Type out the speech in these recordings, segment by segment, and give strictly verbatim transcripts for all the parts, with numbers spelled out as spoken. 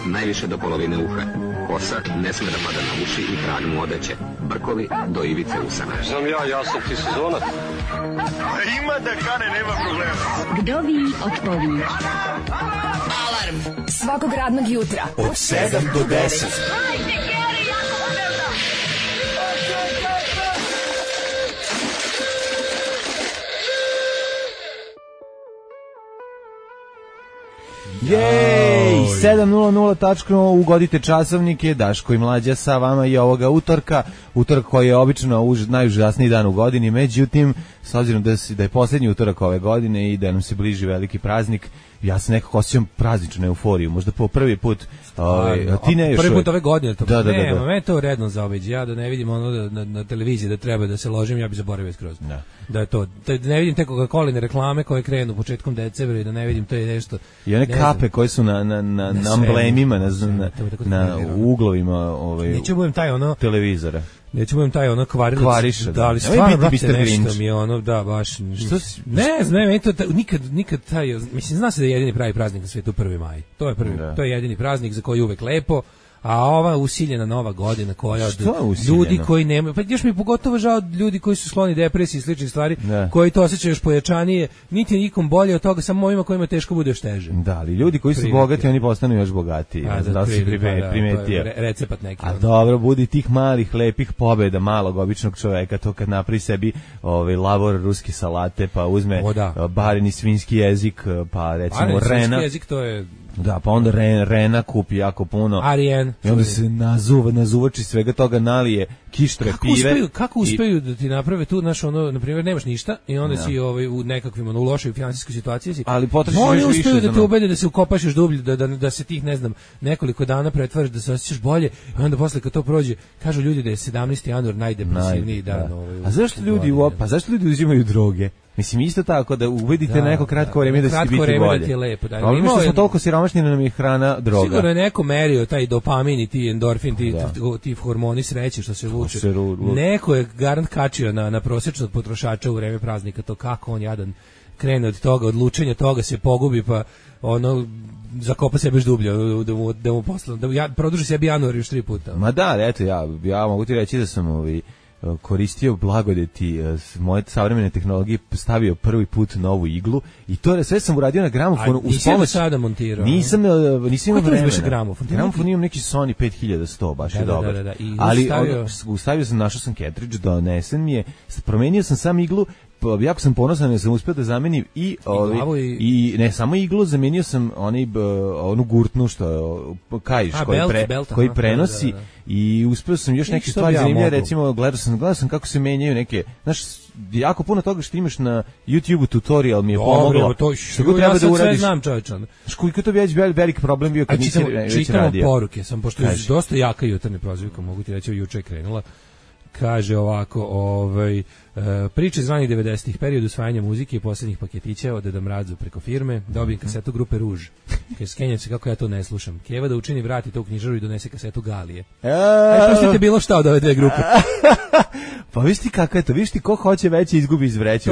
najviše do polovine uha. Kosa ne sme da pada na uši i krag mu odeće. Brkovi do ivice usana. Znam ja, ja sam ti sezonac. Ima da kane, nema problema. Kdovi otpovi. Alarm svakog radnog jutra od sedam do deset. Hajde, Geri, jako se velda. Jej, sedam nula nula tačno, ugodite časovnike, Daško i Mlađa sa vama i ovoga utorka, utorak koji je obično už, najužasniji dan u godini, međutim, s obzirom da, da je posljednji utorak ove godine i da nam se bliži veliki praznik, ja se nekako osjećam prazničnu euforiju, možda po prvi put, ovaj, a ti ne još prvi put ove godine, to da, da, ne, da, da. me to redno zaobiđe, ja da ne vidim ono da, na, na televiziji da treba da se ložim, ja bih zaboravio skroz. Da. Da je to, da ne vidim te Coca-Coline reklame koje krenu početkom decembra i da ne vidim to je nešto. I one kape koje su na na na, na amblemima, na, na, na uglovima ovaj neću budem taj ono televizora. Neću budem taj ono kvarilac. Kvariša, da, ali stvarno brate, nešto mi je ono, da, baš. Što si, ne znam, meni to nikad, nikad taj, mislim, zna se da je jedini pravi praznik na svijetu prvi maj. To je prvi, da. To je jedini praznik za koji je uvek lepo. A ova usiljena nova godina koja od ljudi koji nemaju, pa još mi je pogotovo žao ljudi koji su skloni depresiji i sličnih stvari, ne. Koji to osjećaju još pojačanije, niti nikom bolje od toga, samo ovima kojima teško bude još teže. Da, ali ljudi koji su Primeti. bogati, oni postanu još bogatiji. A, da, da si primetio. primetio. Re, recept neki. A dobro, budi tih malih, lepih pobeda malog, običnog čoveka, to kad napravi sebi ovaj, lavor ruski salate, pa uzme da. bareni svinjski jezik, pa recimo bareni rena. Svinjski jezik, to je... Da, pa onda Ren, Rena kupi jako puno. Arijen. I onda se nazuva, nazuvači svega toga, nalije kištre, kako pive. Uspeju, kako uspeju i... da ti naprave tu, znaš, ono, na primjer, nemaš ništa i onda ja. si ovaj, u nekakvim, ono, u lošoj finansijskoj situaciji si. Ali potrošiš oni više uspeju da te ono... ubede da se ukopaš još dublje, da, da, da se tih, ne znam, nekoliko dana pretvaraš, da se osjećaš bolje i onda posle kad to prođe, kažu ljudi da je sedamnaesti januar najdepresivniji Naj, dan. Da. Ovaj, A zašto ljudi, u, pa zašto ljudi uzimaju droge? Mislim, isto tako, da ubedite da, neko kratko vreme da, da će biti bolje. Da ti je lepo. Da, problem je što smo toliko siromašni da nam je hrana droga. Sigurno je neko merio taj dopamin i ti endorfin, ti, ti, ti hormoni sreće što se vuče. Se ru, ru. Neko je garant kačio na, na prosječnog potrošača u vreme praznika, to kako on jadan krene od toga, od lučenja toga se pogubi, pa ono zakopa sebe još dublje, da mu, da mu posle, da ja, produži sebi januar još tri puta. Ma da, eto, ja, ja mogu ti reći da sam ovi koristio blagodeti moje savremene tehnologije, stavio prvi put novu iglu i to sve sam uradio na gramofonu. A nisi pomoć... sada montirao? Nisam, nisam imao vremena. Gramofon? Gramofon imam neki Sony pet hiljada sto, baš da, je da, dobar. Da, da, da. Ali ustavio... ustavio sam, našao sam cartridge, donesen mi je, promenio sam sam iglu, jako sam ponosan jer sam uspio da zamenim i, ovi, i... i ne samo iglu, zamenio sam onaj, onu gurtnu što kaiš A, koji, belt, pre, belt, koji aha, prenosi da, da, da. I uspio sam još neke stvari ja zanimljive, recimo gledao sam, gledao sam kako se menjaju neke, znaš, jako puno toga što imaš na YouTube tutorial mi je pomoglo. To što treba ja da uradiš. Sve znam, čovječan. Koliko to već veliki problem bio kad nisi već radio. Čitamo poruke, sam pošto je dosta jaka jutarnja prozivka, mogu ti reći, juče je krenula. Kaže ovako, ovaj, e, priče iz ranih devedesetih, period usvajanja muzike i posljednjih paketića od Deda Mrazu preko firme, dobijem kasetu grupe Ruž. Kaže, skenjam se kako ja to ne slušam. Keva da učini vrati to u knjižaru i donese kasetu Galije. E, pustite bilo šta od ove dve grupe. Pa viš ti kako je to, viš ti ko hoće veće izgubi iz vreće.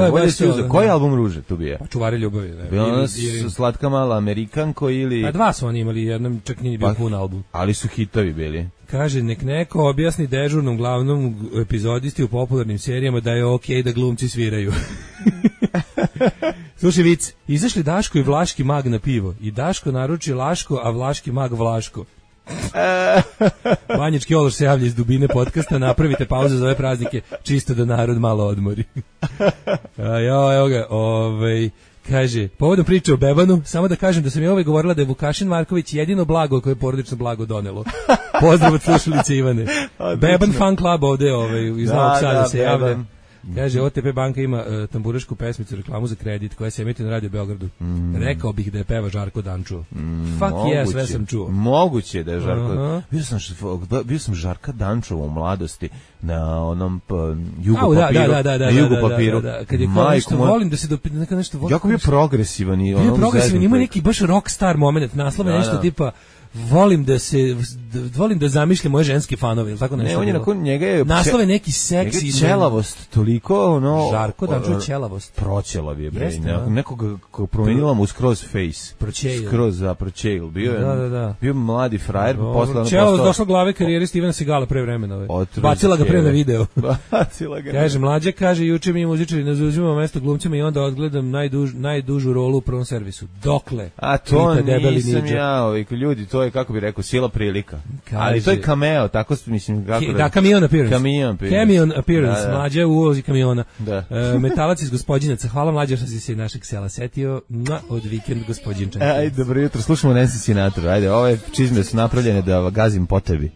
Koji album Ruže tu bio? Pa Čuvari ljubavi. Ne? Bilo ona slatka mala Amerikanko ili... Pa dva su oni imali, jednom čak nije bio pa, pun album. Ali su hitovi bili. Kaže, nek neko objasni dežurnom glavnom epizodisti u popularnim serijama da je okej okay da glumci sviraju. Slušaj vic, izašli Daško i Vlaški mag na pivo i Daško naruči Laško, a Vlaški mag Vlaško. Banjički Ološ se javlja iz dubine podcasta, napravite pauzu za ove praznike, čisto da narod malo odmori. A, jo, evo ga, ovaj... Kaže, povodom priče o Bebanu, samo da kažem da sam je ovaj govorila da je Vukašin Marković jedino blago koje je porodično blago donelo. Pozdrav od slušalice Ivane. Beban fan club ovde ovaj, iz Novog Sada se javlja. Kaže, O T P banka ima uh, tamburašku pesmicu, reklamu za kredit koja se emituje na Radio Beogradu. Mm. Rekao bih da je peva Žarko Dančo. Mm, Fuck moguće, yeah, sve sam čuo. Moguće da je Žarko. Uh-huh. Bio sam, bio sam Žarka Dančova u mladosti na onom pa, jugo Au, papiru. Da, da, da, na da, jugo da, papiru. Da, da, da. Kad je kao nešto moj... volim da se dopita neka nešto volim. Jako bio progresivan i ono. Bio progresivan, ima neki baš rockstar moment, naslov je nešto tipa volim da se da, volim da zamišljam moje ženske fanove, ili tako nešto. Ne, on je nakon njega je naslove neki seksi, ćelavost, toliko ono Žarko da čuje ćelavost. Proćelav je bre, Jeste, ne, nekog ko promenila mu skroz face. Proćel. Skroz za proćel. Bio je. Da, da, da. Bio mladi frajer, pa posle ono Ćelavost došla glave karijere Stevena Segala pre vremena. Ovaj. Bacila ga pre na video. Bacila ga. Kaže mlađe, kaže juče mi muzičari ne zauzimamo mesto glumcima i onda odgledam najduž, najdužu rolu u prvom servisu. Dokle? A to nisam ja, ovaj, ljudi, to je, kako bi rekao, sila prilika. Kaže, ali to je cameo, tako mislim, kako da, camion appearance. Camion appearance. Camion appearance, da, da. Mlađe u ulozi kamiona. Da. E, metalac iz Gospodinaca, hvala mlađe što si se našeg sela setio, Mua, od vikend Gospodinčanke. Ajde, dobro jutro, slušamo Nancy Sinatra, ajde, ove čizme su napravljene da gazim po tebi.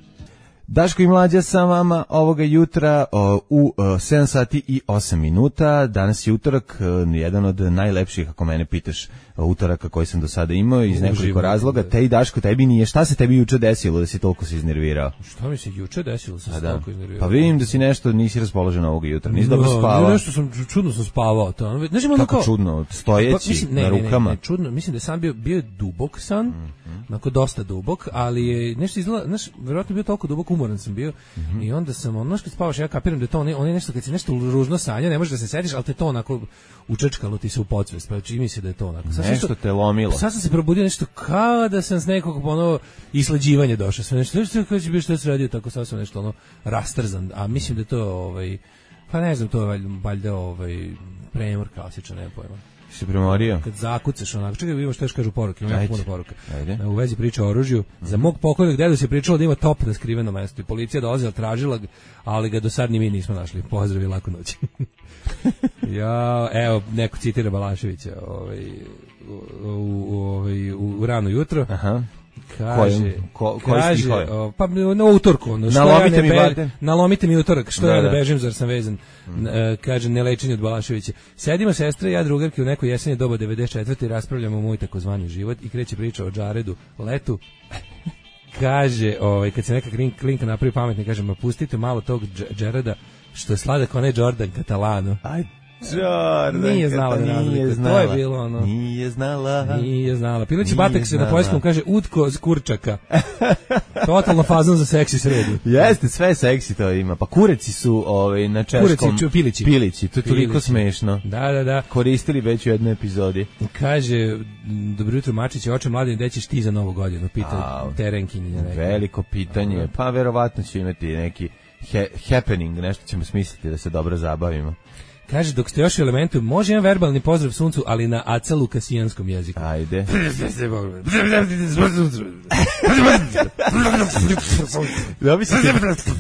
Daško i Mlađa sa vama ovoga jutra o, u o, sedam sati i osam minuta. Danas je utorak, o, jedan od najlepših, ako mene pitaš, utoraka koji sam do sada imao iz nekoliko Uživo, razloga. Te i Daško, tebi nije. Šta se tebi juče desilo da si toliko se iznervirao? Šta mi se juče desilo da sam se toliko iznervirao? Pa vidim da si nešto, nisi raspoložen ovoga jutra, nisi no, dobro spavao. Nešto sam, čudno sam spavao. To. Znaš, kako kao, čudno? Stojeći, pa, mislim, ne, na rukama? Ne, ne, ne, čudno, mislim da sam bio, bio je dubok san, mm-hmm. onako dosta dubok, ali je nešto izgleda, znaš, verovatno bio toliko dubok, umoran sam bio. Mm-hmm. I onda sam, ono što spavaš, ja kapiram da je to, on je, on je nešto, kad si nešto ružno sanja, ne možeš da se setiš, ali te to onako učečkalo ti se u podsvest, pa čini mi se da je to onako. Sad nešto te lomilo. Sad sam se probudio nešto kao da sam s nekog ono isleđivanja došao, sve nešto, nešto kao će biti što se radio, tako sad sam nešto ono rastrzan, a mislim da je to, ovaj, pa ne znam, to je valjda ovaj, premor klasičan, nema pojma. Si premorio? Kad zakucaš onako, čekaj, vidimo što još kažu poruke, ima puno poruka. Ajde. U vezi priča o oružju. Mm-hmm. Za mog pokojnog dedu se pričalo da ima top na skriveno mesto i policija dolazila, tražila ga, ali ga do sad ni mi nismo našli. Pozdrav i laku noć. Ja, evo, neko citira Balaševića ovaj, u, u, ovaj, u, u rano jutro. Aha. Kaže, ko, koji kaže o, pa na utorku, ono, što nalomite ja ne mi be, nalomite mi utorak, što da, ja ne da. bežim, zar sam vezan. Mm. E, kaže, ne lečenje od Balaševića. Sedimo sestre, ja drugarke u nekoj jesenje doba devedeset četvrte i raspravljamo moj takozvani život i kreće priča o Džaredu, letu. Kaže, ovaj, kad se neka klinka napravi pametni, kaže, ma pustite malo tog Džareda, što je sladak onaj Jordan Catalano. Aj, Jordan, nije znala da razlikuje, to je bilo ono. Nije znala. Nije znala. Pileći Batek se na poljskom kaže utko z kurčaka. Totalno fazon za seksi sredu. Jeste, sve seksi to ima. Pa kureci su ovaj, na češkom. Kureci, pilići. Pilići, to je toliko smešno. Da, da, da. Koristili već u jednoj epizodi. Kaže, dobro jutro Mačić, oče mladine, gde ćeš ti za novu godinu? Pita terenkinja. Veliko pitanje. Pa verovatno će imati neki he, happening, nešto ćemo smisliti da se dobro zabavimo. Kaže, dok ste još u elementu, može jedan verbalni pozdrav suncu, ali na aca lukasijanskom jeziku. Ajde.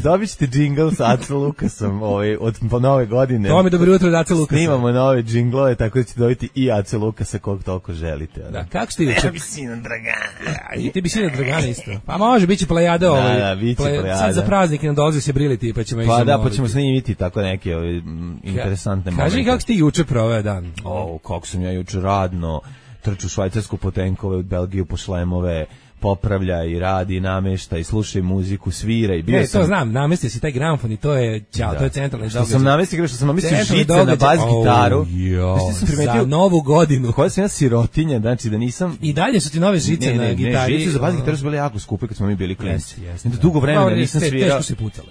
Dobit ćete džingl sa Aca Lukasom ovaj, od nove godine. To mi dobro jutro od Aca Lukasa. Snimamo nove džinglove, tako da ćete dobiti i Aca Lukasa kog toliko želite. Da, kako ste juče? Ja bi sina Dragana. I ti bi sina Dragana isto. Pa može, bit će plejada. Ovaj, da, da, bit će plejada. Sad za praznik nam dolazi se briliti, pa ćemo... Pa da, pa ćemo snimiti tako neke ovaj, interesantne momente. Kaži kako ti juče proveo dan? O, kako sam ja juče radno, trču švajcarsku po tenkove, u Belgiju po šlemove, popravlja i radi, namešta i sluša muziku, svira i bio e, sam... to znam, namestio si taj gramofon i to je, ćao, to je centralni događaj. Što sam namestio, što sam namestio žice na bas gitaru. Oh, za novu godinu. Koja sam ja sirotinja, znači da nisam... I dalje su ti nove žice ne, ne, na gitari. Ne, žice za bas gitaru su bile jako skupe kad smo mi bili klinci. Dugo vremena nisam svirao.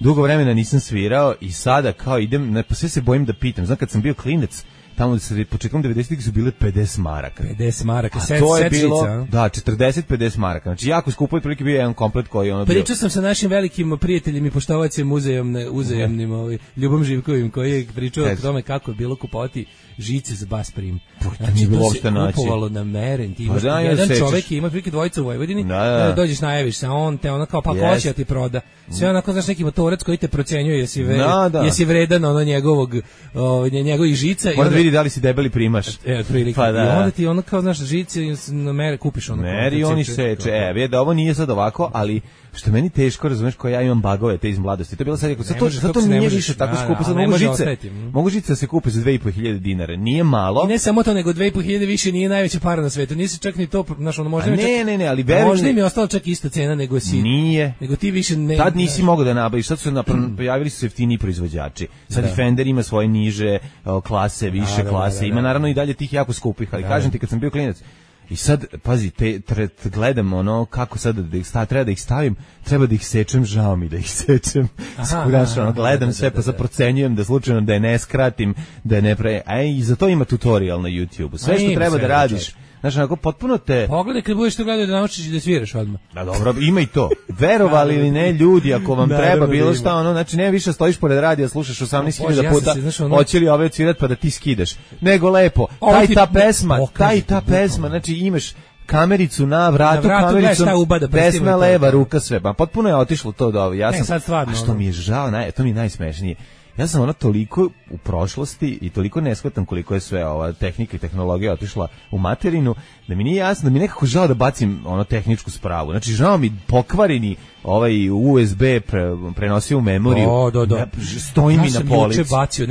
Dugo vremena nisam svirao i sada kao idem, ne, pa sve se bojim da pitam. Znam kad sam bio klinac, tamo se početkom devedesetih su bile pedeset maraka. pedeset maraka, set, to je set bilo, žica, da, četrdeset pedeset maraka. Znači jako skupo je, prilike bio jedan komplet koji ono bio. Pričao sam sa našim velikim prijateljem i poštovacem uzajamne, uzajamnim, ovaj, Ljubom Živkovim, koji je pričao o tome kako je bilo kupovati žice za bas prim. Znači, to se kupovalo na meren. Ti imaš pa da, jedan čovek i ima prilike dvojica u Vojvodini, da, da. dođeš, najaviš se, on te ono kao pa yes. hoće ti proda. Sve onako, znaš, neki motorac koji te procenjuje jesi, ve, da, da. jesi vredan ono njegovog, o, njegovih žica. Možda vidi da li si debeli primaš. E, otprilike. Pa da. I onda ti ono kao, znaš, žice na mere kupiš ono. Meri oni seče. E, vidi da ovo nije sad ovako, ali što meni teško, razumeš, koja ja imam bagove te iz mladosti. To je bilo sad, ako sad to, sad to nije više tako skupo, sad mogu žice. Mogu žice da se kupe za dve i po hiljade dinara. Nije malo. I ne samo to, nego dve i po hiljade više nije najveća para na svetu. Nisi čak ni to, znaš, ono možda ne, čak, ne, ne, ali verujem. Možda mi je ostala čak ista cena nego si. Nije. Nego ti više ne. Tad nisi mogao da nabaviš, sad su pojavili su se jeftiniji proizvođači. Sad da. Fender ima svoje niže klase, više da, klase. Da, da, da, ima naravno i dalje tih jako skupih, ali da, kažem ti kad sam bio klinac, I sad, pazi, te, tre, gledam ono kako sad da ih sta, treba da ih stavim, treba da ih sečem, žao mi da ih sečem. Skuraš, ono, gledam sve, pa sad procenjujem da slučajno da je ne skratim, da je ne pre... A i za to ima tutorial na YouTube. Sve što treba da radiš, znaš, onako, potpuno te... Pogledaj kad budeš to gledao da naučiš da sviraš odmah. Da, dobro, ima i to. Verovali ili ne, ljudi, ako vam treba bilo šta, ono, znači, ne više stojiš pored radija, slušaš osamnaest hiljada puta, hoće li ove odsvirat pa da ti skidaš. Nego lepo, taj ta pesma, taj ta pesma, znači, imaš kamericu na vratu, na vratu kamericu, desna, leva, ruka, sve. Pa potpuno je otišlo to do ovo. Ja sam, ne, sad stvarno. A što mi je žao, naj, to mi je najsmešnije. Ja sam ona toliko u prošlosti i toliko neshvatam koliko je sve ova tehnika i tehnologija otišla u materinu, da mi nije jasno, da mi nekako žao da bacim ono tehničku spravu. Znači, žao mi pokvareni ovaj U S B pre, prenosio u memoriju. O, do, do. Ja, stoji ja mi na polici.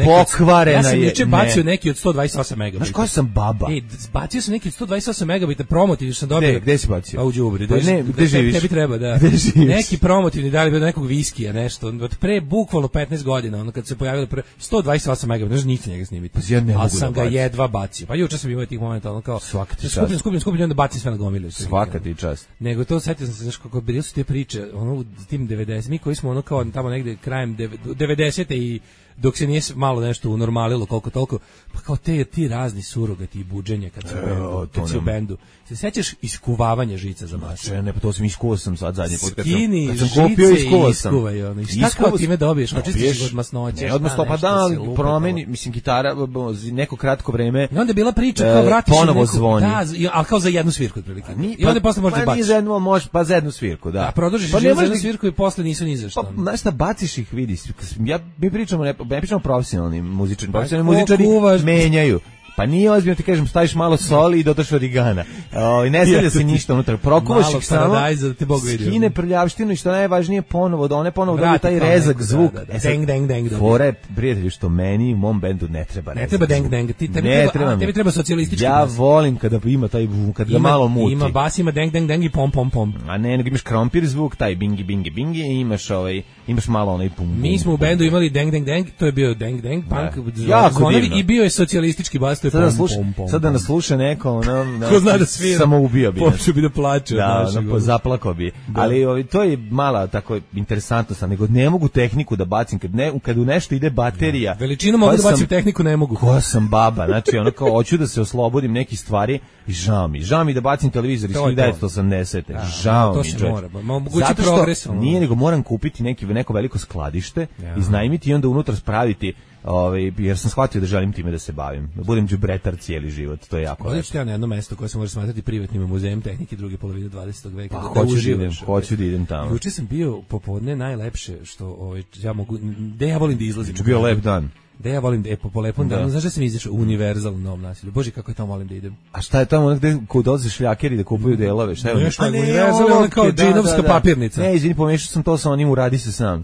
Pokvarena je. Ja sam juče bacio neki od sto dvadeset osam megabita. Znaš koja sam baba? Ej, bacio sam neki od sto dvadeset osam megabita promotivni što sam dobio. Gde, gde si bacio? Pa u đubri. Pa ne, gde živiš? Tebi treba, da. Neki promotivni dali bi od nekog viskija, nešto. Od pre bukvalno petnaest godina, ono kad se pojavilo pre sto dvadeset osam megabita, znači niti njega snimiti. Pa ja ne mogu. Ali sam ga jedva bacio. Pa juče sam imao tih momenta, ono kao svaka ti čast. Skupim, skupim, skupim, onda bacim sve na gomilu. Svaka ti čast. Nego to setio sam se, znaš, kako bili su te priče, ono u tim devedesetim, mi koji smo ono kao tamo negde krajem devedesete i dok se nije malo nešto unormalilo koliko toliko, pa kao te ti razni surogati i buđenje kad se u bendu, kad se u bendu. Se sećaš iskuvavanja žica za bas? Ne, pa to sam iskuo sam sad zadnji put. Skini kad sam, kad sam kupio, iskuo sam. Iskuvaj, ono. I šta kao time dobiješ? Očistiš od masnoće? Ne, odmah pa da, promeni, mislim, gitara, neko kratko vreme. I onda je bila priča kao vratiš ponovo zvoni. Da, ali kao za jednu svirku otprilike. I onda posle možeš da baciš. Pa nije za jednu, možeš, pa za jednu svirku, da. A produžiš za jednu svirku i posle nisu ni za šta. Pa, znaš šta, baciš ih, vidi. Ja, mi pričamo, ne pričamo profesionalni muzičari, profesionalni muzičari menjaju. Pa nije ozbiljno, ti kažem, staviš malo soli i dodaš origana. O, i ne stavlja se ništa unutra. Prokuvaš ih samo, skine prljavštinu i što najvažnije ponovo, da one ponovo dobiju taj rezak zvuk. Da, da, da. Deng, deng, deng. Fore, prijatelji, što meni u mom bendu ne treba rezak. Ne treba deng, deng. Ti, tebi, ne treba, a, tebi treba socijalistički ja bas. Volim kada ima taj, kad ga malo muti. Ima bas, ima deng, deng, deng i pom, pom, pom. A ne, nego imaš krompir zvuk, taj bingi, bingi, bingi i imaš, ovaj, imaš malo onaj pum, pum. Mi smo u bendu imali deng, deng, deng, to je bio deng, deng, punk, zvonovi i bio je socijalistički bas, to je pom, pom, pom. Sad da nas sluša neko, ono, ko zna da svira, samo ubio bi. Počeo bi da plače. Da, ono, zaplakao bi. Da. Ali ovi, to je mala tako interesantno sam, nego ne mogu tehniku da bacim, kad, ne, kad u nešto ide baterija. Da. Veličinu mogu da bacim, sam, tehniku ne mogu. Koja sam baba, znači ono kao, hoću da se oslobodim nekih stvari i žao mi. Žao mi da bacim televizor iz hiljadu devetsto osamdesete. Da, žao to mi. To se mora, mogući progres. Nije, nego moram kupiti neki, neko veliko skladište, ja. Iznajmiti i onda unutra spraviti. Ovaj, jer sam shvatio da želim time da se bavim. Da budem đubretar cijeli život, to je jako lepo. Odlično, ja na jedno mesto koje se može smatrati privatnim muzejem tehnike druge polovine dvadesetog veka. Pa, da hoću, da idem, hoću da idem tamo. Juče sam bio popodne najlepše što ovaj, ja mogu, gde ja volim da izlazim. Juče bio lep dan. Da ja volim da je po, po lepom danu, znaš da sam izašao u Univerzal u Novom Naselju. Bože, kako je tamo volim da idem. A šta je tamo gde kod dolaze šljakeri da kupuju delove? Šta je ono? Nešto, Univerzal je ono kao džinovska papirnica. Ne, izvini, pomešao sam to sa onim, uradi se sam.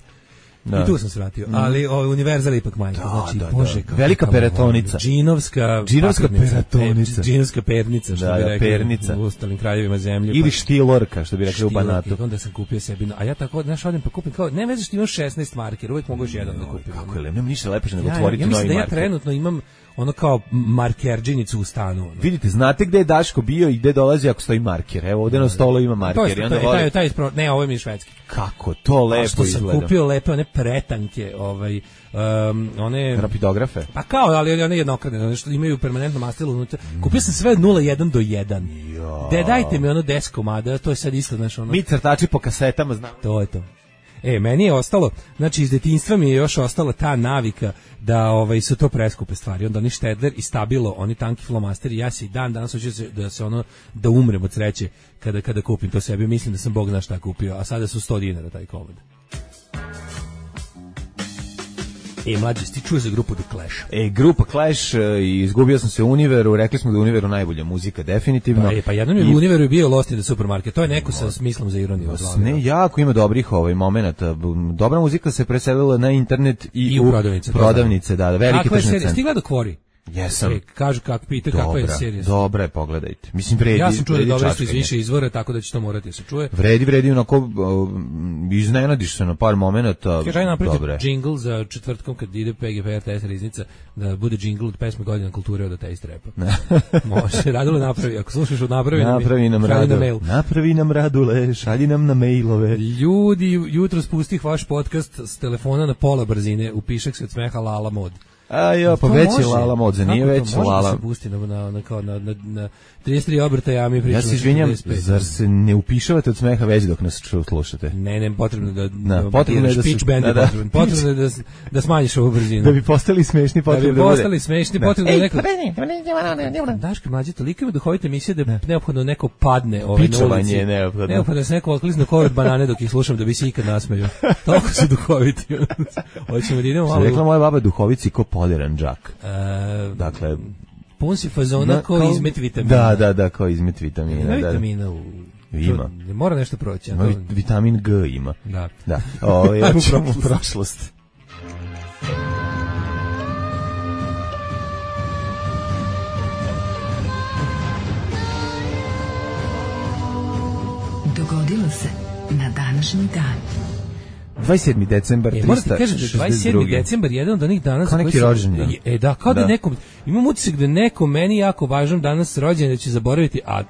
Da. I tu sam se vratio, mm. ali ovaj Univerzal ipak majka, da, znači da, bože da. Velika peratonica, džinovska, džinovska peratonica, e, džinovska pernica, što da, bi rekli pernica. U ostalim krajevima zemlje. Ili pa, štilorka, što bi rekli u Banatu. Onda sam kupio sebi, a ja tako, znaš, odem pa kupim kao, ne veze što imam šesnaest marker, uvijek mogu još jedan da kupim. Kako je, nema ništa lepo nego ja, otvoriti ja, novi marker. Ja mislim da ja marker. trenutno imam ono kao markerđinicu u stanu. Ono. Vidite, znate gde je Daško bio i gde dolazi ako stoji marker. Evo, ovde na stolu ima marker. To je, to je, taj, taj, taj, ne, ovo mi je švedski. Kako to lepo što izgleda. Sam kupio lepe one pretanke, ovaj, um, one... rapidografe. Pa kao, ali one jednokratne, one što imaju permanentno mastilo unutra. Kupio sam sve od nula jedan do jedan. Ja. De, dajte mi ono deset komada, to je sad isto, znaš, ono... Mi crtači po kasetama, znam. To je to. E, meni je ostalo, znači iz detinjstva mi je još ostala ta navika da ovaj su to preskupe stvari. Onda oni Štedler i Stabilo, oni tanki flomasteri, ja se i dan danas hoću da se ono da umrem od sreće kada kada kupim to sebi. Mislim da sam bog zna šta kupio, a sada su sto dinara taj komad. E, mlađe, ti čuo za grupu The Clash? E, grupa Clash, i izgubio sam se u Univeru, rekli smo da je Univeru najbolja muzika, definitivno. Pa, e, pa jednom je I... u Univeru bio Lost in the Supermarket, to je neko sa smislom za ironiju. Ne, jako ima dobrih ovaj momenata. Dobra muzika se preselila na internet i, I u prodavnice. Prodavnice, da, da, velike tržne centre. Stigla do Kvori? Jesam. E, kažu kako pita kakva je serija. Dobra je, pogledajte. Mislim, vredi. Ja sam čuo da dobro iz čačkanje. više izvora, tako da će to morati da se čuje. Vredi, vredi, onako, uh, iznenadiš se na par momenata. Kaže, aj napravite Dobre. džingl za četvrtkom kad ide P G P R T S riznica, da bude džingl od pesme Godina kulture od Ateist Rapa. Može, Radule napravi, ako slušaš od napravi, napravi nam, nam Radule, na mail. napravi nam Radule, šalji nam na mailove. Ljudi, jutro spustih vaš podcast s telefona na pola brzine, upišak se od smeha Lala Mod. A jo, pa To već je može. Lala Mod, za nije Kako to već može Lala. da se pusti na, na, na, kao na, na, na trideset tri obrtaja, a mi pričamo Ja se izvinjam, četrdeset pet. zar se ne upišavate od smeha već dok nas ču- slušate? Ne, ne, potrebno da, Da, da potrebno je da se- pitch bend je da, da. potrebno. Potrebno je da, s- da smanjiš ovu brzinu. Da bi postali smešni, Da potrebno bi da bude. postali smešni, Da. potrebno da Ej, neko... pa Daška mlađe, toliko ima duhovite emisije da je neophodno neko padne ovaj, na Pičovanje ulici. je neophodno. Neophodno da se neko otklizne kovet banane dok ih slušam da bi se ikad nasmeju. Toliko su duhoviti. Hoćemo da idemo Što malo... je rekla moja baba, duhovici ko podiran džak. E, Dakle, pun si fazona na- kao kao- izmet vitamina. Da, da, da, kao izmet vitamina. Ima Da, da. vitamina u... Ima. To mora nešto proći. a Ima to- vi- vitamin G ima. Da. Da. O, ja Ajmo u ću u prošlost. prošlost. Dogodilo se na današnji dan. dvadeset sedmi decembar E, moram ti kažem da je trista šezdeset dvadeset sedmi drugi. decembar jedan od onih dana... Kao za neki koji sam- rođendan. E, da, kao da, Da. nekom... Imam utisak da neko meni jako važan danas rođendan da će zaboraviti, a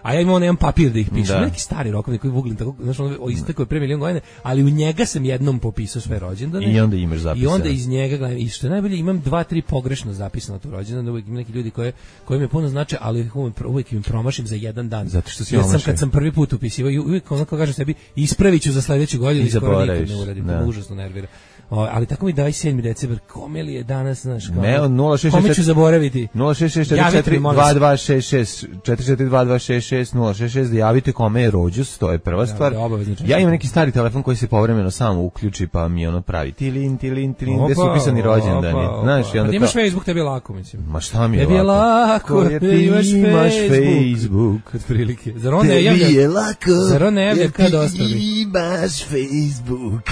a ja imam nemam papir da ih pišem. Da. Neki stari rokovi koji vuglim tako, znaš, ono o istekao je pre milion godina, ali u njega sam jednom popisao sve rođendane. I onda imaš I zapisano. onda iz njega gledam, i što je najbolje, imam dva, tri pogrešno zapisano tu rođendan, uvijek ima neki ljudi koje, koje mi puno znače, ali uvijek, uvijek im promašim za jedan dan. Zato što si Jer sam omašio. kad sam prvi put upisivao, i uvijek ono kao kažem sebi, ispravit ću za sledeću godinu I i skoro nikad zaboraviš, ne uradim, da. to me užasno nervira. O, ali tako mi dvadeset sedmi decembar, kome li je danas, znaš, kao, Ne, on nula šest kome šest ću zaboraviti? nula šest šest četiri Javite četiri mi, molim dva dva šest šest četiri četiri dva dva šest šest nula šest šest da javite kome je rođus, to je prva stvar. da, obavezno češće. Ja imam neki stari telefon koji se povremeno samo uključi pa mi ono pravi tilin, tilin, tilin, gde su Opa, upisani rođendani. opa, Znaš, i opa. onda Pa da imaš kao, Facebook, tebi je lako, mislim. ma šta mi je Tebi je lako? lako, Ko je da ti imaš imaš Facebook. Facebook. Otprilike. Zar on ne Tebi javlja? je lako, Zar on ne javlja jer kad ti ostali? imaš Facebook.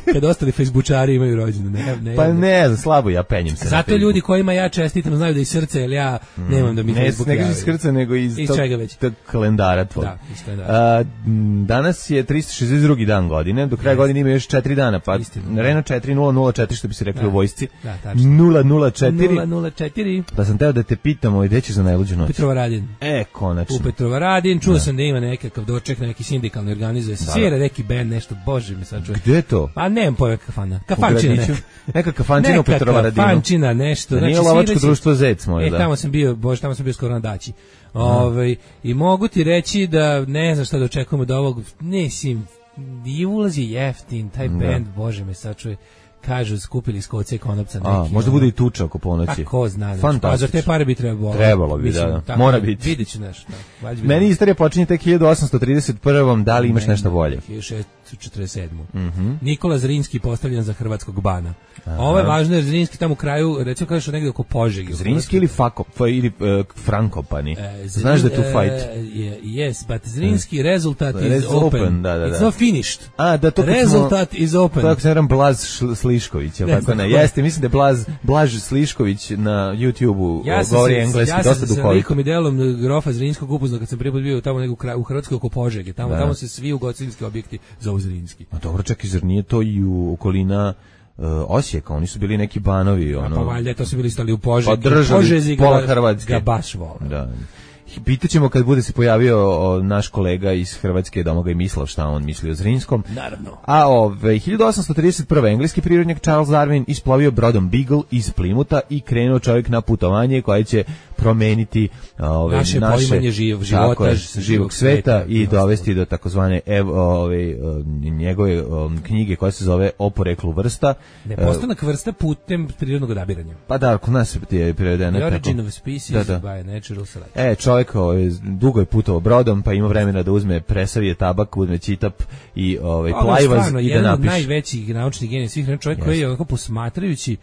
Kad ostali Facebookčari imaju rođendan, ne, ne Pa javlja. ne, znam, slabo ja penjem se na Zato Facebook. ljudi kojima ja čestitam znaju da iz srca, jer ja nemam da mi Ne, Facebook ne javi. iz srca, nego iz, Iz tog, čega već? tog kalendara tvog. Da, iz kalendara. A, m, danas je trista šezdeset drugi dan godine, do kraja godine ima još četiri dana, pa Istina. Reno četiri nula nula četiri, što bi se rekli Da. u vojsci, Da, tačno. nula nula četiri, nula nula četiri pa sam teo da te pitam, ovaj, gde ćeš za najluđu noć? Petrova Radin. E, konačno. U Petrova Radin, čuo sam da ima nekakav doček, neki sindikalni organizuje se. Svira neki band, nešto, bože mi sad čuje. Gde je to? Pa nemam pojma kafana. U Kafančina gradiću? neka. Neka kafančina u Petrova Radinu. Kafančina, nešto. Da nije Znači, lovačko svira se- društvo Zec, možda. E, tamo sam bio, bože, tamo sam bio skoro na daći. Ovaj, i mogu ti reći da ne znam šta da očekujemo od ovog, ne, sim, i ulaz je jeftin, taj band, bože me sad čuje, kažu, skupili iz koce i konopca neki. A, možda ono. bude i tuča oko ponoći. Pa ko zna, znači, pa za Fantastično. te pare bi trebalo. Trebalo bi, Mislim, da, da. tako Mora biti. Vidjet ću nešto. Da, valjda bi Meni dobro. istorija počinje tek hiljadu osamsto trideset prvom, da li imaš nešto bolje? hiljadu šeststo četrdeset sedam. Mhm. Nikola Zrinski postavljen za hrvatskog bana. Ovo je važno jer Zrinski tamo u kraju, recimo kažeš negdje oko Požege. Zrinski ili Fako, fa- ili uh, Frankopani. E, Zrin- Znaš da je tu fight? e, je- yes, but Zrinski result is Res open. open, da, da, da. It's not finished. A, da to kad smo- Rezultat is open. To ako se ne varam Blaz Šl- Slišković, jel Ne tako znam ne? ko je. Jeste, mislim da je Blaz, Blaž Slišković na YouTubeu Ja sam govori se, engleski, ja sam dosta se sa duhovito. likom i delom grofa Zrinskog upoznao kad sam prvi put bio tamo nego u kraju- u Hrvatskoj oko Požege. Tamo, Da. tamo se svi ugostiteljski objekti zovu Zrinski. A dobro, čekaj, zar nije to i u okolina uh, Osijeka? Oni su bili neki banovi, A ono... pa valjda to su bili stali u Požegi. Pa držali Požezi ga- pola Hrvatske. ga baš vole. Da. Pitaćemo kad bude se pojavio o, naš kolega iz Hrvatske, Domagoj Mislav, šta on misli o Zrinskom. Naravno. A ove, hiljadu osamsto trideset prve. engleski prirodnjak Charles Darwin isplovio brodom Beagle iz Plimuta i krenuo čovjek na putovanje koje će promeniti ove, Naše poimanje živ- života, tako je, živog živog sveta sveta i i dovesti do takozvane ev, ove, njegove um, knjige koja se zove O poreklu vrsta. Ne, E, postanak vrsta putem prirodnog odabiranja. pa da, kod nas je prevedeno The tako. origin of species Da, da. by natural selection. E, čovjek ovaj, dugo je putovao brodom, pa ima vremena da uzme presavije tabak, uzme čitap i ovaj, Ovo je plajvaz stvarno i da jedan od napiše. najvećih naučnih genija svih vremena, čovjek koji je onako posmatrajući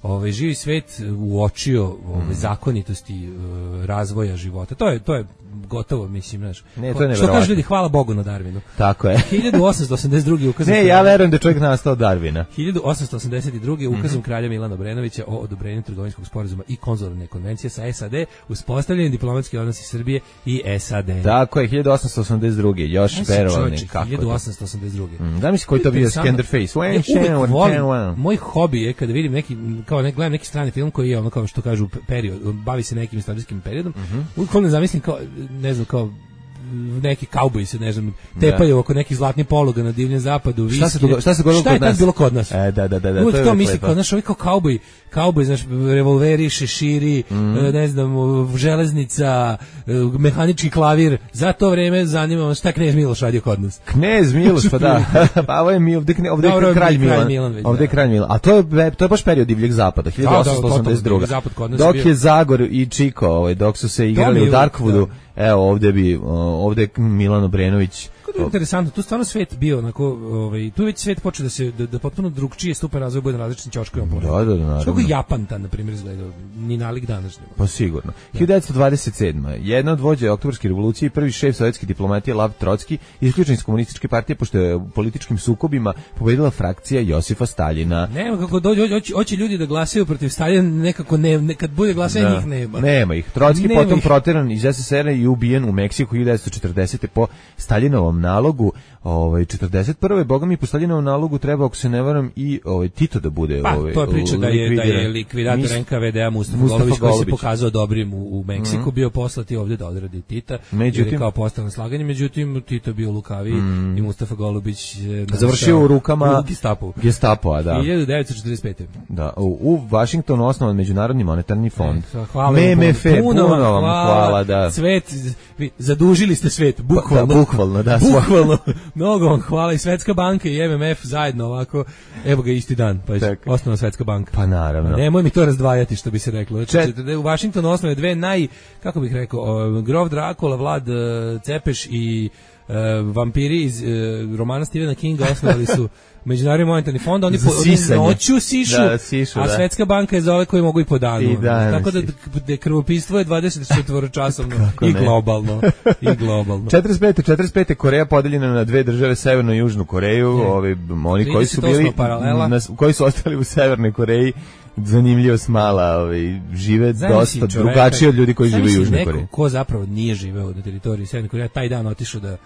ovaj živi svet uočio ove mm. zakonitosti uh, razvoja života. To je to je gotovo, mislim, znaš. Ne, to je što kaže ljudi, hvala Bogu na Darwinu. Tako je. hiljadu osamsto osamdeset druge ukazom. Ne, ja verujem da je čovjek nastao od Darwina. hiljadu osamsto osamdeset druge ukazom mm-hmm. kralja Milana Obrenovića o odobrenju trgovinskog sporazuma i konzularne konvencije sa S A D, uspostavljeni diplomatski odnosi Srbije i S A D. Tako je, hiljadu osamsto osamdeset druge još verovali kako. hiljadu osamsto osamdeset druge Mm, da mi se koji to bio Skenderface. Ja volim, moj hobi je kada vidim neki, kao ne gledam neki strani film koji je ono kao što kažu period, bavi se nekim istorijskim periodom, mm-hmm. uvijek ne zamislim kao, ne znam, kao neki kauboji se, ne znam, tepaju oko nekih zlatnih poluga na divljem zapadu, viske. Šta se dogodilo, šta se dogodilo kod nas? Šta je tad bilo kod nas? E, da, da, da, da, uvijek to je to misli, kao, znaš, ovi kao kauboji, kauboji, znaš, revolveri, šeširi, mm. ne znam, železnica, mehanički klavir, za to vreme zanima šta Knez Miloš radio kod nas. Knez Miloš, pa da, pa ovo je mi, ovdje, ovdje Dobro, je kralj Milan, Milan već, ovdje je kralj Milan, a to je, to je baš period divljeg zapada, hiljadu osamsto osamdeset druge Dok je Zagor i Čiko, ovaj, dok su se igrali u Darkwoodu, evo ovdje bi, ovdje je Milan Obrenović. To je interesantno, tu stvarno svet bio onako, ovaj, tu već svet počeo da se da, da potpuno drugčije stupa razvoj bude na različitim ćoškovima. Da, da, da, naravno. Kako Japan ta na primjer izgledao, ni nalik današnjeg. Pa sigurno. hiljadu devetsto dvadeset sedma Jedna od vođa Oktobarske revolucije i prvi šef sovjetske diplomatije Lav Trotski isključen iz komunističke partije pošto je u političkim sukobima pobedila frakcija Josifa Staljina. Nema kako dođe, hoće ljudi da glasaju protiv Staljina, nekako ne, ne kad bude glasanje njih nema. Nema ih. Trotski nema potom ih. Proteran iz S S R-a i ubijen u Meksiku hiljadu devetsto četrdesete po Staljinovom nalogu. Ovaj četrdeset prve Boga mi po Staljinovom nalogu treba, ako se ne varam, i ovaj Tito da bude pa, ovaj. To je priča da je da je likvidator N K V D-a Mustafa, Mustafa Golubić, koji se pokazao dobrim u, u Meksiku, mm-hmm. bio poslati ovdje da odradi Tita, međutim, jer je kao postao na slaganje, međutim Tito bio lukavi mm. i Mustafa Golubić završio u rukama u Gestapu. Gestapoa, da. hiljadu devetsto četrdeset pete Da, u, u Vašingtonu osnovan Međunarodni monetarni fond. E, hvala M M F, puno, puno vam hvala, hvala, da. Svet, vi zadužili ste svet, bukvalno. Da, bukvalno, da. Bukvalno. Mnogo vam hvala, i Svetska banka i M M F zajedno ovako. Evo ga isti dan, pa je osnovna Svetska banka. Pa naravno. Nemoj mi to razdvajati, što bi se reklo. Znači, Čet... u Vašingtonu osnove dve naj, kako bih rekao, Grof Drakula, Vlad Cepeš i uh, vampiri iz uh, romana Stephena Kinga osnovali su Međunarodni monetarni fond, oni po noću sišu, da, sišu, a da. Svetska banka je za ove koji mogu i po danu. I tako da, da krvopistvo je dvadeset četiri časovno i globalno. I globalno. četrdeset pete četrdeset pete Koreja podeljena na dve države, Severnu i Južnu Koreju. Ovi, oni koji su bili, na, koji su ostali u Severnoj Koreji, zanimljivo smala, ovaj, žive Zamisli dosta čoveka, drugačije od ljudi koji žive u Južnoj Koreji. Ko zapravo nije živeo na teritoriji Severne Koreje, taj dan otišao da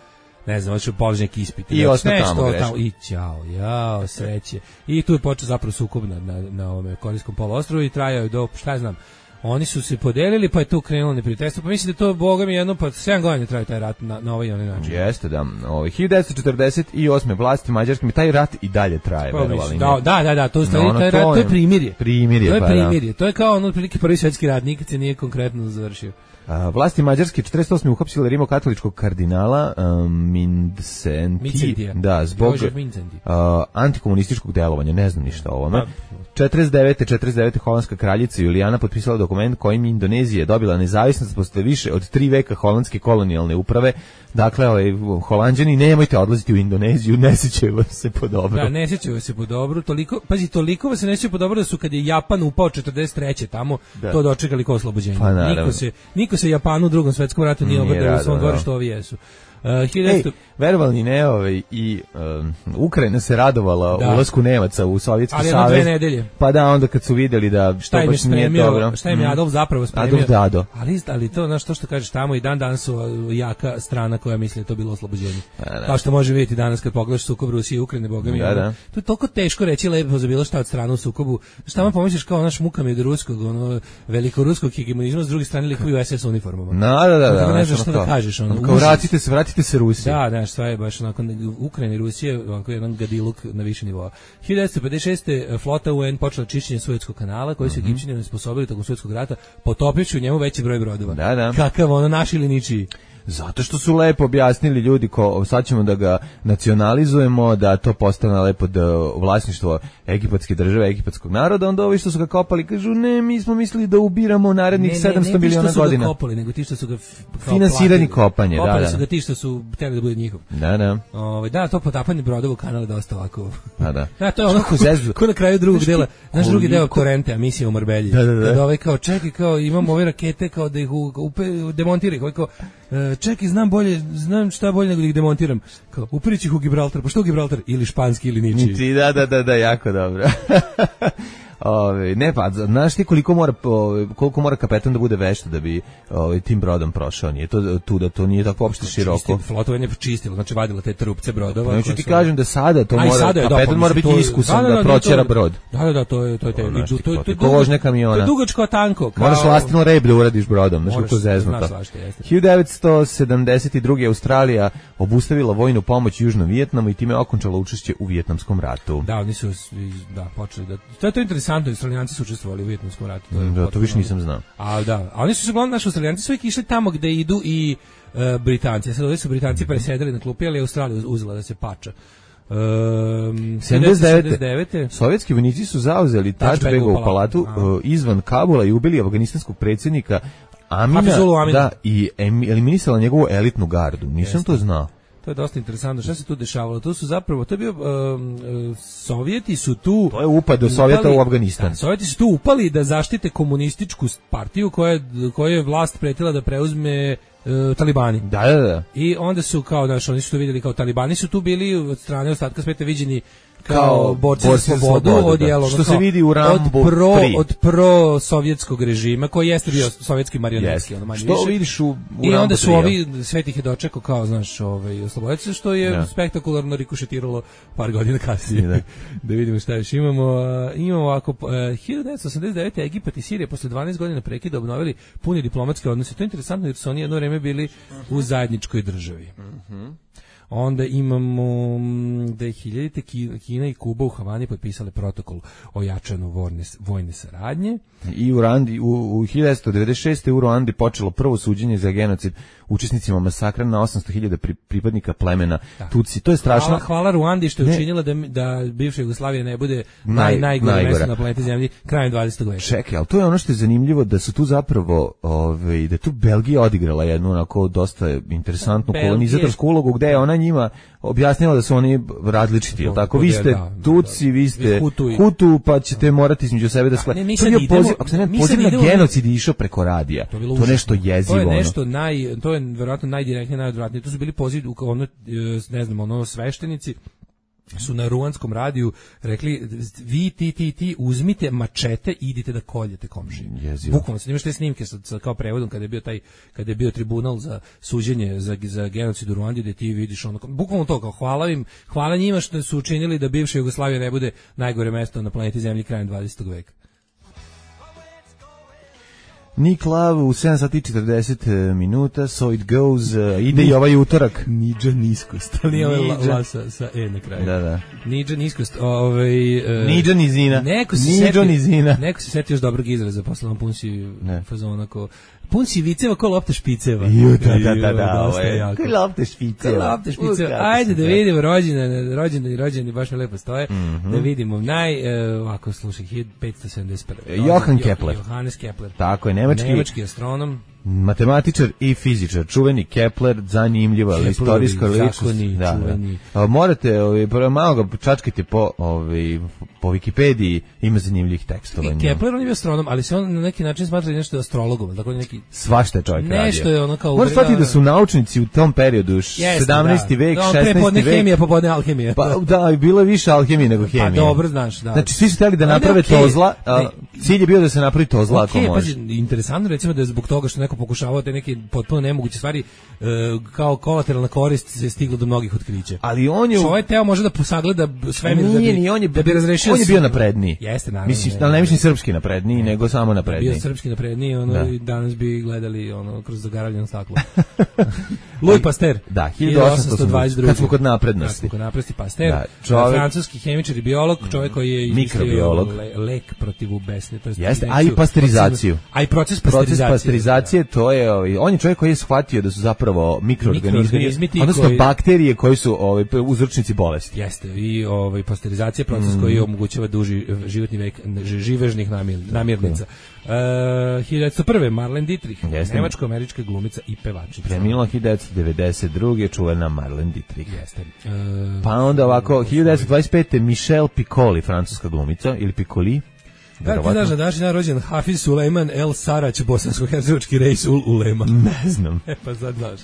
ne znam, hoću položiti neki ispit. I ostao tamo, tamo. I ćao, jao, sreće. I tu je počeo zapravo sukob na, na, na ovome Korejskom poluostrvu i trajao je do, šta znam, oni su se podelili, pa je tu krenulo neprijateljstvo. Pa mislim da to, Boga mi, jedno, pa sedam godina traje taj rat na, na ovaj i onaj način. Jeste, da. Ovaj, hiljadu devetsto četrdeset osme vlasti Mađarskim, taj rat i dalje traje, pa, verovali. Da, da, da, da, to, no, ono, taj rat, to je primirje. Primirje, to je pa primirje. Da. To je kao ono, otprilike prvi svjetski rat, nikad se nije konkretno završio. A, vlasti Mađarske četrdeset osme uhapsile rimokatoličkog kardinala um, Mincenti, da, zbog uh, antikomunističkog delovanja, ne znam ništa o ovome. četrdeset devete četrdeset devete holandska kraljica Julijana potpisala dokument kojim Indonezija je dobila nezavisnost posle više od tri veka holandske kolonijalne uprave. Dakle, ovaj, Holanđani, nemojte odlaziti u Indoneziju, ne sjećaju vas se po dobro. Da, ne sjećaju se po dobro, toliko, pazi, toliko vas se ne sjećaju po dobro da su kad je Japan upao četrdeset treće tamo, da. To dočekali kao oslobođenje. Pa, niko se, niko se Japanu u drugom svetskom ratu nije obradao u svom dvorištu, ovi jesu. Uh, hiljadu... Ej, verovali ne, ovaj, i um, Ukrajina se radovala da. ulasku Nemaca u Sovjetski savez. Ali dve nedelje. Pa da, onda kad su vidjeli da šta to baš nije dobro. Šta im je Adolf zapravo spremio. Adolf Dado. Ali, ali to, znaš, to što kažeš tamo i dan danas su jaka strana koja misli da to bilo oslobođenje. Da, da. Kao što može vidjeti danas kad pogledaš sukob Rusije i Ukrajine, Boga mi. Da, da. To je toliko teško reći lepo za bilo šta od strane u sukobu. Šta vam pomisliš kao naš muka med ruskog, ono, velikoruskog hegemonizma, s druge strane likovi u S S uniformama. Da, da, da. da ne znaš šta da kažeš. Ono, kao vratite se, vratite se Rusiji. Da, da, sve je baš onako Ukrajina i Rusija, onako jedan gadiluk na više nivoa. hiljadu devetsto pedeset šeste flota U N počela čišćenje Suetskog kanala, koji su mm-hmm. Egipćani osposobili tokom Suetskog rata, potopivši u njemu veći broj brodova. Da, da. Kakav ono naš ili ničiji. Zato što su lepo objasnili ljudi, ko, sad ćemo da ga nacionalizujemo, da to postane lepo da vlasništvo egipatske države, egipatskog naroda, onda ovi što su ga kopali kažu, ne, mi smo mislili da ubiramo narednih ne, sedamsto ne, ne, miliona godina. Ne, ne, ne, ti što su ga kopali, nego ti što su ga finansirani kopanje, da, da. Kopali su ga ti što su htjeli da bude njihov. Da, da. Ove, da, to potapanje brodova u kanalu je dosta ovako. Pa da. Da, to je ono ko, ko na kraju drugog dela, znaš drugi deo Torrente, a misija u Marbelji. Da, da, da. Kada ovaj kao, čekaj, kao, imamo ove rakete, kao da ih upe, demontiraju, ovaj kao, čekaj, znam bolje, znam šta bolje nego da ih demontiram. Kao, upirić ih u Gibraltar, pa što u Gibraltar? Ili španski ili ničiji. Ničiji, da, da, da, da, jako dobro. Ove, ne pa, znaš ti koliko mora, koliko mora kapetan da bude vešta da bi ove, tim brodom prošao, nije to tu da to nije tako uopšte široko. Flotovanje je čistilo, znači vadilo te trupce brodova. Neću ti kažem da sada to mora, sada je, kapetan da, mora biti iskusan da, da, da proćera to, brod. Da, da, da, to je, to je, to je, to je, to je, to je, ko vožnja kamiona. To je dugačko tanko. Kao, moraš lastino rep da uradiš brodom, znaš kako to zeznuto. hiljadu devetsto sedamdeset druge. Australija obustavila vojnu pomoć Južnom Vijetnamu i time okončala učešće u Vijetnamskom ratu. Da, oni su, da, počeli da, to je to interesantno, Australijanci su učestvovali u Vijetnamskom ratu. To je da, to više nisam znao. A da, a oni su se uglavnom naši Australijanci su uvijek išli tamo gde idu i uh, Britanci. Sad ovdje su Britanci presedali na klupi, ali Australija uzela da se pača. Um, sedamdeset devete. Sovjetski vojnici su zauzeli Tačbegovu palatu uh, izvan Kabula i ubili afganistanskog predsjednika Amina, da, i eliminisala njegovu elitnu gardu. Nisam Jeste. to znao. To je dosta interesantno. Šta se tu dešavalo? To su zapravo, to je bio, um, Sovjeti su tu... To je upad do Sovjeta u Afganistan. Da, Sovjeti su tu upali da zaštite komunističku partiju koja, koja je vlast pretila da preuzme uh, talibani. Da, da, da. I onda su kao, znaš, oni su to vidjeli kao talibani su tu bili od strane ostatka sveta viđeni kao borci za slobodu, od jelo, što se vidi u Rambo od pro, od pro sovjetskog režima koji jeste bio sovjetski marionetski, yes. ono manje što više. Vidiš u, u I Rambo onda su tri, ovi svet ih je dočekao kao, znaš, ovaj oslobodioci, što je yeah. spektakularno rikošetiralo par godina kasnije. Yeah. Da vidimo šta još imamo. Uh, imamo ovako uh, hiljadu devetsto osamdeset devete. Egipat i Sirija posle dvanaest godina prekida obnovili puni diplomatske odnose. To je interesantno jer su oni jedno vreme bili u zajedničkoj državi. Mhm. Onda imamo da je hiljadite Kina i Kuba u Havani potpisale protokol o jačanju vojne, vojne saradnje. I u, Randi, u, u hiljadu devetsto devedeset šeste. u Ruandi počelo prvo suđenje za genocid učesnicima masakra na osamsto hiljada pri, pripadnika plemena da. Tutsi. To je strašno. Hvala, hvala Ruandi što je ne. učinila da, da bivša Jugoslavija ne bude naj, najgore mesto na planeti Zemlji krajem dvadesetog veka. Čekaj, ali to je ono što je zanimljivo da su tu zapravo, ove, da je tu Belgija odigrala jednu onako dosta interesantnu Belgije. kolonizatorsku ulogu gde je ona njima objasnila da su oni različiti, jel tako? Vi ste da, Tutsi, da, vi ste Hutu, Hutu, pa ćete morati između sebe da skladate. Ako se ne poziv na genocid je išao preko radija, to, to nešto jezivo. To je nešto naj, to je verovatno najdirektnije, najodvratnije. To su bili poziv, ono, ne znam, ono sveštenici su na ruanskom radiju rekli vi ti ti ti uzmite mačete i idite da koljete komšiju. Bukvalno se imaš te snimke sa, sa kao prevodom kada je bio taj kada je bio tribunal za suđenje za za genocid u Ruandi gde ti vidiš ono bukvalno to kao hvala im, hvala njima što su učinili da bivša Jugoslavija ne bude najgore mesto na planeti Zemlji krajem dvadesetog veka. Nick Love u sedam sati i četrdeset minuta, So It Goes, uh, ide i ovaj utorak. Niđa niskost, ali nije ovaj la sa, sa E na kraju. Da, da. Niđa niskost, ovaj... Uh, Niđa nizina. Neko se Niđa nizina. Neko se setio još dobrog izraza, posle vam pun si fazon ako... Pun si viceva ko lopta špiceva. Ju, da, da, da, da, ovo je. Ko lopta špiceva. Ko lopta špiceva. Ajde da vidimo rođene, rođene i rođeni baš mi lepo stoje. Mm-hmm. Da vidimo naj, uh, ovako slušaj, hiljadu petsto sedamdeset prve. Johann Kepler. Johannes Kepler. Tako je, nemački. Nemački astronom. Matematičar i fizičar, čuveni Kepler, zanimljiva ali istorijska ličnost. Da, da. Morate, ovaj, malo ga čačkajte po, ovaj, po Wikipediji, ima zanimljivih tekstova. I Kepler on je astronom, ali se on na neki način smatra nešto astrologom, tako neki svašta je čovjek radio. Nešto je ono kao možeš shvatiti da su naučnici u tom periodu sedamnaesti da. vek, da, šesnaesti vek. Hemija, popodne alhemija. Pa da, bilo je više alhemije nego hemije. Pa dobro, znaš, da. Znači svi su htjeli da naprave okay. tozla, a cilj je bio da se napravi tozla okay, ako može. Pa interesantno recimo da je zbog toga što neko pokušavao te neke potpuno nemoguće stvari e, kao kolateralna korist se stiglo do mnogih otkrića. Ali on je ovaj teo može da posagleda svemir da bi on je, da bi razrešio. On je bio napredniji. Jeste naravno. Mislim, ali ne mislim srpski napredniji, ne. nego samo napredniji. Bio srpski napredniji, ono da. I danas bi gledali ono kroz zagaravljeno staklo. Louis Pasteur. Da, hiljadu osamsto dvadeset druge. Kad smo kod naprednosti. Kad smo kod naprednosti Pasteur. Da, čovjek, francuski hemičar i biolog, čovjek koji je mikrobiolog, le, lek protiv mesne, to jest Jeste, a i pasterizaciju. A i proces Proces pasterizacije. pasterizacije, to je, ovaj, on je čovjek koji je shvatio da su zapravo mikroorganizmi, Mikroorganizmi ti odnosno koji- bakterije koji su ovaj, uzročnici bolesti. Jeste, i ovaj, pasterizacija je proces Mm. koji omogućava duži životni vek ž- živežnih namir- namirnica. Uh, hiljadu devetsto prve. Marlene Dietrich, Jeste. nemačko-američka glumica i pevačica. Preminula hiljadu devetsto devedeset druge čuvena Marlene Dietrich. Jeste. Uh, Pa onda ovako, hiljadu devetsto dvadeset pete. Michelle Piccoli, francuska glumica, ili Piccoli. Da, ti znaš da današnji dan rođen Hafiz Sulejman El Sarać, bosansko-hercegovački Reis ul Ulema. Ne znam. E pa sad znaš.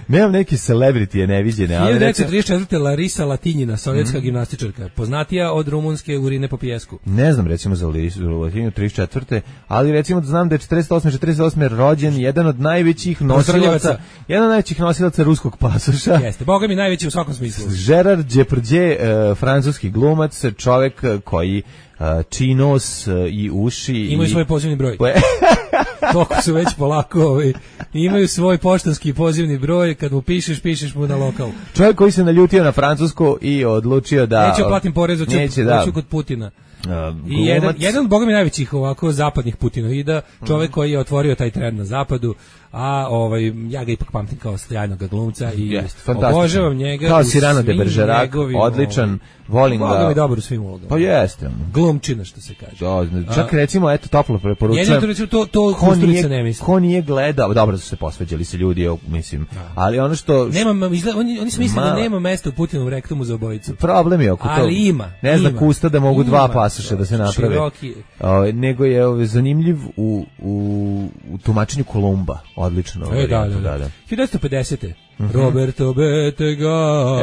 Nemam neke celebrity neviđene, ali hiljadu recimo, devetsto trideset četvrte. Larisa Latinjina, sovjetska gimnastičarka, poznatija od rumunske Urine po pijesku. ne znam recimo za Lisu Latinu trideset četvrte. ali recimo da znam da je četrdeset osme četrdeset osme rođen jedan od najvećih nosilaca, Pozdravljaca. jedan od najvećih nosilaca ruskog pasoša. Jeste, boga mi najveći u svakom smislu. Gerard Depardieu, e, francuski glumac, čovjek e, koji e, čiji nos e, i uši Imaju i... svoj pozivni broj. Pa- Toliko su već polako, ovaj, imaju svoj poštanski pozivni broj, kad mu pišeš, pišeš mu na lokal. Čovjek koji se naljutio na Francusku i odlučio da... Neću platim porez, hoću, Neće, da. hoću kod Putina. Uh, I jedan, glumac. jedan od boga mi najvećih ovako zapadnih Putinoida, čovjek koji je otvorio taj trend na zapadu, a ovaj ja ga ipak pamtim kao sjajnog glumca i Jest, fantastično. obožavam njega Kao u Cyrano de svim Bergerac, njegovim, odličan, volim Boga ga. mi dobar u svim ulogama. Pa jeste. Glumčina, što se kaže. Da, čak recimo, eto, toplo preporučujem. Jedino to, recimo, to, to Ko Kusturica ne nije, misli. ko nije gledao, dobro su se posveđali se ljudi, evo, mislim, ali ono što... Nema, izgleda, oni, oni su mislili da Mala. nema mesta u Putinovom rektumu za obojicu. Problem je oko toga. Ali ima, Ne zna ima. kusta da mogu dva Ima, pasoša da se naprave. široki. O, nego je ovaj, zanimljiv u, u, u tumačenju Kolumba. Odlično. E, ovaj, da, da, da. hiljadu devetsto pedesete. Roberto Bettega.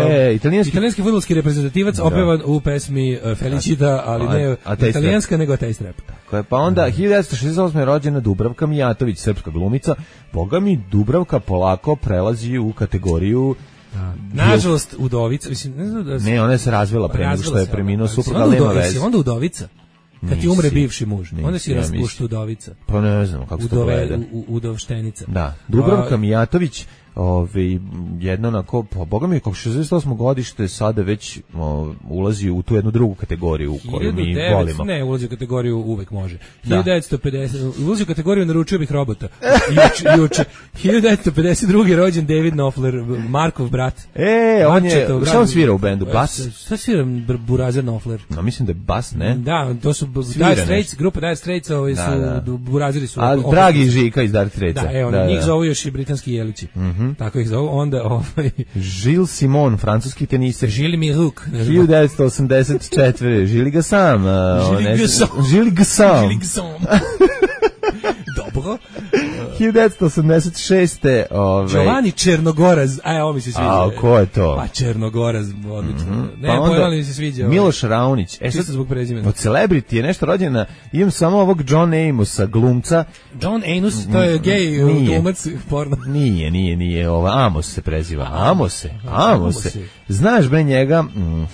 E, italijanski- italijanski fudbalski reprezentativac, opevan u pesmi uh, Felicita, ali A- ne a taj italijanska, nego taj strep. Koja- Pa onda hiljadu devetsto šezdeset osme je rođena Dubravka Mijatović, srpska glumica. Boga mi, Dubravka polako prelazi u kategoriju... Nažalost, udovica, mislim, ne znam da se... Ne, ona je se razvela pre nego što Razvila je se preminuo ona, suprug, onda ali nema udo- jesi veze. onda udovica. Kad ti Nisi. umre bivši muž, Nisi, onda si ja raspušta mislim. udovica. Pa ne znam kako se to Udove, gleda. u, u, udovštenica. Da, Dubravka A, Mijatović, ovaj, jedna onako, pa boga mi, kako šezdeset osmo godište sada već o, ulazi u tu jednu drugu kategoriju koju mi hiljadu devetsto volimo. Ne, ulazi u kategoriju uvek može. Da. hiljadu devetsto pedeset ulazi u kategoriju naručio bih robota. Juče, juče. hiljadu devetsto pedeset druge. rođen David Knopfler, Markov brat. E, on je, Marčetov brat. šta on svira u bendu? Bas? Šta svira Br- Burazer Knopfler? No, mislim da je bas, ne? Da, to su Svira Dire Straits, nešto. grupa Dire Straits, ovaj su, Da, da. Burazeri su. A opet- dragi Žika iz Dire Straitsa. Da, evo, njih zovu još i britanski jelići. Tako ih zovu. Onda, ovaj, Gilles Simon, francuski teniser. Žili mi ruk. hiljadu devetsto osamdeset četvrte. Žili ga sam. a, Žili on ga ne- sam. Žili ga sam. Žili sam. Dobro. hiljadu devetsto osamdeset šeste. Ovaj, Giovanni Černogoraz, aj, ovo mi se sviđa. A, ko je to? Pa Černogoraz, odlično. Ne, Pa onda pojela mi se sviđa. ovaj. Miloš Raunić. E, Čisto sad, zbog prezimena. od celebrity je nešto rođena. Imam samo ovog John Amosa, glumca. John Anus, to je gej Nije. glumac porno. Nije, nije, nije. Ova, Amos se preziva. Amose. Amose. Amose. Znaš, bre, njega... Mm,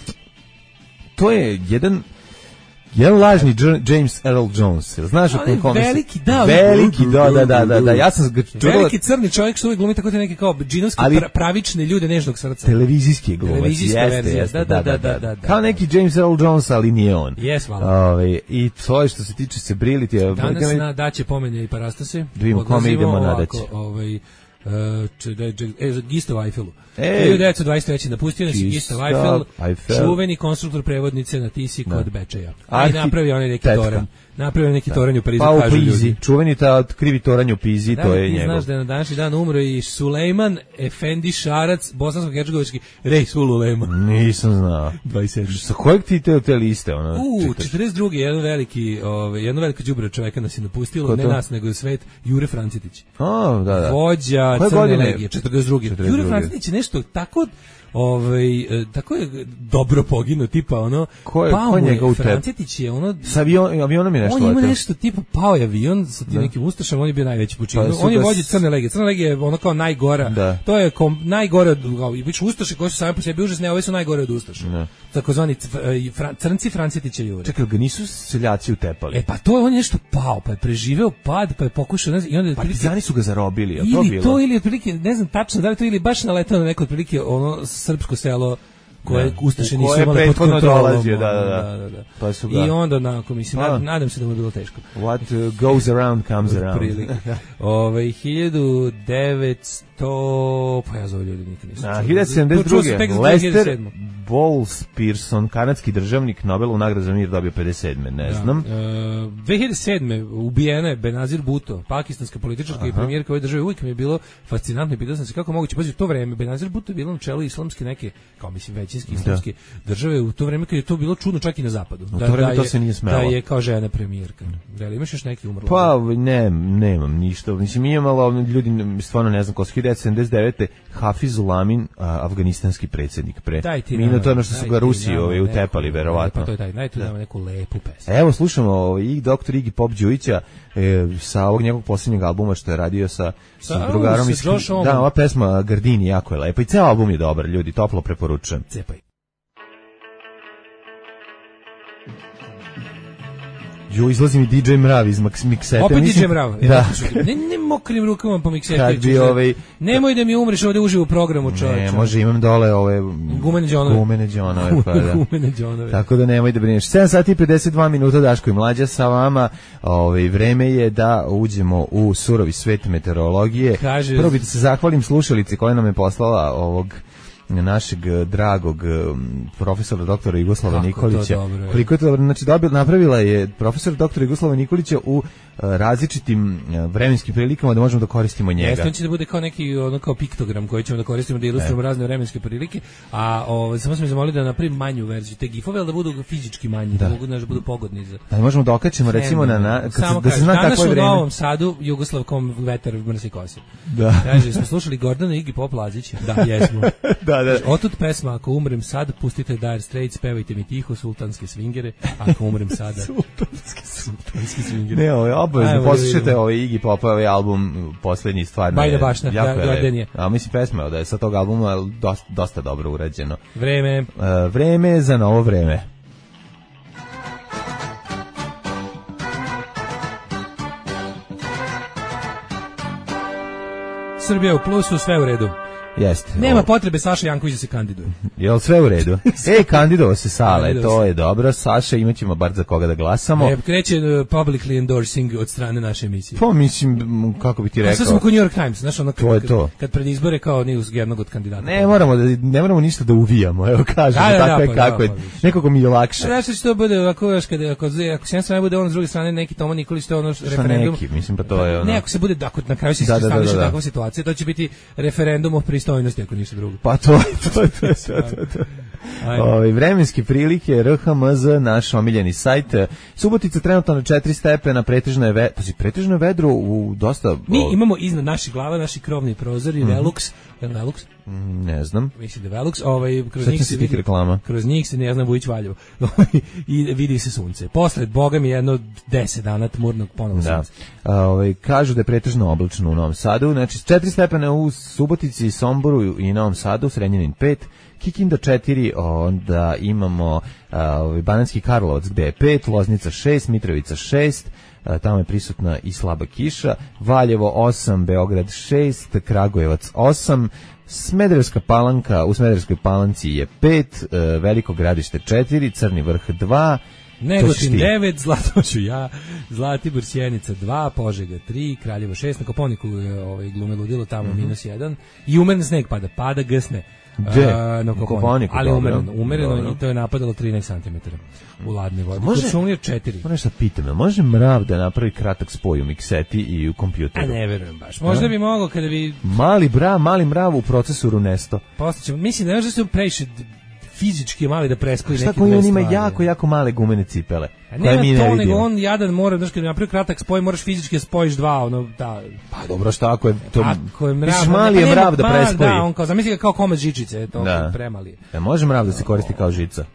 to je jedan... Jedan lažni Dž- James Earl Jones. Jel znaš o On je kome se- veliki, da, Veliki, da, da, da, da, da. Ja sam ga čuo... Veliki crni čovjek što uvijek glumi tako te neke kao džinovski Ali- pra- pravične ljude nežnog srca. Televizijski glumac, Televizijska jeste, verzija, jeste, da, da, da, da, da. Kao neki James Earl Jones, ali nije on. Jes, hvala. Ove, I to je što se tiče se briliti. Danas na daće pomenje i parastase. Da vidimo kome Odlazimo idemo na ovako, daće. Ovaj, uh, če, da, če, e, za Gistav Eiffelu. Ej. hiljadu devetsto dvadeset treće napustio nas je Gistav Gistav Eiffel, Eiffel. čuveni konstruktor prevodnice na Tisi kod Bečeja. A i Arhi- napravio onaj neki tetka. toranj. Napravio neki toranj u Parizu, Pa u kažu Pizi. ljudi. Čuveni ta krivi toranj u Pizi, Da, to li je ti njegov. znaš da je na današnji dan umro i Sulejman Efendi Šarac, bosansko-hercegovički Rej Ululema. Nisam znao. dvadeset sedam. Sa kojeg ti te, te liste? Ono, U, čitaš? četrdeset druge jedan veliki, ovaj jedno veliko đubre čoveka nas je napustilo, Ko ne to? nas nego svet, Jure Francetić. A, da, da. Vođa Koje Crne godine? legije, četrdeset druge. četrdeset druge. Jure Francetić je nešto tako ovaj e, tako je dobro poginuo, tipa ono Ko je- pao ko je mu njega u tep- Francetić je ono Sa avion, avionom je nešto on ima leteo. nešto tipa pao je avion sa tim nekim ustašama, on je bio najveći počinu. Pa su On je ga vođa s- Crne legije. Crna legija je ono kao najgora. Da. To je kom, najgore od kao, i biće ustaše koji su sami po sebi užasne, a ovi su najgore od ustaša. Da. Takozvani cv- e, fran, crnci Francetića Jure. Čekaj, ga nisu seljaci utepali? E pa to je on je nešto pao, pa je preživeo pad, pa je pokušao ne znam, i onda je otprilike- Partizani su ga zarobili, je to ili bilo? to ili otprilike ne znam tačno da li to ili baš naletao na neko otprilike ono srpsko selo koje da. Ustaše U nisu koje imale pod prethodno kontrolom. dolazio, da, da, da. da, da, da. Pa su ga- I onda onako, mislim, Pa. nad- nadam se da mu je bilo teško. What uh, goes around comes around. Otprilike. Ove, hiljadu devetsto... Pa ja zove ljudi nikad nisam Na čuo. hiljadu sedamdeset Čuo sam druge. tek za Lester dve hiljade sedme. Bowles Pearson, kanadski državnik, Nobelovu nagradu za mir dobio pedeset sedme ne znam. Da. E, dve hiljade sedme ubijena je Benazir Bhutto, pakistanska političarka i premijerka ove države. Uvijek mi je bilo fascinantno i pitao sam se kako moguće. Pazi, u to vreme Benazir Bhutto je bilo na čelu islamske neke, kao mislim većinski islamske države, u to vreme kad je to bilo čudno čak i na zapadu. U to vreme da to je, se nije smelo. Da je kao žena premijerka. Da li imaš još neki umrlo? Pa ne, nemam ništa. Mislim, mi imamo ljudi, stvarno ne znam, ko su hiljadu sedamdeset devete. Hafizul Amin, a, afganistanski predsjednik pre. Daj ti Mi nama, na to ono što su daj ga ti Rusi nama ovaj, neku- utepali, verovatno. Pa to je taj, daj tu nama neku lepu pesmu. Evo, slušamo ovaj, i doktor Iggy Pop Đujića e, sa ovog njegovog posljednjeg albuma što je radio sa, sa, Sa- drugarom. sa iz- Josh Homme. Da, ova pesma Gardini jako je lepa i ceo album je dobar, ljudi, toplo preporučujem. Cepaj. Jo, izlazi mi D J Mrav iz Max Mixete. Opet mislim- D J Mrav. Da. Ne, ne mokrim rukama po miksetu. Kad bi ovaj... Nemoj da mi umreš ovde uživo u programu, čovječe. Ne, može, imam dole ove... Gumene džonove. Gumene džonove, pa da. Gumene džonove. Tako da nemoj da brineš. sedam sati i pedeset dva minuta, Daško i Mlađa sa vama. Ovaj, vreme je da uđemo u surovi svet meteorologije. Kaže- Prvo bih da se zahvalim slušalici koja nam je poslala ovog našeg eh, dragog eh, profesora doktora Jugoslava Kako to Nikolića. dobro je. Koliko je to dobro, znači dobil, napravila je profesor doktora Jugoslava Nikolića u eh, različitim eh, vremenskim prilikama da možemo da koristimo njega. Jeste, on će da bude kao neki ono kao piktogram koji ćemo da koristimo da ilustrujemo razne vremenske prilike, a ovaj samo smo me zamolili da napravim manju verziju te gifove, ali da budu fizički manji, da, Da. mogu da budu pogodni za. Da možemo da okačimo recimo na, na kad se, Samo da se kaže, zna danas kakvo je u vreme. Novom Sadu Jugoslav kom vetar mrsi kosi. Da. Kaže, smo slušali Gordana Iggy Pop Lazića. Da, jesmo. Da, da. Otud pesma, ako umrem sad, pustite Dire Straits, pevajte mi tiho, sultanske svingere, ako umrem sada. sultanske, sultanske svingere. Ne, ovo je obavezno, Ajmo, poslušajte vidimo. ovaj Iggy Pop, ovaj album, posljednji stvarno Bajda je bašna, jako da, je Garden lep. je. A mislim pesma da je sa tog albuma dosta, dosta dobro urađeno. Vreme. E, vreme je za novo vreme. Srbija u plusu, sve u redu. Jeste. Nema O, potrebe Saša Janković da se kandiduje. Jel sve u redu? E, kandidovao se Sale, Kandidovao to se. je dobro. Saša, imaćemo bar za koga da glasamo. E, kreće uh, publicly endorsing od strane naše emisije. Pa mislim, m, kako bi ti A rekao... sad smo kod New York Times, znaš ono kad, To je to. kad, kad pred izbore kao news jednog od kandidata. Ne moramo, da, ne moramo ništa da uvijamo, evo kažemo, Da, da, tako da, je pa, kako da, je. pa, više. Nekako mi je lakše. Znaš što će to bude, ako, još kada, ako, ako s jedne strane bude ono, s druge strane neki Toma Nikolić, to je ono Šta referendum. neki, mislim, pa to je ono... Ne, ako se bude, ako na kraju se Da, da, da, staniše da, da. takva situacija, to će biti referendum o pristojnosti, ako ništa drugo. Pa to je to, je to, je to, to, to. Ajde. Ove, vremenske prilike, R H M Z, naš omiljeni sajt. Subotica trenutno na četiri stepena, pretežno je, ve, pazi, pretežno je vedro u dosta... Mi o, imamo iznad naših glava, naši krovni prozori, Mhm. Velux, je li Velux? ne znam. Mislim da je Velux, ovaj, kroz Sećam njih se se tih vidi, reklama. kroz njih se, ne znam, Vujić Valjevo, i vidi se sunce. Posle, boga mi jedno deset dana tmurnog ponovno Da. sunce. A, ovaj, kažu da je pretežno oblačno u Novom Sadu, znači četiri stepena u Subotici, Somboru i Novom Sadu, Srenjanin pet, Kikinda četiri, onda imamo a, ovaj, Banatski Karlovac gde je pet, Loznica šest, Mitrovica šest, a, tamo je prisutna i slaba kiša, Valjevo osam, Beograd šest, Kragujevac osam, Smederevska Palanka, u Smederevskoj Palanci je pet, e, Veliko Gradište četiri, Crni Vrh dva, Negotin devet, Zlatoću ja, Zlatibor Sjenica dva, Požega tri, Kraljevo šest, na Koponiku je ovaj, glume ludilo, tamo Mhm. minus jedan, i umeren sneg pada, pada gsne. Gde? A, na U Koponiku, Koponiku, ali dobro. umereno, umereno Dobro. i to je napadalo trinaest santimetara u ladne vode. Može- Kod Šumlija četiri. Moram nešto pitam, jel može mrav da napravi kratak spoj u mikseti i u kompjuteru? A ne verujem baš. Možda bi mogao kada bi Mali bra, mali mrav u procesoru Nesto. postaćemo. Mislim da možda se previše d- fizički je mali da prespoji Šta neke koji dve on ima stvari. jako, jako male gumene cipele? A koje ne mi na ne to, nego vidimo. on jadan mora, znaš, kad bi napravio kratak spoj, moraš fizički da spojiš dva, ono, da. Pa dobro, šta ako je to... Ako je mrav, Misliš, ne, mali pa je nema- mrav da ma, prespoji. Da, on kao, zamisli ga kao komad žičice, to Da. premali je. E, može mrav da se koristi kao žica?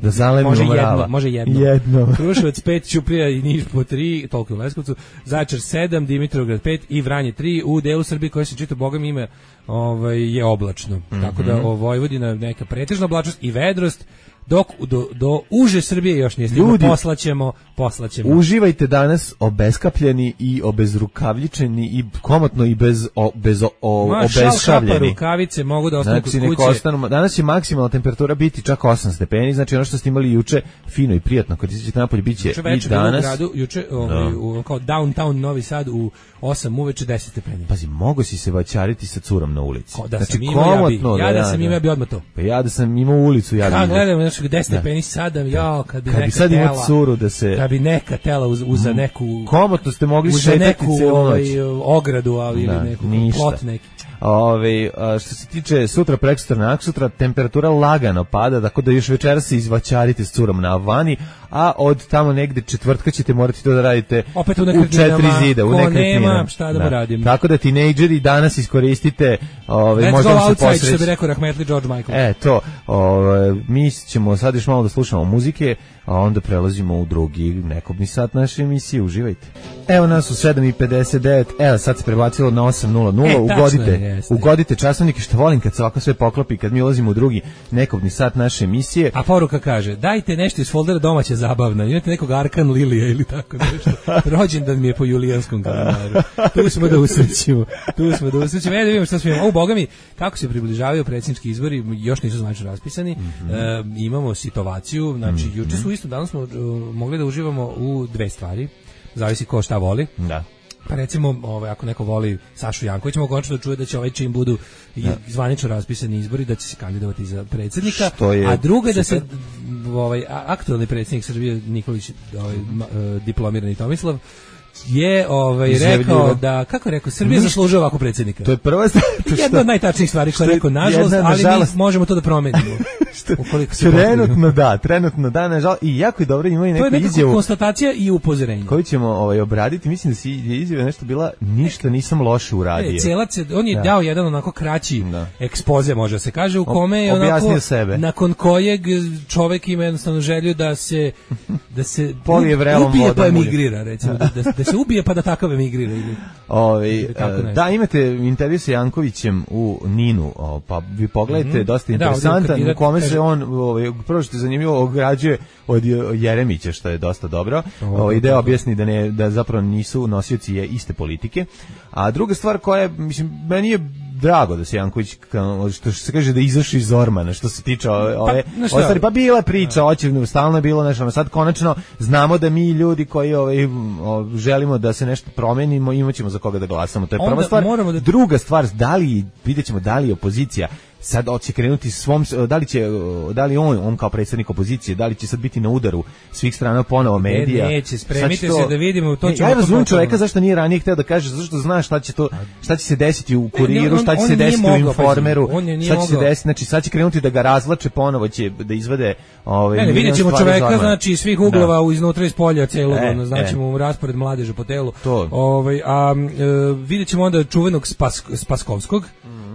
Da zalemimo Može mrava? jedno, može jedno. Jedno. Kruševac pet, Ćuprija i Niš po tri, toliko u Leskovcu, Zaječar sedam, Dimitrovgrad pet i Vranje tri, u delu Srbije koje se čita Bogom ime ovaj, je oblačno. Tako da o Vojvodina neka pretežna oblačnost i vedrost, dok do, do uže Srbije još nije stiglo, Ljudi, poslaćemo, poslaćemo. Uživajte danas obeskapljeni i obezrukavljičeni i komotno i bez, o, bez o, o, Ma, šal, kapa, obezšavljeni. rukavice mogu da ostanu Znači, kod nek kuće. ostanu, danas će maksimalna temperatura biti čak osam stepeni, znači ono što ste imali juče fino i prijatno, kad izađete napolje biće Juče i večer u danas. gradu, juče ovaj, u, kao downtown Novi Sad u osam uveče deset stepeni. Pazi, mogo si se vaćariti sa curom na ulici. Ko da znači, sam imao, ja bi, komotno ja da, da sam imao, ja bi odmah to. Pa ja da sam imao ulicu, ja bi. Kad imao. gledam, znači, deset stepeni sada, jao, kad bi Kad neka bi sad imao tela, curu da se... kad bi neka tela uz, uza neku... Komotno ste mogli uza šetati neku celu noć. ovaj, ogradu, ali Da, ili neku ništa. plot neki. Ove, a, što se tiče sutra, preksutra, naksutra, temperatura lagano pada, tako da još večeras se izvaćarite s curom na vani, a od tamo negde četvrtka ćete morati to da radite Opet u u nekretninama, četiri zida, u ko nekretninama. nema, šta da mu radimo. Tako da tinejdžeri danas iskoristite, ove, Let's možda go vam se outside, što bi posreći. rekao Rahmetli George Michael. E, to, ove, mi ćemo sad još malo da slušamo muzike, a onda prelazimo u drugi nekobni sat naše emisije, uživajte. Evo nas u sedam i pedeset devet, evo sad se prebacilo na osam nula nula, E, tačno ugodite, je, jeste. ugodite časovnike, što volim kad se ovako sve poklopi, kad mi ulazimo u drugi nekobni sat naše emisije. A poruka kaže, dajte nešto iz foldera domaće zabavna, imate nekog Arkan Lilija ili tako nešto. Rođendan mi je po julijanskom kalendaru. Tu smo da usrećimo. Tu smo da usrećimo. E, da vidimo šta smo imamo. O, boga mi, kako se približavaju predsjednički izbori, još nisu zvanično raspisani. Mm-hmm. e, imamo situaciju, znači, mm-hmm. juče su isto, danas smo uh, mogli da uživamo u dve stvari. Zavisi ko šta voli. Da. Pa recimo, ovaj, ako neko voli Sašu Jankovića, mogu konačno da čuje da će ovaj čim budu i zvanično raspisani izbori, da će se kandidovati za predsjednika. Je a drugo je da se super. ovaj, aktualni predsjednik Srbije Nikolić, ovaj, ma, diplomirani Tomislav, je ovaj rekao da, kako je rekao, Srbija zaslužuje ovako predsjednika. To je prva stvar. Jedna od najtačnijih stvari što je rekao, nažalost, jedna, ali nažalost, mi možemo to da promenimo. Ukoliko se trenutno da, trenutno da, nažalost, i jako je dobro, ima i neku to je izjavu. konstatacija i upozorenje. Koju ćemo ovaj, obraditi, mislim da si je izjava nešto bila, ništa nisam loše uradio. E, celac, on je da. dao jedan onako kraći da. ekspoze, može se kaže, u kome je objasnio onako, sebe. nakon kojeg čovjek ima jednostavno želju da se da se polije vrelom ubije vodom, pa emigrira, recimo, da, da, da se ubije pa da takav emigrira. Ili, Ovi, ili da, imate intervju sa Jankovićem u Ninu, o, pa vi pogledajte, mm-hmm. dosta interesantan, da, u kome kaže, se on, ovaj, prvo što je zanimljivo, ograđuje od Jeremića, što je dosta dobro, o, ide objasni da, ne, da zapravo nisu nosioci je iste politike, a druga stvar koja je, mislim, meni je drago da se Janković, što se kaže da izašao iz Zormana, što se tiče ove, ove pa, ostali, pa bila je priča, očigledno stalno je bilo nešto, sad konačno znamo da mi ljudi koji ovaj, o, želimo da se nešto promenimo, imaćemo za koga da glasamo, to je prva stvar. Da... Druga stvar, da li, vidjet ćemo da li opozicija sad hoće krenuti svom, da li će, da li on, on kao predsjednik opozicije, da li će sad biti na udaru svih strana ponovo medija. Ne, neće, spremite to, se da vidimo, to ćemo. Ja razumem čoveka zašto nije ranije hteo da kaže, zato što zna šta će to, šta će se desiti u Kuriru, šta će se desiti u Informeru, šta će se desiti, znači sad će krenuti da ga razvlače, ponovo će da izvede ovaj. Ne, ne, vidjet ćemo čoveka, znači iz svih uglova, da. iznutra iz polja celog, e, znači mu e. raspored mladeže po telu. To. Ovaj, a e, vidjet ćemo onda čuvenog Spas, Spaskovskog,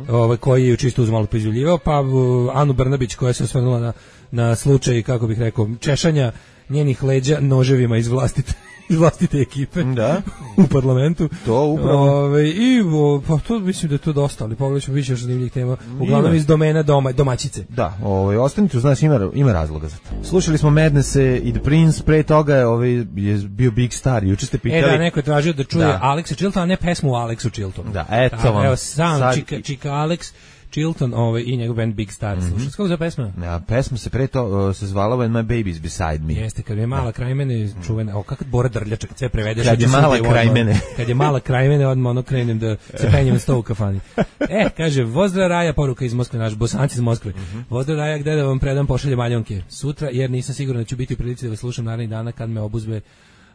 ovaj, koji je čisto uz malo pizjuljivao, pa uh, Anu Brnabić koja se osvrnula na, na slučaj, kako bih rekao, češanja njenih leđa noževima iz vlastite, iz vlastite ekipe da. u parlamentu. To upravo. Ove, I o, pa to mislim da je to dosta, ali pogledaj ćemo više još zanimljivih tema. Uglavnom iz domena doma, domaćice. Da, ovaj, ostanite, znači ima, ima razloga za to. Slušali smo Madnesse i The Prince, pre toga ovaj, je bio Big Star, juče ste pitali. E da, neko je tražio da čuje da. Alexa Chiltona, a ne pesmu Alexu Chiltonu. Da, eto vam. Evo sam sad... Čika, Čika Alex Chilton ovaj, i njegov band Big Star. Mm-hmm. Slušaj, kako za pesma? Ja, pesma se pre to uh, se zvala When My Baby's Beside Me. Jeste, kad je mala da. kraj mene čuvena, o kako Bora Drljača, kad sve prevedeš. Kad je mala kraj odmah, mene. Kad je mala kraj mene, odmah ono krenem da se penjem na sto u kafani. E, kaže, Vozdra Raja, poruka iz Moskve, naš bosanci iz Moskve. Mm-hmm. Vozdra Raja, gde da vam predam pošalje maljonke? Sutra, jer nisam siguran da ću biti u prilici da vas slušam narednih dana kad me obuzme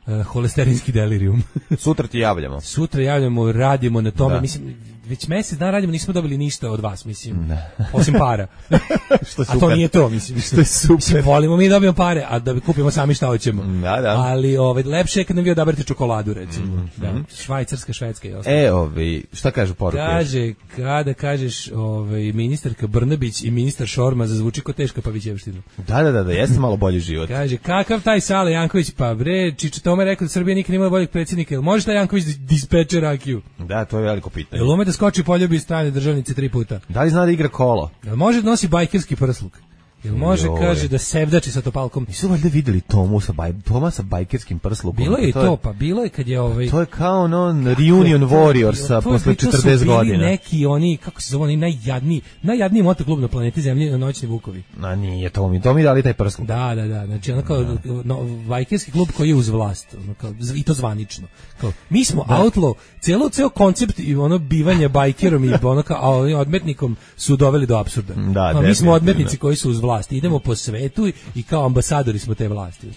Uh, holesterinski delirium. Sutra ti javljamo. Sutra javljamo, radimo na tome. Da. Mislim, već mjesec dana radimo, nismo dobili ništa od vas, mislim. Da. Osim para. Što je a to nije to, mislim. Što je super. Mislim, volimo mi dobijemo pare, a da bi kupimo sami šta hoćemo. Da, da. Ali ovaj, lepše je kad nam vi odaberete čokoladu, recimo. Mm-hmm. Da. Švajcarska, švedska i ostalo. E, ovaj, šta kažu poruke? Kaže, kada kažeš ovaj, ministarka Brnabić i ministar Šorma zazvuči ko teška pavićevština. Da, da, da, da, jeste malo bolji život. Kaže, kakav taj Sale Janković, pa bre, Čiče Tome rekao da Srbija nikad nema boljeg predsjednika. Jel može taj Janković dispeče rakiju? Da, to je veliko pitanje. Jel ume da skoči poljubi strane državnice tri puta? Da li zna da igra kolo? Jel može da nosi bajkerski prsluk? Jel može, Joj. kaže, da sevdači sa topalkom. Nisu valjda videli Tomu sa, baj, Toma sa bajkerskim prslukom. Bilo je i to, to, pa bilo je kad je ovaj... To je kao ono reunion Warriorsa posle četrdeset godina. Neki oni, kako se zove, oni najjadniji, najjadniji motoklub na planeti Zemlji, na Noćni Vukovi. A nije to mi, to mi dali taj prsluk. Da, da, da, znači ono kao no, bajkerski klub koji je uz vlast, ono kao, i to zvanično. Kao, mi smo da. Outlaw, celo, ceo koncept i ono bivanje bajkerom i ono kao a, odmetnikom su doveli do apsurda. Da, a, mi smo odmetnici koji su uz vlast, idemo po svetu i kao ambasadori smo te vlasti.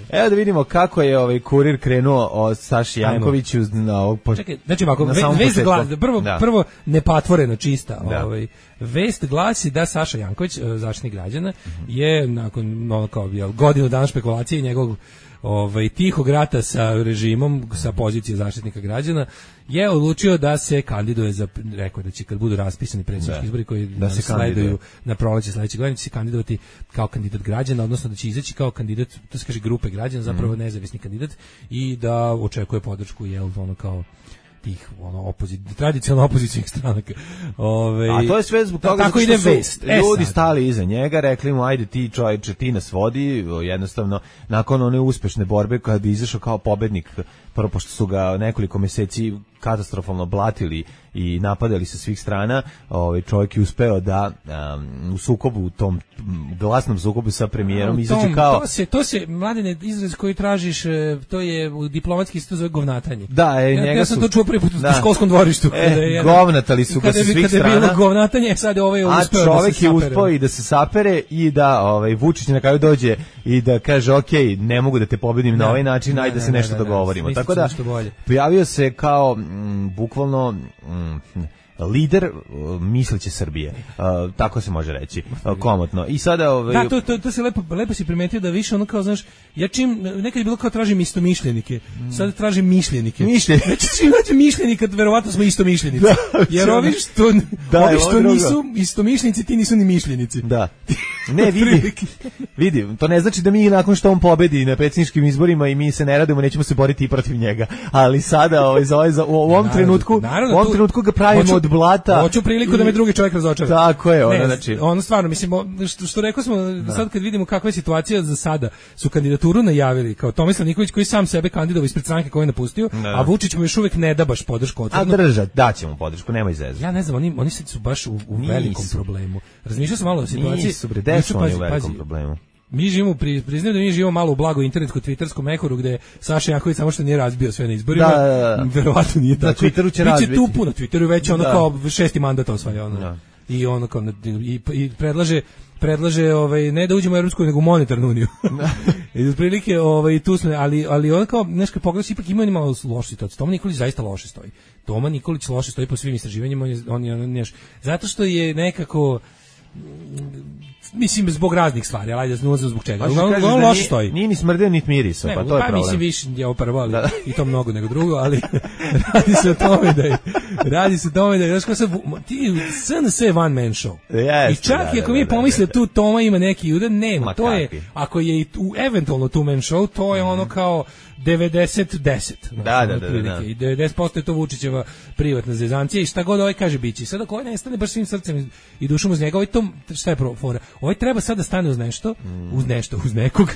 Evo da vidimo kako je ovaj kurir krenuo od Saši Jankoviću na ovog po... Čekaj, znači ovako, ve, vest glasi, prvo, da. prvo nepatvoreno čista, da. ovaj, vest glasi da Saša Janković, Zaštitnik građana, mm-hmm. je nakon no, kao, jel, godinu dana špekulacije njegovog ovaj, tihog rata sa režimom, sa pozicije Zaštitnika građana, je odlučio da se kandiduje za, rekao da će kad budu raspisani predsjednički izbori koji da se sleduju na proleće sledeće godine, će se kandidovati kao kandidat građana, odnosno da će izaći kao kandidat, to se kaže grupe građana, zapravo mm. nezavisni kandidat i da očekuje podršku, jel, ono kao tih ono opozit tradicionalno opozicionih stranaka. Ove, a to je sve zbog toga tako ide vest. Ljudi e, stali iza njega, rekli mu ajde ti čovječe, ti nas vodi, jednostavno nakon one uspešne borbe kada bi izašao kao pobednik, prvo pošto su ga nekoliko meseci katastrofalno blatili i napadali sa svih strana, ovaj čovjek je uspeo da um, u sukobu, u tom glasnom sukobu sa premijerom izađe kao... To se, to se, Mladene, izraz koji tražiš, to je u diplomatski se to zove govnatanje. Da, e, ja, njega ja sam su... to čuo prvi put u školskom dvorištu. E, je, govnatali su ga sa svih kada strana. Kada je bilo govnatanje, sad je ovaj uspeo da se čovjek je uspeo i da se sapere i da ovaj, Vučić na kraju dođe i da kaže ok, ne mogu da te pobedim na ovaj način, ajde da se nešto dogovorimo. Tako da, pojavio se kao m, bukvalno m, lider uh, misleće Srbije. Uh, tako se može reći. Uh, komotno. I sada ovaj da, to, to, to se lepo lepo si primetio da više ono kao znaš, ja čim nekad je bilo kao tražim istomišljenike. Sad tražim mišljenike. Mišljenike. Znači čim nađem mišljenika, verovatno smo istomišljenici. Da, jer ovi što da, ovi što nisu istomišljenici, ti nisu ni mišljenici. Da. Ne, vidi. Vidi, to ne znači da mi nakon što on pobedi na predsjedničkim izborima i mi se ne radimo, nećemo se boriti i protiv njega. Ali sada ovaj za ovaj za u ovom naravno, trenutku, naravno, u ovom tu, trenutku ga pravimo hoću, od blata. Hoću priliku i, da me drugi čovjek razočara. Tako je, ono ne, znači. Ono stvarno mislim što, što rekao smo da. Sad kad vidimo kakva je situacija za sada, su kandidaturu najavili kao Tomislav Nikolić koji sam sebe kandidovao ispred stranke koju je napustio, da. A Vučić mu još uvijek ne da baš podršku otvoreno. A držat, daće mu podršku, nemoj zezati. Ja ne znam, oni oni su baš u, u velikom problemu. Razmišljao sam malo o situaciji. Nisu bre, desu oni u velikom pazi, problemu. Mi živimo, pri, priznajem da mi živimo malo u blago internetsko twitterskom mehoru gde Saša Janković samo što nije razbio sve na izborima. Da, da, da. Verovatno nije tako. Na Twitteru će razbiti. Biće tu puno, Twitteru već ono da. Kao šesti mandat osvaja ono. Da. I ono kao i, i predlaže predlaže ovaj ne da uđemo u Evropsku nego u monetarnu uniju. I otprilike ovaj tu smo, ali ali on kao nešto pogledaš ipak ima malo loše situacije. Toma Nikolić zaista loše stoji. Toma Nikolić loše stoji po svim istraživanjima, on je on je neš, zato što je nekako mislim zbog raznih stvari, ali ajde ne znam zbog čega. On, on loše stoji. Nije ni smrdeo niti mirisao, pa to je pa problem. Mislim više je ovo prvo, ali da. I to mnogo nego drugo, ali radi se o tome da je, radi se o tome da je, znaš ko se, ti S N S je one man show. Yes, I čak da, i ako da, mi da, pomisle da, tu Toma ima neki udar, nema, Ma to je, kakvi. ako je i tu, eventualno two man show, to je ono kao devedeset deset. Da, da, da, da. I devedeset posto je to Vučićeva privatna zezancija i šta god ovaj kaže biće. Sada ko ne stane baš svim srcem i dušom uz njega, ovaj to šta je fora? Ovaj treba sad da stane uz nešto, mm. uz nešto, uz nekog.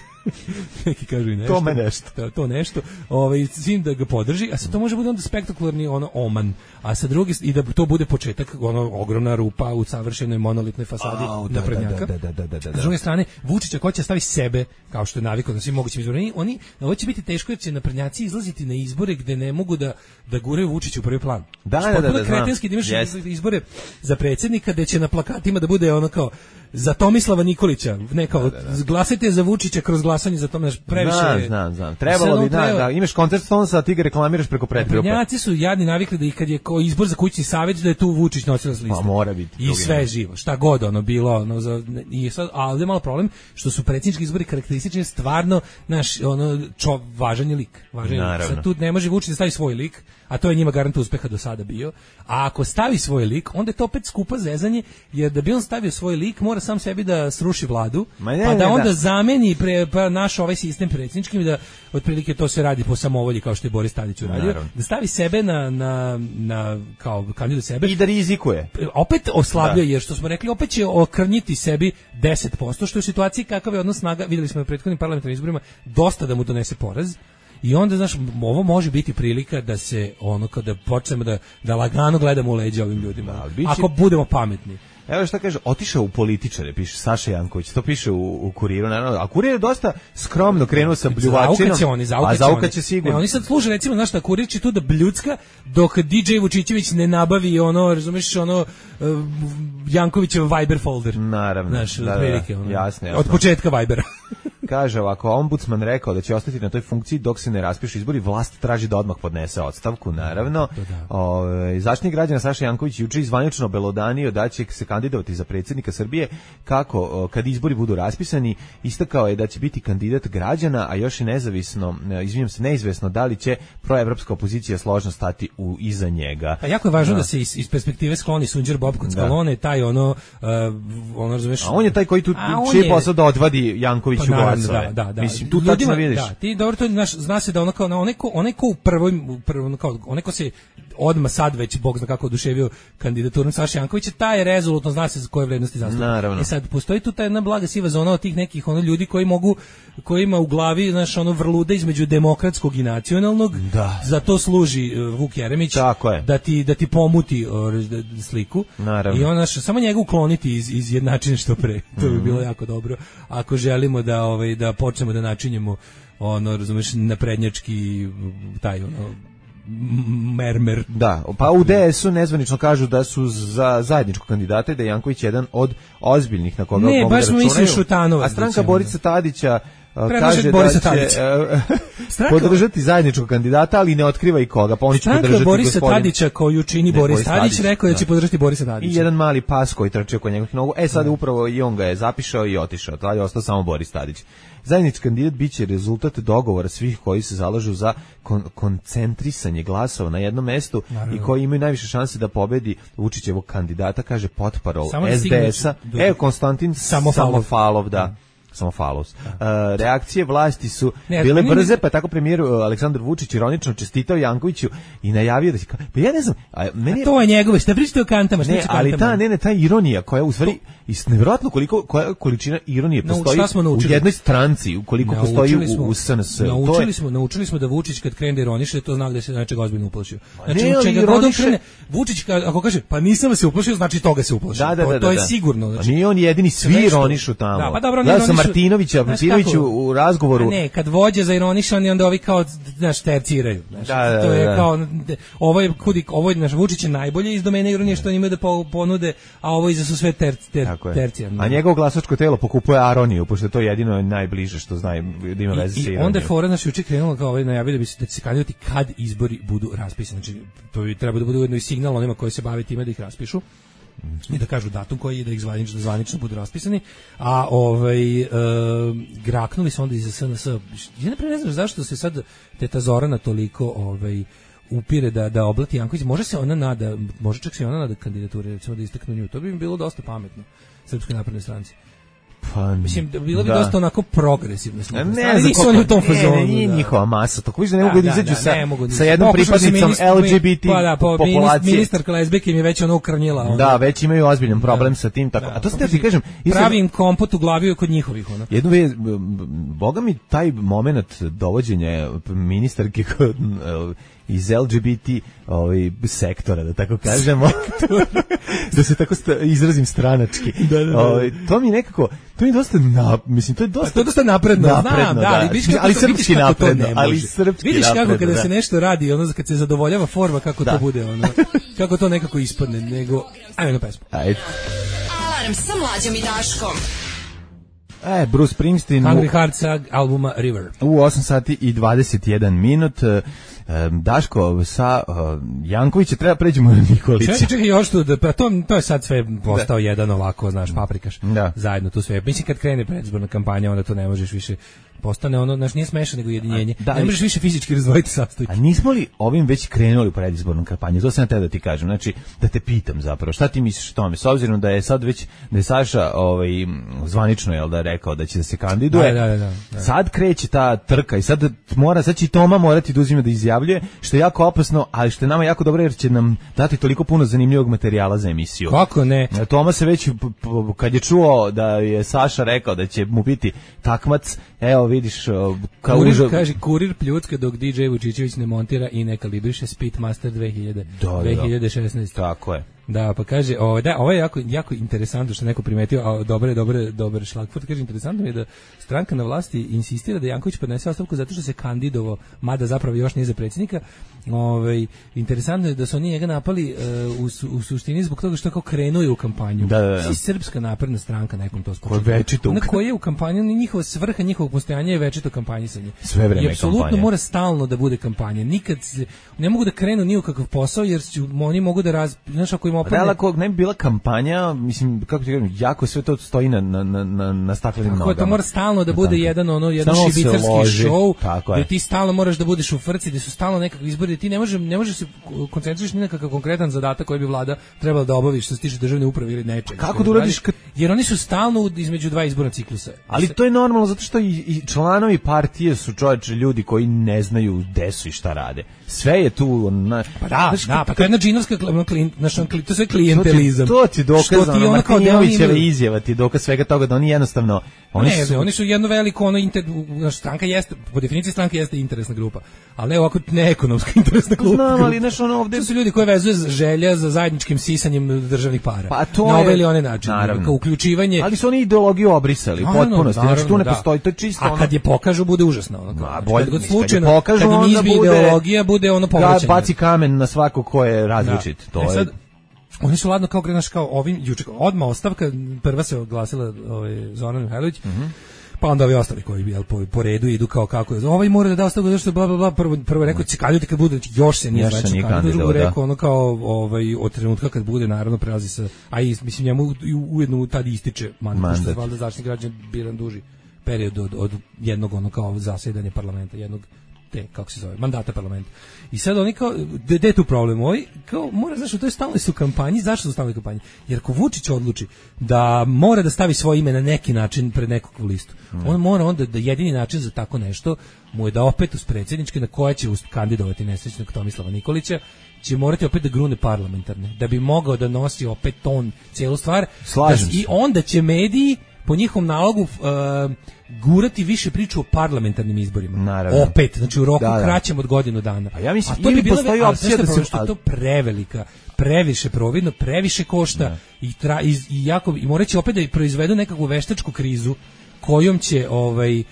Neki kažu i nešto. To me nešto. To, to nešto. Ovaj svim da ga podrži, a sad to može bude onda spektakularni ono oman. A sa druge i da to bude početak ono ogromna rupa u savršenoj monolitnoj fasadi oh, da, naprednjaka. Da, da, da, da, da, da. S druge strane Vučića ko će stavi sebe kao što je navikao na svim mogućim izborima. Oni ovo će biti teško jer će naprednjaci izlaziti na izbore gde ne mogu da da guraju Vučića u prvi plan. Da, da, da, da, kretenski da imaš yes. izbore za predsjednika gde će na plakatima da bude ono kao za Tomislava Nikolića, ne kao da, da, da. Glasajte za Vučića kroz glasanje za Tomislava, previše. Znam, znam, znam. Trebalo bi da, treba... da imaš koncert sponsa, a ti ga reklamiraš preko pretgrupe. Naprednjaci su jadni navikli da i kad je ko izbor za kućni savjet da je tu Vučić nosilac liste. Pa mora biti. I sve živo, šta god ono bilo, ono za i sad ali je malo problem što su predsjednički izbori karakteristični stvarno naš ono čo važan je lik, važan je lik. Sad tu ne može Vučić da stavi svoj lik, a to je njima garant uspeha do sada bio. A ako stavi svoj lik, onda je to opet skupa zezanje, jer da bi on stavio svoj lik, mora mora sam sebi da sruši vladu, ne, pa da ne, onda da. zameni pre, pa naš ovaj sistem predsjedničkim, da otprilike to se radi po samovolji kao što je Boris Tadić uradio, Naravno. da stavi sebe na, na, na kao kandidat sebe I da rizikuje. opet oslabljuje, jer što smo rekli, opet će okrnjiti sebi deset posto, što je u situaciji kakav je odnos snaga, videli smo na prethodnim parlamentarnim izborima, dosta da mu donese poraz. I onda, znaš, ovo može biti prilika da se, ono, kada počnemo da, da lagano gledamo u leđa ovim ljudima. Da, biće... Ako budemo pametni. Evo šta kaže, otišao u političare, piše Saša Janković, to piše u, u Kuriru, naravno, a Kurir je dosta skromno krenuo sa bljuvačinom, Zaukaće oni, zaukaće a zaukaće sigurno. Ne, oni sad služe, recimo, znaš šta, Kurir će tu da bljutska, dok D J Vučićević ne nabavi ono, razumiješ, ono, uh, Jankovićev Viber folder. Naravno, znaš, da, da, prilike, ono, jasno, jasno. od početka Vibera. Kaže ovako, ombudsman rekao da će ostati na toj funkciji dok se ne raspišu izbori, vlast traži da odmah podnese odstavku, naravno. O, Zaštitnik građana Saša Janković juče zvanično obelodanio da će se kandidovati za predsjednika Srbije, kako o, kad izbori budu raspisani, istakao je da će biti kandidat građana, a još je nezavisno, izvinjam se, neizvesno da li će proevropska opozicija složno stati u iza njega. A jako je važno da, da se iz, iz perspektive skloni Sunđer Bob Koncalone, taj ono, uh, ono razumeš. A on je taj koji tu čije posao da odvadi Jankoviću pa, glasove. Da, da, da. Mislim, tu Ljudima, tačno vidiš. Da, ti dobro to znaš, zna se da ono kao onaj ko, onaj ko u prvoj, u prvoj kao onaj ko se odmah sad već bog zna kako oduševio kandidaturom Saše Jankovića, taj je rezolutno zna se za koje vrednosti zastupa. Naravno. I sad postoji tu ta jedna blaga siva zona od tih nekih ono ljudi koji mogu, kojima u glavi, znaš, ono vrluda između demokratskog i nacionalnog. Da. Za to služi uh, Vuk Jeremić. Tako je. Da ti da ti pomuti uh, sliku. Naravno. I ona samo njega ukloniti iz iz jednačine što pre. To bi bilo jako dobro. Ako želimo da ovaj da počnemo da načinjemo ono, razumeš, naprednjački taj ono mermer. Da, pa u D S U nezvanično kažu da su za zajedničkog kandidata i da je Janković jedan od ozbiljnih na koga ne, mogu baš da smo računaju. Šutanovac, a stranka Borica Tadića kaže Borisa da će uh, podržati zajedničkog kandidata, ali ne otkriva i koga, pa oni će podržati Borisa gospodin... Tadića koju čini ne, Boris, Boris Tadić, Tadić rekao da, da će podržati Borisa Tadića. I jedan mali pas koji trči oko njegovih nogu. E sad upravo i on ga je zapišao i otišao. Tada je ostao samo Boris Tadić. Zajednički kandidat biće rezultat dogovora svih koji se zalažu za kon koncentrisanje glasova na jednom mestu. Naravno. I koji imaju najviše šanse da pobedi Vučićevog kandidata, kaže potparol S D S-a. Evo Konstantin Samofalov, Samofalov da. Samofalos. Uh, reakcije vlasti su ne, bile brze, ne... pa je tako premijer uh, Aleksandar Vučić ironično čestitao Jankoviću i najavio da će... Pa ja ne znam... A, meni... a to je njegove, šta pričate o kantama? Šta ne, ali ta, ne, ne, ta ironija koja u stvari... To... nevjerojatno koliko koja količina ironije postoji no, u jednoj stranci, koliko naučili postoji smo, u, u S N S. Naučili, je... smo, naučili smo da Vučić kad krene da ironiše, to znak da se nečega ozbiljno uplašio. Znači, ne, čega ironiše... krene, Vučić ako kaže, pa nisam se uplašio, znači toga se uplašio. Da, da, da, to, to je da. sigurno. Znači, nije on jedini, svi ironišu tamo. Da, pa dobro, ja sam Martinovića, Martinoviću u razgovoru. A ne, kad vođe za ironišan, onda ovi kao, znaš, terciraju. Znaš, da, da, to je da. kao, ovo je, kudi, ovo je, naš Vučić je najbolje iz domene ironije što imaju da ponude, a ovo iza su sve ter, ter, tercijarno. A njegovo glasačko telo pokupuje aroniju, pošto je to jedino najbliže što zna da ima veze sa ironijom. I onda je fora naš juče krenulo kao ovaj najavio da bi se da će se kandidati kad izbori budu raspisani. Znači, to bi treba da bude ujedno i signal onima koji se bave time da ih raspišu. I da kažu datum koji je da ih zvanično, da zvanično budu raspisani, a ovaj e, graknuli su onda iz S N S. Ja ne znam zašto se sad teta Zorana toliko ovaj upire da da oblati Janković. Može se ona nada, može čak se ona nada kandidature, recimo da istaknu nju. To bi im bilo dosta pametno Srpskoj naprednoj stranci. Pa, mislim, bilo bi da. dosta onako progresivno. Ne, ne, nisu oni u tom fazonu. Ne, nije da. njihova masa. Tako viš da ne mogu da izađu sa, sa jednom pripadnicom L G B T pa da, pa, populacije. Ministarka lezbijke im je već ono ukrnjila. Ono. Da, već imaju ozbiljan problem da. sa tim. Tako. Da, a to se ti kažem. Pravi im kompot u glavi kod njihovih. Ono. Jedno je, boga mi taj moment dovođenja ministarke kod iz L G B T ovaj, sektora, da tako kažemo, da se tako sta, izrazim stranački. Da, da, da. Ovaj, to mi nekako, to mi je dosta, na, mislim, to je dosta... To je dosta napredno, napredno znam, da, da, ali, vidiš kako, ali srpski vidiš kako napredno, to ne može. ali srpski vidiš napredno, kako kada da. se nešto radi, ono, kad se zadovoljava forma, kako da. to bude, ono, kako to nekako ispadne, nego... Ajmo na pesmu. Ajde. Alarm sa Mlađom i Daškom. E, Bruce Springsteen... Hungry Hearts albuma River. U osam sati i dvadeset jedan minut... Daško, sa uh, Jankovića treba pređemo na Nikolića. Čekaj, čekaj, još tu, da, pa to, to je sad sve postao da. jedan ovako, znaš, paprikaš. Da. Zajedno tu sve. Mislim, kad krene predizborna kampanja, onda to ne možeš više, postane ono, znaš, nije smešno nego jedinjenje. Da, ne možeš više fizički razdvojiti sastojke. A nismo li ovim već krenuli u predizbornu kampanju? To sam ja te da ti kažem. Znači, da te pitam zapravo, šta ti misliš o tome? S obzirom da je sad već, da je Saša ovaj, zvanično je da rekao da će da se kandiduje, da, da, da, da. sad kreće ta trka i sad mora, sad će i Toma morati da uzima da izjavljuje, što je jako opasno, ali što je nama jako dobro jer će nam dati toliko puno zanimljivog materijala za emisiju. Kako ne? Toma se već, kad je čuo da je Saša rekao da će mu biti takmac, evo vidiš, kao kurir, uža... kaže, kurir pljucka dok D J Vučićević ne montira i ne kalibriše Speedmaster dve hiljade šesnaeste. Tako je. Da, pa kaže, ovo, da, ovo je jako, jako interesantno što je neko primetio, a dobre, dobre, dobre šlagfurt, kaže, interesantno mi je da stranka na vlasti insistira da Janković podnese ostavku zato što se kandidovao, mada zapravo još nije za predsjednika. Ovaj, interesantno je da su oni njega napali uh, u, u suštini zbog toga što kao krenuo u kampanju. Da, da, da. Svi Srpska napredna stranka nekom to skočila. Koja je večito. Ona koja je u kampanju, njihova svrha njihovog postojanja je večito kampanjisanje. Sve vreme I apsolutno kampanja. mora stalno da bude kampanja. Nikad se, ne mogu da krenu ni u kakav posao jer su, oni mogu da raz, znaš, ako im opadne... Da, ako ne bi bila kampanja, mislim, kako ti kažem, jako sve to stoji na, na, na, na staklenim nogama. To mora stalno da bude jedan ono jedan stalno šibicarski show, gde ti stalno moraš da budeš u frci, gde su stalno nekakvi izbori, gde ti ne možeš ne možeš se koncentrišeš ni na kakav konkretan zadatak koji bi vlada trebala da obavi što se tiče državne uprave ili nečega. Kako da uradiš kad... Jer oni su stalno između dva izborna ciklusa. Ali to je normalno zato što i, i članovi partije su čovječe ljudi koji ne znaju gde su i šta rade. Sve je tu na, pa da, znaš, da, pa to je jedna džinovska naš to sve klijentelizam. To ti dokaz, ono, Martinovićeva oni... izjava ti dokaz svega toga da oni jednostavno oni ne, su ne, oni su jedno veliko ono inter, naš stranka jeste po definiciji stranke jeste interesna grupa, ali ne ovako ne ekonomska interesna grupa. Znam, ali znaš, ono ovde to su ljudi koji vezuju želja za zajedničkim sisanjem državnih para. Pa to na je, ovaj ili onaj način, kao uključivanje. Ali su oni ideologiju obrisali u potpunosti. Znači tu ne da. postoji, to je čisto ono. A kad je pokažu bude užasno, ono. Ma, bolje, kad god kad slučajno, je pokažu, kad im izbi bude, ideologija bude ono povraćanje. Baci kamen na svako ko je različit. Da. To e je sad, oni su ladno kao krenaš kao ovim juče odmah ostavka, prva se oglasila ovaj Zoran Mihajlović. Mm -hmm. Pa onda ovi ostali koji jel, po, po redu idu kao kako je. Ovaj mora da da ostavku zato što bla bla bla prvo prvo rekao će kandidati kad bude još se nije znači kandidat, drugo rekao ono kao ovaj od trenutka kad bude naravno prelazi sa a i mislim njemu ujedno tad ističe mandat, što valjda Zaštitnik građana biran duži period od, od jednog ono kao zasedanja parlamenta, jednog te, kako se zove, mandata parlamenta. I sad oni kao, gde je tu problem? Ovi, kao, mora, znaš, u toj stalnoj su kampanji, zašto su stalnoj kampanji? Jer ako Vučić odluči da mora da stavi svoje ime na neki način pred nekog listu, mm. on mora onda da jedini način za tako nešto mu je da opet uz predsjedničke na koje će kandidovati nesrećnog Tomislava Nikolića, će morati opet da grune parlamentarne, da bi mogao da nosi opet ton cijelu stvar. Slažem da, I onda će mediji po njihovom nalogu uh, gurati više priču o parlamentarnim izborima. Naravno. Opet, znači u roku da, da. kraćem od godinu dana. Pa ja mislim, a to bi bilo postoji opcija da se... Što je to prevelika, previše providno, previše košta da. i, tra, i, i, jako, i morat će opet da proizvedu nekakvu veštačku krizu kojom će ovaj, uh,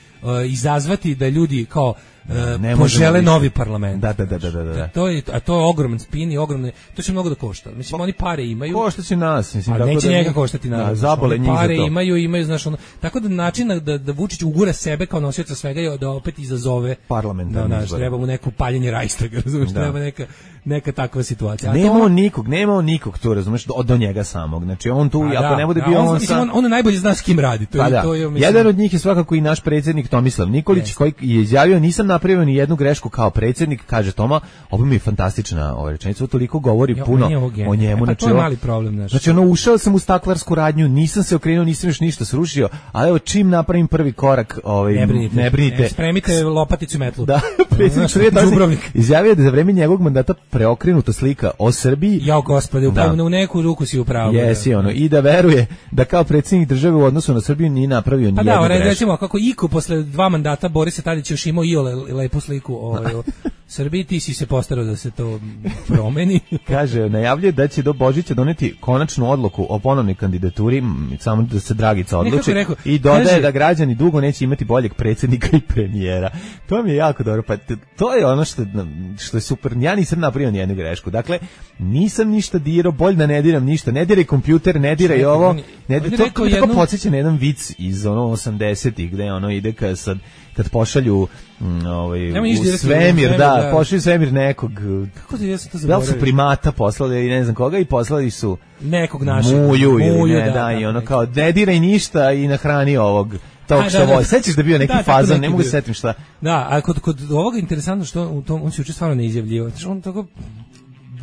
izazvati da ljudi kao Uh, požele novi parlament. Da, da, da, da, da, da. To je, a to je ogroman spin i ogromne, to će mnogo da košta. Mislim, oni pare imaju. Košta će nas, mislim. A neće da njega koštati naravno. Da, zabole njih za to. Pare imaju, imaju, znaš, ono, tako da način da, da Vučić ugura sebe kao nosioca svega je da opet izazove parlamentarne da, izbore. Treba mu neko paljenje Reichstaga, razumiješ, da. Treba neka, neka takva situacija. Nema on nikog, nema on nikog tu, razumiješ, do, do njega samog. Znači, on tu, ako da, ne bude da, bio on, on, mislim, on, on najbolje zna s kim radi. To, pa je, da. to je, mislim, jedan od njih je svakako i naš predsjednik Tomislav Nikolić, yes. koji je izjavio, nisam napravio ni jednu grešku kao predsjednik, kaže Toma, ovo mi je fantastična ova rečenica, toliko govori jo, puno o njemu. E, pa znači, to je mali problem. Naš. Znači, ono, ušao sam u staklarsku radnju, nisam se okrenuo, nisam još ništa srušio, ali evo, čim napravim prvi korak, ovaj, ne brinite, ne brinite. E, spremite lopaticu i metlu. Da, predsjednik Dubrovnik izjavio da za vreme njegovog mandata preokrenuta slika o Srbiji. Jao gospode, upravo u neku ruku si upravo. Jesi, ono, i da veruje da kao predsjednik države u odnosu na Srbiju nije napravio ni jednu grešku. Pa da, recimo, kako Iko posle dva mandata Borisa Tadića još imao i ole lepu sliku ovaj, o Srbiji, ti si se postarao da se to promeni. Kaže, najavljuje da će do Božića doneti konačnu odluku o ponovnoj kandidaturi, samo da se Dragica odluči, rekao, i dodaje kaže, da građani dugo neće imati boljeg predsjednika i premijera. To mi je jako dobro, pa to je ono što, što je super. Ja nisam napravio ni jednu grešku. Dakle, nisam ništa dirao, bolj da ne diram ništa. Ne diraj kompjuter, ne diraj Čekaj, ovo. Ne diraj, to to jednu... tako podsjeća na jedan vic iz ono osamdesetih gde ono ide kad sad kad pošalju mm, ovaj u svemir, da, da, pošalju svemir nekog. Kako ti ja sam to zaboravio? Da su primata poslali i ne znam koga i poslali su nekog našeg muju, muju ili ne, da, da, da, i ono kao ne diraj ništa i nahrani ovog talk show voice. Sećaš da bio neki da, fazon, neki ne mogu bio. se setim šta. Da, a kod, kod ovoga interesantno što u tom, on se uče stvarno ne izjavljivo. Znači on tako,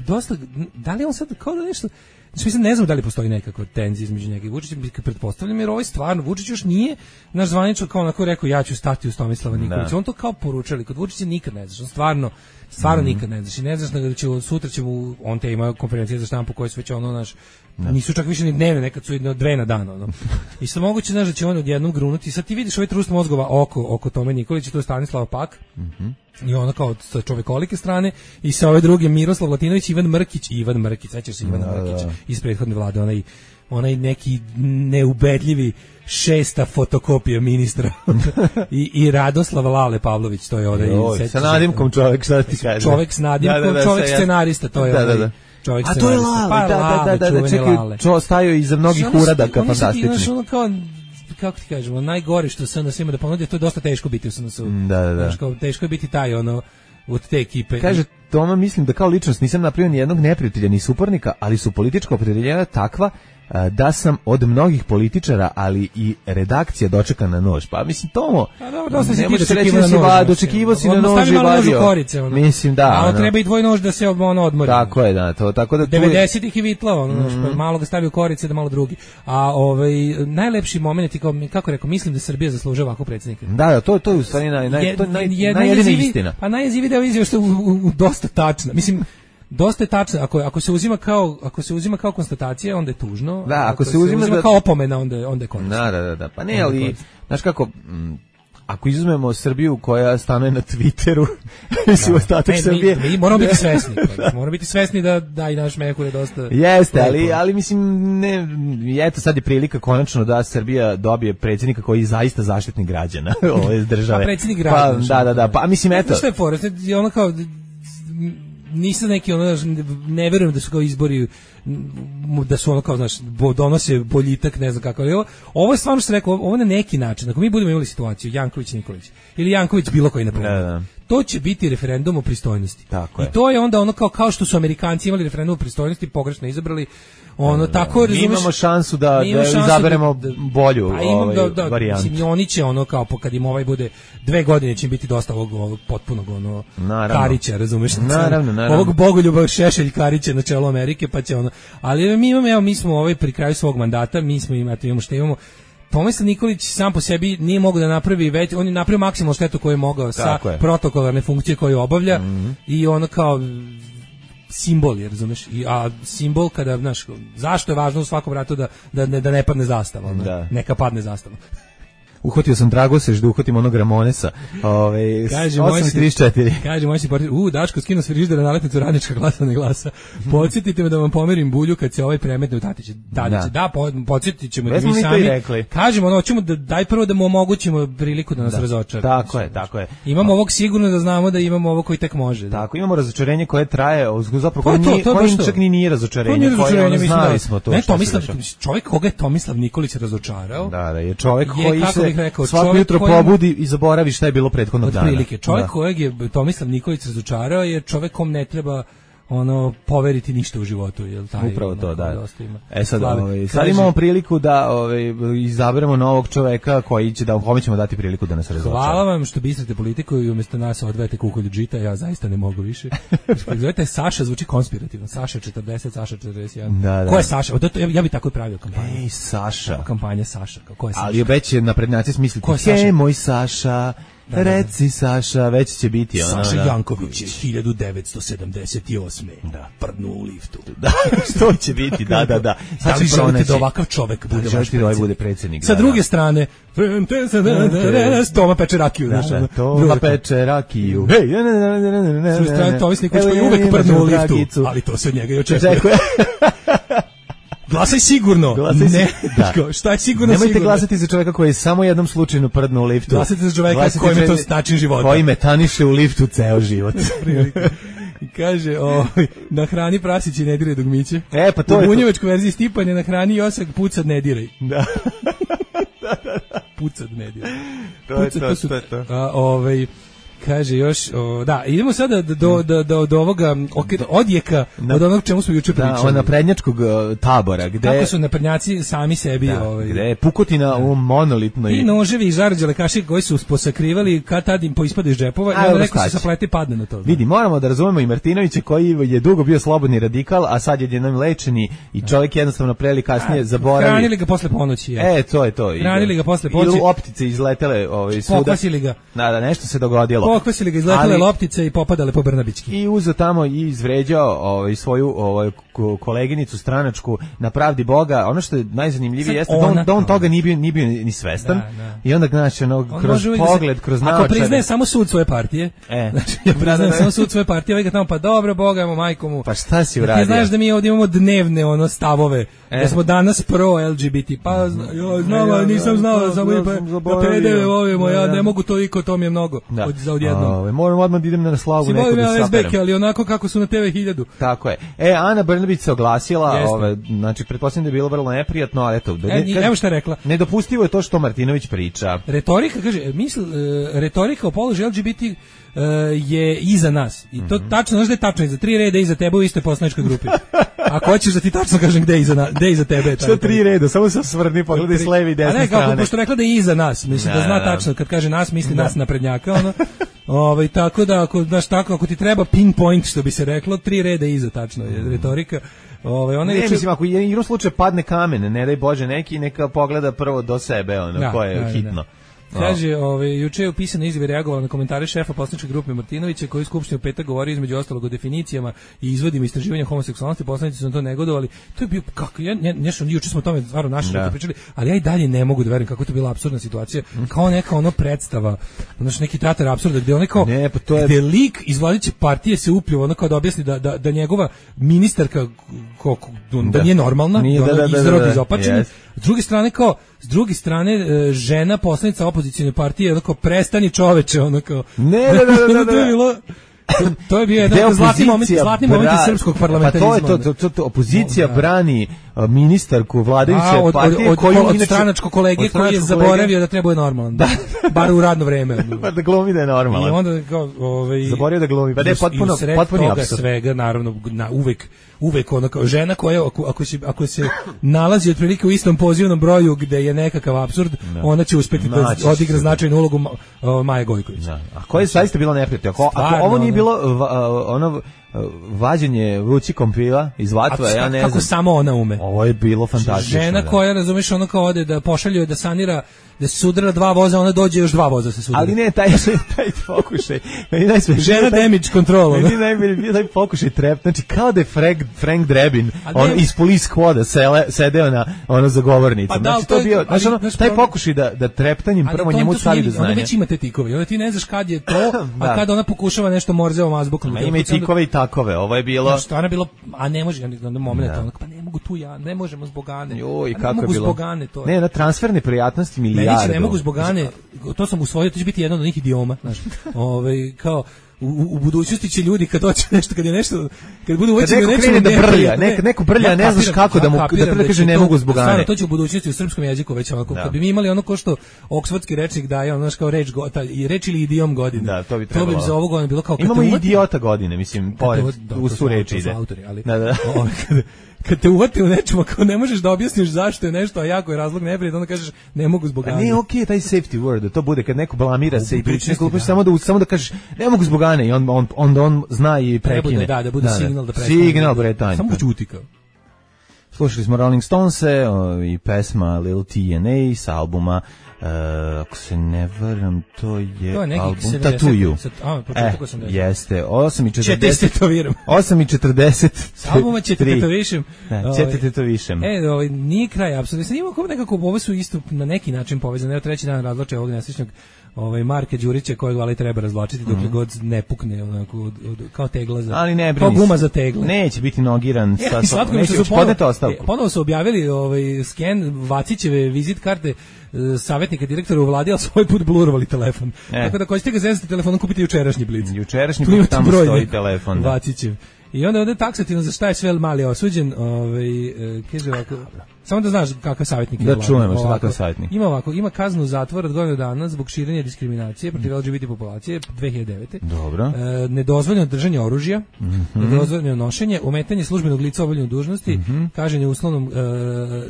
dosta, da li on sad kao da nešto, znači mislim ne znam da li postoji nekakva tenzija između njega i Vučića, pretpostavljam jer ovaj stvarno, Vučić još nije naš zvanično kao onako rekao ja ću stati uz Tomislava Nikolića, on to kao poručali, kod Vučića nikad ne znaš, on stvarno, stvarno mm. nikad ne znaš i ne znaš da će sutra će mu, on te ima konferencije za štampu koje su već ono naš, da. Nisu čak više ni dnevne, nekad su jedno dve na dan ono. I sad moguće znaš da će on odjednom grunuti, sad ti vidiš ovaj trust mozgova oko, oko Tome Nikolića, to je Stanislava Pak, mm-hmm. i ono kao sa čovekolike strane i sa ove druge Miroslav Latinović, Ivan Mrkić, Ivan Mrkić, sećaš se Ivana da, Mrkića da. Iz prethodne vlade, onaj, onaj neki neubedljivi šesta fotokopija ministra I, i Radoslav Lale Pavlović, to je onaj Joj, sa nadimkom čovjek, šta ti kaže? Čovjek s nadimkom, da, da, da, čovjek ja... scenarista, to je da, onaj da, da. čovjek a scenarista. To je Lale, pa, da, Lale, da, da, da, čekaj, čo stajao iza mnogih uradaka fantastičnih. Ono kao, kako ti kažemo, najgore što S N S ima da ponudi, to je dosta teško biti u S N S-u. Da, da, da. Teško, teško je biti taj, ono, od te ekipe. Kaže, Toma, mislim da kao ličnost nisam napravio ni jednog neprijatelja ni suparnika, ali su politička opredjeljenja takva da sam od mnogih političara, ali i redakcija dočeka na nož. Pa mislim, Tomo, a dobro, dosta ne možeš reći da si va, dočekivo si na nož i vadio. Korice, ono. Mislim, da. A ono treba i dvoj nož da se ono odmori. Tako je, da. To, tako da devedesetih i vitla, ono, mm. pa malo ga stavio korice da malo drugi. A ovaj, najlepši moment, kao, kako rekao, mislim da Srbija zaslužuje ovako predsjednika. Da, da, to, to je u stvari naj, naj, to naj, najjedina istina. Pa najjezivi deo izjava što je u, u, u dosta tačna. Mislim, dosta je tačno, ako, ako se uzima kao ako se uzima kao konstatacija, onda je tužno. Da, ako, ako se, se uzima, uzima da, kao opomena, onda onda je korisno. Da, da, da, pa ne, ali znaš kako, m, ako izuzmemo Srbiju koja stanuje na Twitteru, mislim ostatak Srbije. Mi, mi moramo biti svesni, moramo biti svesni da da i naš Mehur je dosta. Jeste, ali ali mislim ne, eto sad je prilika konačno da Srbija dobije predsjednika koji je zaista zaštitnik građana ove države. Pa predsjednik građana. Pa, da, da, da, pa mislim eto. Što je fora, ono kao nisam neki ono, ne verujem da su kao izbori, da su ono kao, znaš, donose boljitak, ne znam kako, ali ovo, ovo je stvarno što sam rekao, ovo na neki način, ako mi budemo imali situaciju Janković Nikolić ili Janković bilo koji na primjer, da, da. To će biti referendum o pristojnosti. Tako I je. to je onda ono kao, kao što su Amerikanci imali referendum o pristojnosti, pogrešno izabrali, ono, da, tako, mi imamo šansu da, da izaberemo da, bolju da, ovaj, da, da, varijantu. Mislim, oni će ono kao, kad im ovaj bude dve godine, će im biti dosta ovog, ovog potpunog ono, naravno. Karića, razumeš? Naravno, naravno. Ovog Bogoljuba Šešelj Karića na čelu Amerike, pa će ono, ali mi imamo, evo, mi smo ovaj pri kraju svog mandata, mi smo imati, imamo što imamo, Tomislav Nikolić sam po sebi nije mogao da napravi već, on je napravio maksimalnu štetu koju je mogao sa je. protokolarne funkcije koju obavlja mm-hmm. i ono kao simbol je, razumeš? I, a simbol kada, znaš, zašto je važno u svakom ratu da, da, ne, da ne padne zastava, ono, da. Neka padne zastava. Uhvatio sam Dragosež da uhvatim onog Ramonesa. Ove, osam trideset četiri. Kaže, moj si portir, u, Daško, skinu s frižidera naletnicu radnička glasa ne glasa. Podsjetite me da vam pomerim bulju kad se ovaj premetne u Tatiće. Tatiće, da, da po, podsjetit ćemo da mi sami. Kažemo, ono, ćemo da, daj prvo da mu omogućimo priliku da nas da. razočara. Tako je, tako je. Imamo ovog sigurno da znamo da imamo ovo koji tek može. Da. Tako, imamo razočarenje koje traje, zapravo koje nije, koje čak ni nije razočarenje. Koje ono, znali smo to. Ne, Tomislav, čovjek koga je Tomislav Nikolić razočarao. Da, da, je čovjek koji se rekao, svako jutro probudi i zaboravi šta je bilo prethodnog dana. Otprilike, čovjek da. kojeg je Tomislav Nikolić razočarao je čovjek kom ne treba ono poveriti ništa u životu, jel taj? Upravo to, da. E sad, ovaj, sad imamo priliku da ovaj, izaberemo novog čoveka koji će da kome ćemo dati priliku da nas razočara. Hvala vam što bistrate politiku i umjesto nas odvete kukolju džita, ja zaista ne mogu više. Zovete Saša, zvuči konspirativno. Saša četrdeset, Saša četrdeset jedan. Da, da. Ko je Saša? Ja, ja bih tako pravio kampanju. Ej, Saša. Kampanja Saša. Ko je Saša? Ali već je naprednjaci smisliti. Ko je Saša? He, moj Saša. Da, da, da. Reci Saša, već će biti ona. Saša Janković je hiljadu devetsto sedamdeset osme Da. Prdnuo u liftu. Da, što će biti, da, da, da. Sad da li želite da ovakav čovek bude vaš predsjednik? Da bude predsjednik. Sa druge strane, Toma peče rakiju. Toma peče rakiju. Hej, s druge strane, Tomis Nikolić koji uvek prdnuo u liftu, ali to se od njega i očekuje. Glasaj sigurno. Glasaj ne, da. Šta je sigurno? Nemojte sigurno? glasati za čovjeka koji je samo jednom slučajno prdnuo u liftu. Glasajte za čovjeka kojem je to način života. Koji metaniše u liftu ceo život. I kaže, o, na hrani prasić i ne diraj dugmiće. E, pa to u bunjevačkoj verziji Stipan je na hrani Josak pucad ne diraj. Da. Pucad ne diraj. To je to, to, to, to. A, ovaj, Kaže još, o, da, idemo sada do, do, do, do, do ovoga ok, odjeka Da. od onog čemu smo juče Da, pričali. od naprednjačkog uh, tabora, gde Kako su naprednjaci sami sebi... da, ovaj, gde je pukotina u monolitnoj... i noževi i žarđe lekaši koji su posakrivali kad tad im poispade iz džepova i A, onda evo, neko šta se će? saplete i padne na to. Vidi, moramo da razumemo i Martinovića koji je dugo bio slobodni radikal, a sad je jednom lečeni i čovjek jednostavno preli kasnije zaboravi. Hranili ga posle ponoći. Ja. E, to je to. Hranili ga posle I ponoći. optice izletele ovaj, svuda. Pokvasili ga. Da, da, nešto se dogodilo. Pokvasili ga, izletale Ali- loptice i popadale po Brnabićki. I uzeo tamo i izvređao ovaj, svoju ovaj, ko- koleginicu stranačku na pravdi Boga. Ono što je najzanimljivije Sad jeste da on, ona- da on toga nije bio, nije bio ni svestan. Da, da. I onda, znači, ono, On kroz može uvijek da se- pogled, kroz Ako naočare. priznaje samo sud svoje partije, E. znači ja priznajem Da, da, da. samo sud svoje partije, ovaj ga tamo, pa dobro, Boga, evo majku mu. Pa šta si Ti uradio? znaš da mi ovdje imamo dnevne ono stavove, E. da smo danas pro L G B T, pa zna, jo, znam, Ja, ali nisam ja, znao, ja, samo ja i pa, sam da zaboravio. P D V volimo, ja Da, da. ne mogu toliko, to mi je mnogo, Da. od, za odjednom. Ove, moram odmah da idem na slavu Si neko volim da ja saperem. S B K, ali onako kako su na T V hiljadu. Tako je. E, Ana Brnabić se oglasila, Jeste. ove, znači, pretpostavljam da je bilo vrlo neprijatno, ali eto, da E, i- evo šta je rekla. Nedopustivo je to što Martinović priča. Retorika, kaže, misl, e, retorika o položaju L G B T e, je iza nas. I to tačno, znaš da je tačno, iza tri reda iza tebe u istoj poslaničkoj grupi. Ako hoćeš da ti tačno kažem gde je iza, na, gde je iza tebe. je ta Što tri retorika. reda, samo se osvrni, pogledaj s leve i A desne ne, kako, strane. pošto rekla da je iza nas, mislim da, Da, zna da. tačno, kad kaže nas, misli nas naprednjaka, ono. Ovaj, tako da, ako, znaš, tako, ako ti treba pinpoint, što bi se reklo, tri reda iza, tačno je retorika. Ovaj, ona Ne, je mislim, ako je igrom slučaju padne kamen, ne daj Bože neki, neka pogleda prvo do sebe, ono, Da, ko je da, da. hitno. Kaže, ovaj juče je u pisanoj izjavi reagovala na komentare šefa poslaničke grupe Martinovića koji je u skupštini u petak govorio između ostalog o definicijama i izvodima istraživanja homoseksualnosti, poslanici su na to negodovali. To je bio kako ja ne, nešto juče smo o tome stvarno našli Da. pričali, ali ja i dalje ne mogu da verujem kako je to bila apsurdna situacija, kao neka ono predstava, znači neki teatar apsurda gde on kao Ne, pa to je- gde lik iz vladajuće partije se upljuva ono kao da objasni da da, da njegova ministarka ko, ko- da, Da. nije normalna, Nije, da, da, ona da, da, izrodi da. izopačena. Yes. S druge strane kao s druge strane e, žena poslanica opozicione partije onako prestani čoveče onako. Ne, da, da, da, da, da. to je bilo to, to je bio Gde jedan zlatni moment, opozicija zlatni moment bra- srpskog Pa parlamentarizma. to je to, to, to, to opozicija Da. brani uh, ministarku vladajuće A, od, od, partije od, koju od inače- stranačkog kolege od koji je stranačkog zaboravio da treba je normalan. Da. Bar u radno vreme. Pa da glumi da je I normalan. onda kao ovaj Zaboravio da glumi, pa da je i u- potpuno- i u sred potpuni toga apsurd. svega naravno na uvek uvek ona kao žena koja ako, ako se ako se nalazi otprilike u istom pozivnom broju gde je nekakav apsurd, ona će uspeti da Naći će odigra se. značajnu ulogu Ma- o, Maje Gojković. Da. A koje je zaista bilo neprijatno? Ako, ako Stvarno, ovo nije ono. bilo va, ono vađenje vrući kompila iz A vatva, ja ne kako znam. samo ona ume. Ovo je bilo fantastično. Žena da. koja, razumeš, ono kao ode da pošalju da sanira, da se sudara dva voza, ona dođe još dva voza se sudara. Ali ne, taj, taj pokušaj. Meni najsmešnije Žena taj- damage control. ono. Meni najbolje bio taj pokušaj trep, znači kao da je Frank, Frank Drebin, A on ne- iz Police Squada sele, sedeo na ono za govornicom. Pa da, znači to to je- bio, ali, znači ono, znaš, taj problem- pokušaj da, da treptanjem Ali prvo to- njemu to su stavi do njeni- Ona znanja. već ima te tikove. Onda ti ne znaš kad je to, Da. a kad ona pokušava nešto morzevom azbukom. Ma ima i tikove i takove, ovo je bilo... Što ona bilo, a ne može, ja na moment, onako, pa ne mogu tu ja, ne možemo zbog Ane. Joj, Pa kako ne je mogu bilo. zbog Ane, to je. Ne, na transferne prijatnosti Meni milijardu. će ne mogu zbog Ane, to sam usvojio, to će biti jedan od njih idioma, znaš. Ovaj kao u, u budućnosti će ljudi kad hoće nešto, kad je nešto, kad budu Kad uvećeni neko nečemu krene da neprijatno, brlja, nek- neko brlja, ja ne znaš kapiram- kako da mu- ja da kapiram prvo kaže će ne to- mogu zbog Ane. Stvarno, to će u budućnosti u srpskom jeziku već onako, Da. kad bi mi imali ono ko što oksfordski rečnik daje, ono znaš kao reč, go- ta- i reč ili idiom godine. Da, to bi To bi trebalo. za ovog ono bilo kao kad Imamo te i uvati- idiota godine, mislim, pored, Da, u to su reči to su ide. autori, ali, Da, da. ovaj, kad, kad te uvati u nečemu, ako ne možeš da objasniš zašto je nešto, a jako je razlog neprijatno, onda kažeš ne mogu zbog A Ane. ne, okej, taj safety word, da to bude kad neko blamira se i priča budućnosti, neku glupost, da. samo da samo da kažeš ne mogu zbog Ane i on on onda on zna i Treba prekine. da, da, da bude signal da prestane. Signal pretanje. Samo ćuti kao. Slušali smo Rolling Stonese o, i pesma Lil T N A sa albuma uh, ako se ne varam, to je, To je neki album sedamdeset, Tattoo You. sad- a, E, početak osamdeset. jeste, osam i Će te četrdeset. istetoviram. osam i četrdeset. S albuma će te tetovišem. Ne, Ovaj, će te tetovišem. E, ovaj, nije kraj, apsolutno. Sad imamo kao nekako, ovo su isto na neki način povezane. Evo treći dan razvlače ovog nesrećnog ovaj, Marka Đurića, kojeg vali treba razvlačiti dok god ne pukne, onako, od, od, kao tegla za... Ali ne kao brini. guma za tegle. Neće biti nogiran. E, sa- i slatko mi neće što su podneti ponovo, ostavku. e, ponovo su objavili ovaj sken Vacićeve vizit karte e, savjetnika direktora u vladi, ali svoj put blurovali telefon. E. Tako da ko ćete ga zezati telefonom, kupite jučerašnji blic. Jučerašnji Tu put imate tamo broj stoji neki telefon. Da. Vacićev. I onda ovde taksativno za šta je sve mali osuđen, ovaj, e, kaže ovako, Samo da znaš kakav savjetnik je. Da Vlada. čujemo što Ovako, kakav savjetnik. Ima ovako, ima kaznu zatvora od godinu dana zbog širenja diskriminacije protiv L G B T populacije dve hiljade devete. Dobro. E, nedozvoljeno držanje oružja, mm-hmm. nedozvoljeno nošenje, ometanje službenog lica u obavljanju dužnosti, mm-hmm. kažnjenje uslovnom, e,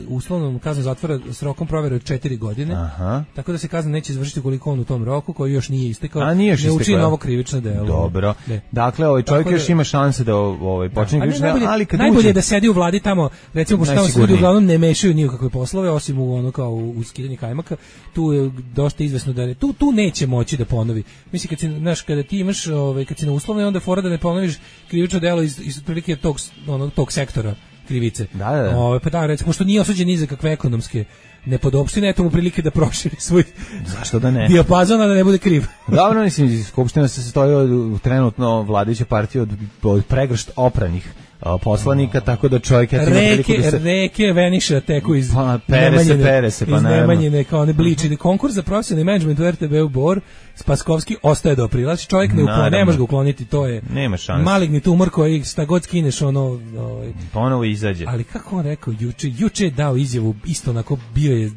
uslovnom kaznom zatvora s rokom provere od četiri godine. Aha. Tako da se kazna neće izvršiti ukoliko on u tom roku, koji još nije istekao, A, nije još ne učini istekao. novo krivično delo. Dobro. Ne. Dakle, ovaj čovjek Tako još da- ima šanse da ovaj počne Ali krivično, najbolje, ali kad najbolje uđe je da sedi u vladi tamo, recimo pošto tamo se ljudi Najsigurniji. uglavnom ne mešaju ni u kakve poslove, osim u ono kao u, u skidanje kajmaka, tu je dosta izvesno da ne, tu tu neće moći da ponovi. Mislim kad si, znaš, kada ti imaš, ovaj kad si na uslovnoj, onda fora da ne ponoviš krivično delo iz iz otprilike tog onog tog sektora krivice. Da, da, da. Ovaj pa da, recimo što nije osuđen ni za kakve ekonomske nepodopštine, eto mu prilike da proširi svoj Zašto da ne? dijapazon, a da ne bude kriv. Dobro, mislim, Skupština se sastoji od trenutno vladajuće partije od, od pregršt opranih a, poslanika, tako da čovjek eto ima priliku Reke, da se... reke Veniša teku iz Pa, pere se, Nemanjine- pere se, pa iz naravno. Nemanjine, kao one bliči. Konkurs za profesionalni menadžment u R T B u Bor, Spaskovski ostaje do aprila. Znači čovjek ne, ukloni, Naravno. ne može ga ukloniti, to je Nema šanse. maligni tumor koji šta god skineš, ono... Ovaj. Ponovo izađe. Ali kako on rekao, juče, juče je dao izjavu, isto onako bio je...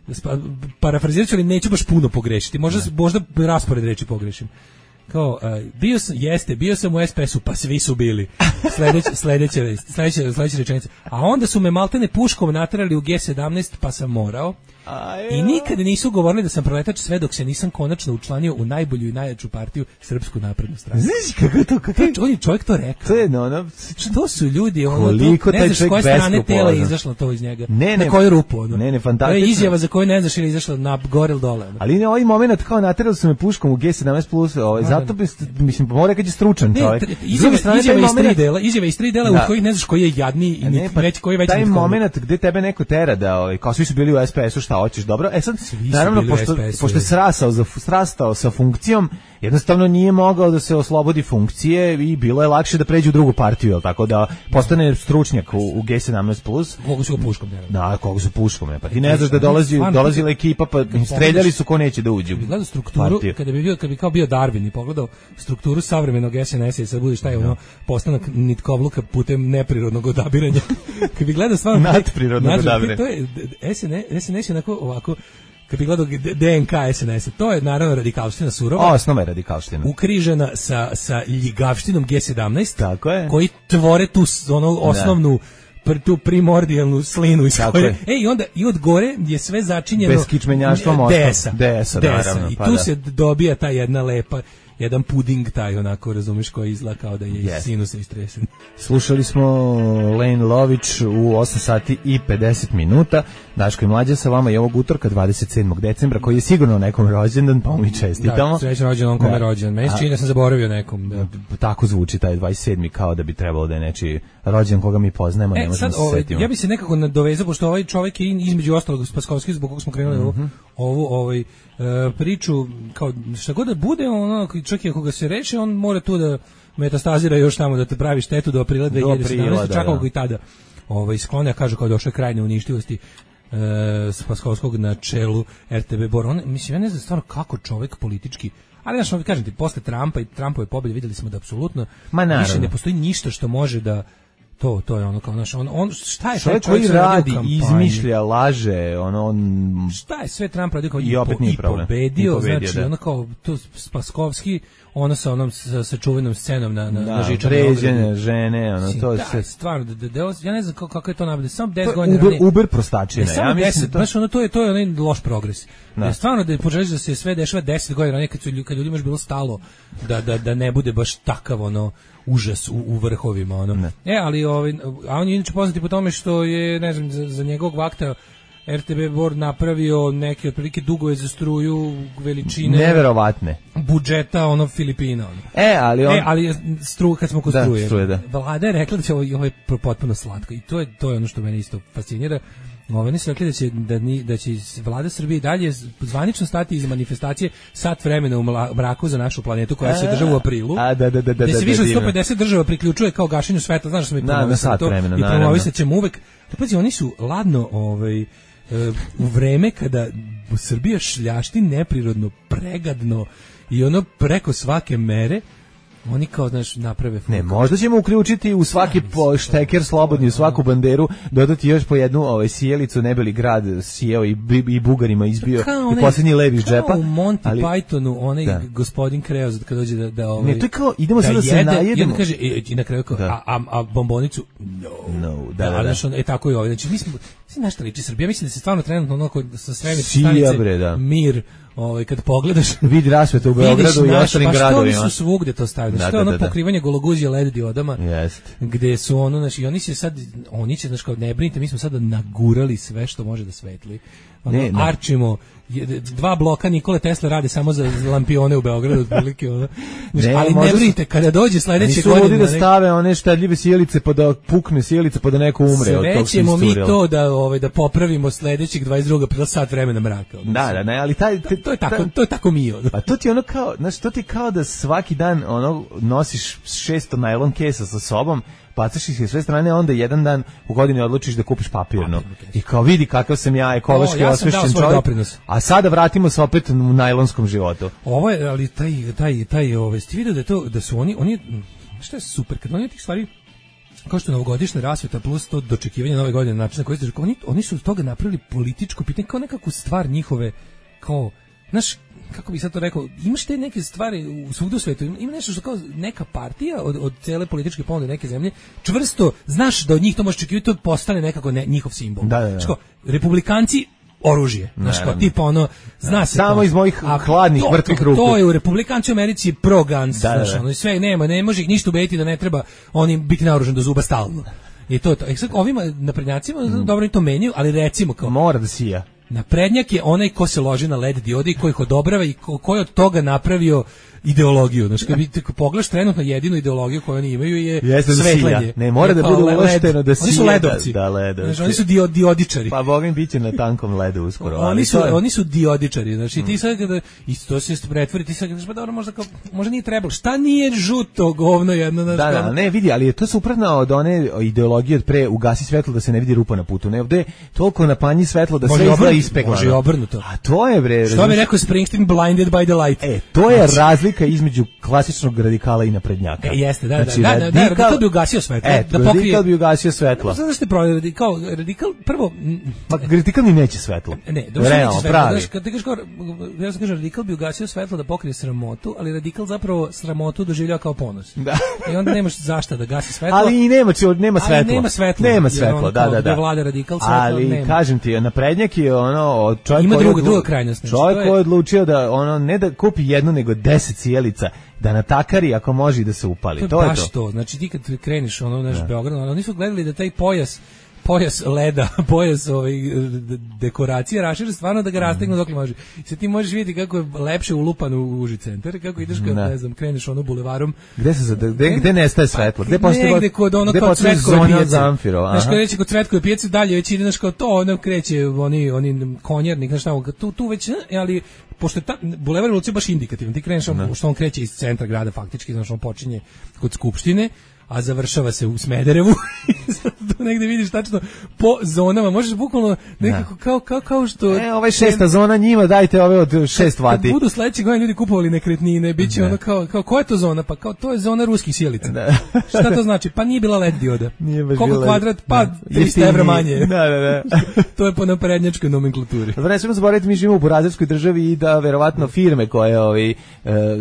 spa- Parafrazirat ću, ali neću baš puno pogrešiti. Možda, možda raspored reči pogrešim. Kao, uh, bio sam, jeste, bio sam u S P S-u, pa svi su bili. Sledeća, sledeća, vest, sledeća, sledeća rečenica. A onda su me maltene puškom naterali u G sedamnaest, pa sam morao. I nikada nisu govorili da sam proletač sve dok se nisam konačno učlanio u najbolju i najjaču partiju, Srpsku naprednu stranu. Znaš kako je to, kako To je... je, on je čovjek to rekao. To je, no, ono, Što su ljudi, ono, Koliko to, taj ne znaš s čovjek koje strane tela je beskrupulozan. izašlo to iz njega. Ne, ne, na koju rupu, ono. ne, ne, To fantastično. je izjava za koju ne znaš ili je izašla na gore ili dole. Ono. Ali ne, ovaj moment kao naterali su me puškom u G sedamnaest plus, ovaj, Da, zato da. bi, mislim, mora kad je stručan Ne, čovjek. tre- S druge izjava, strane, izjava taj iz tri moment- dela, izjava iz tri dela Da. u kojih ne znaš koji je jadniji i A ne, niti pa već koji je veći. taj nitko. moment gde tebe neko tera da, ovaj, kao svi su bili u S P S-u, šta hoćeš, dobro? E sad, su naravno, bili u pošto, S P S-u, pošto je je. srasao, za, srastao sa funkcijom, jednostavno nije mogao da se oslobodi funkcije i bilo je lakše da pređe u drugu partiju, jel tako da postane stručnjak u, u G sedamnaest plus. Mogu su ga puškom, ne. Da, koga su puškom, ne, pa ti ne znaš da dolazi, Stvarno, dolazila ekipa, pa im streljali su ko neće da uđu. Kad bi gledao strukturu, partiju. kada bi bio, kad bi kao bio Darwin i pogledao strukturu savremenog S N S-a i sad bude šta je ono postanak nitkovluka putem neprirodnog odabiranja. Kad bi gledao stvarno Nadprirodnog Nadpri- odabiranja. To je S N S, S N S je onako ovako, kad bi gledao D- DNK S N S-a, to je naravno radikalština surova, Osnova je radikalština. ukrižena sa, sa ljigavštinom G sedamnaest, Tako je. koji tvore tu s- ono osnovnu pr, tu primordijalnu slinu iz Tako koje, je. e, i onda i od gore je sve začinjeno Bez kičmenjaštva D mostom. S-a. D S-a, naravno, I pa tu da. se dobija ta jedna lepa, jedan puding taj onako, razumeš, koji izgleda kao da je iz Yes. sinusa istresen. Slušali smo Lane Lović u osam sati i pedeset minuta. Daško i Mlađa sa vama i ovog utorka dvadeset sedmog decembra, koji je sigurno nekom rođendan, pa mu i čestitamo. Da, srećan rođen on kome Da. je rođen. Meni se A- čini da sam zaboravio nekom. Da. Tako zvuči taj dvadeset sedmi kao da bi trebalo da je nečiji rođen koga mi poznajemo, ne E, možemo sad, se ovaj, setimo. ja bi se nekako nadovezao, pošto ovaj čovjek je između ostalog Spaskovski, zbog kog smo krenuli ovu, Mhm. ovu ovaj, e, priču, kao šta god da bude, ono, čak i ako ga se reše, on mora tu da metastazira još tamo, da te pravi štetu do aprila dve hiljade sedamnaeste, aprila, da, čak da. ako i tada ovaj, sklone, kažu kao došle kraj neuništivosti e, Spaskovskog na čelu R T B Bor. On, mislim, ja ne znam stvarno kako čovjek politički, ali znaš, ovaj, kažem ti, posle Trumpa i Trumpove pobjede vidjeli smo da apsolutno Ma, naravno. više ne postoji ništa što može da to to je ono kao naš on on šta je taj Čovjek čovjek koji sve radio u radi, kampanji? izmišlja, laže, ono, on... Šta je sve Trump radio kao I opet po- nije i problem. pobedio, I pobedio, znači da. ono kao to Spaskovski, ono sa onom sa, sa čuvenom scenom na na, na Da, žičanoj vređene ogradi. žene, ono, Mislim, to da, se... stvarno, da, da, da, ja ne znam kako, kako je to napravljeno, samo To deset je godina Uber, ranije. Uber Ne, prostačina, samo ja mislim deset, da to... baš ono, to je, to je onaj loš progres. Da. Da. Stvarno da poželiš da se sve dešava deset godina ranije, kad, su, lju- kad ljudima još bilo stalo da, da, da ne bude baš takav ono užas u, u vrhovima. Ono. Ne. E, ali, ovaj, a on je inače poznati po tome što je, ne znam, za, za njegovog vakta R T B Bor napravio neke otprilike dugove za struju veličine Neverovatne. budžeta ono Filipina. Ono. E, ali on... E, ali stru, kad smo kod Da, struje, struje, da. Vlada je rekla da će ovo, ovo je potpuno slatko i to je to je ono što mene isto fascinira. Oni su rekli da će, da, ni, da će Vlada Srbije i dalje zvanično stati iz manifestacije sat vremena u mla- mraku za našu planetu koja se održava u aprilu. A, da, da, da, da, gde se da, više od divno. sto pedeset država priključuje kao gašenju svetla, znaš da smo i Da, na promovisali sat to vremena, i naravno. promovisat ćemo uvek. Da, pazi, oni su ladno ovaj, e, u vreme kada Srbija šljašti neprirodno, pregadno i ono preko svake mere, Oni kao, znaš, naprave fuk. Ne, možda ćemo uključiti u svaki po šteker slobodni, u svaku banderu, dodati još po jednu ovaj, sjelicu, ne bi li grad sjeo i, i Bugarima izbio i posljednji lev iz džepa. Kao u Monty ali, Pythonu, onaj da. gospodin Kreoz kad dođe da... da ovaj, ne, to je kao, idemo da sad da se najedemo. I onda kaže, i, i na kraju kao, a, a, a bombonicu, no. No, da, da, da. Znaš, on, e, tako je ovaj. Znači, mi smo, znaš šta liči Srbija, mislim da se stvarno trenutno onako sa svemirske stanice, bre, da. Mir, ovaj, kad pogledaš, vidi rasvetu u Beogradu i ostalim pa gradovima. Pa što oni su svugde to stavili, da, što je ono da, da. pokrivanje gologuzije L E D diodama, yes. gde su ono, znači, oni će sad, oni će, znaš, kao, ne brinite, mi smo sada nagurali sve što može da svetli. Ono, ne, ne. Arčimo, dva bloka Nikole Tesla rade samo za lampione u Beogradu, otprilike, ono. Ne, ali ne brinite, kada dođe sledeće godine... Nisu da stave one štedljive sjelice pa da pukne sjelice pa da neko umre od tog. Sve ćemo mi to da, ovaj, da popravimo sledećeg dvadeset drugog pre sat vremena mraka. Ono. Da, da, ne, ali taj... To, to je tako, to je tako mi, ono. A to ti ono kao, znaš, to ti kao da svaki dan ono nosiš šesto najlon kesa sa sobom, bacaš ih sve strane, onda jedan dan u godini odlučiš da kupiš papirno. I kao vidi kakav sam ja ekološki ja osvešćen čovjek. Doprinos. A sada vratimo se opet u najlonskom životu. Ovo je, ali taj, taj, taj, ove, ste vidio da je to, da su oni, oni, što je super, kad oni tih stvari, kao što je novogodišnja rasveta plus to dočekivanje nove godine, način na koji ste, oni, oni su od toga napravili političko pitanje, kao nekakvu stvar njihove, kao, znaš, kako bih sad to rekao, imaš te neke stvari u svugde u svetu, ima nešto što kao neka partija od, od cele političke ponude neke zemlje, čvrsto, znaš da od njih to može očekivati, to postane nekako ne, njihov simbol. Da, da, da. Ško, republikanci, oružje, znaš kao, tipa ono, zna da, se samo to, iz mojih hladnih, mrtvih ruku. To je u republikanci u Americi pro-guns, da, znaš, da, da. ono, sve nema, ne može ih ništa ubediti da ne treba oni biti naoružan do zuba stalno. I to je to. E sad, ovima naprednjacima, mm. dobro i to menjaju, ali recimo kao... Mora da sija. Naprednjak je onaj ko se loži na L E D diode i ko ih odobrava i ko, ko je od toga napravio ideologiju. Znači, kad vidite, pogledaš trenutno jedinu ideologiju koju oni imaju je Jeste svetlanje. Da ne, mora da bude ulešteno da sija. Oni su ledovci. Da, da, znači, oni su dio, diodičari. Pa bogim biće na tankom ledu uskoro. Oni ali su, je... oni su diodičari. Znači, mm. ti sad kada, i to se pretvori, ti sad kada, pa dobro, možda, kao, možda nije trebalo. Šta nije žuto govno jedno? Na da, da, ne, vidi, ali je to suprotno od one ideologije od pre ugasi svetlo da se ne vidi rupa na putu. Ne, ovde toliko napanji svetlo da sve izgleda ispeklano. Može obrnuto. A to je, bre. Što bi rekao Springsteen, blinded by the light. E, to je znači, razlika između klasičnog radikala i naprednjaka. E, jeste, da, znači, da, da, radikal, da, radikal bi ugasio svetlo. E, da pokrije, radikal bi ugasio svetlo. Zato ste pravi, radikal, radikal, prvo... Ma, radikal ni neće svetlo. Ne, da realno, svetlo, pravi. Daš, kad ti kažeš, ja sam kažem, radikal bi ugasio svetlo da pokrije sramotu, ali radikal zapravo sramotu doživljava kao ponos. Da. I onda nemaš zašta da gasi svetlo. Ali i nema, nema svetlo. Ali nema svetlo. Nema svetlo, da, da, da. Vlada radikal svetlo, ali, nema. kažem ti, naprednjak je ono... Čovjek ima druga, odlu... druga krajnost. Čovjek koji je odlučio da ono ne da kupi jednu, nego deset sjelica, da natakari ako može da se upali. To je, to baš je to. to. Znači ti kad kreniš ono naš Beograd, oni su gledali da taj pojas pojas leda, pojas ovaj dekoracije rašire stvarno da ga rastegnu dokle može. I sad ti možeš vidjeti kako je lepše ulupan u uži centar, kako ideš kad ne, ne znam, kreneš ono bulevarom. Gde se gde gde nestaje svetlo? Gde postoji negde kod ono kao Cvetkove pijace. Znaš kad reći kod Cvetkove pijace dalje već ideš kao to, ono kreće oni oni konjernik, znaš šta, tu tu već ali pošto je ta, bulevar Revolucije baš indikativan, ti kreneš on, što on kreće iz centra grada faktički, znaš on počinje kod Skupštine, a završava se u Smederevu. Tu negde vidiš tačno po zonama, možeš bukvalno nekako kao, kao, kao što... E, ovaj šesta zona njima, dajte ove od šest vati. Kad budu sledeće godine ljudi kupovali nekretnine, bit će ono kao, kao, koja je to zona? Pa kao, to je zona ruskih sjelica. Da. Šta to znači? Pa nije bila L E D dioda. Nije baš koliko bila... kvadrat? Pa trista evra manje. Da, da, da. To je po naprednjačkoj nomenklaturi. Dobro, ne smemo zaboraviti, mi živimo u burazerskoj državi i da verovatno firme koje ovaj, e,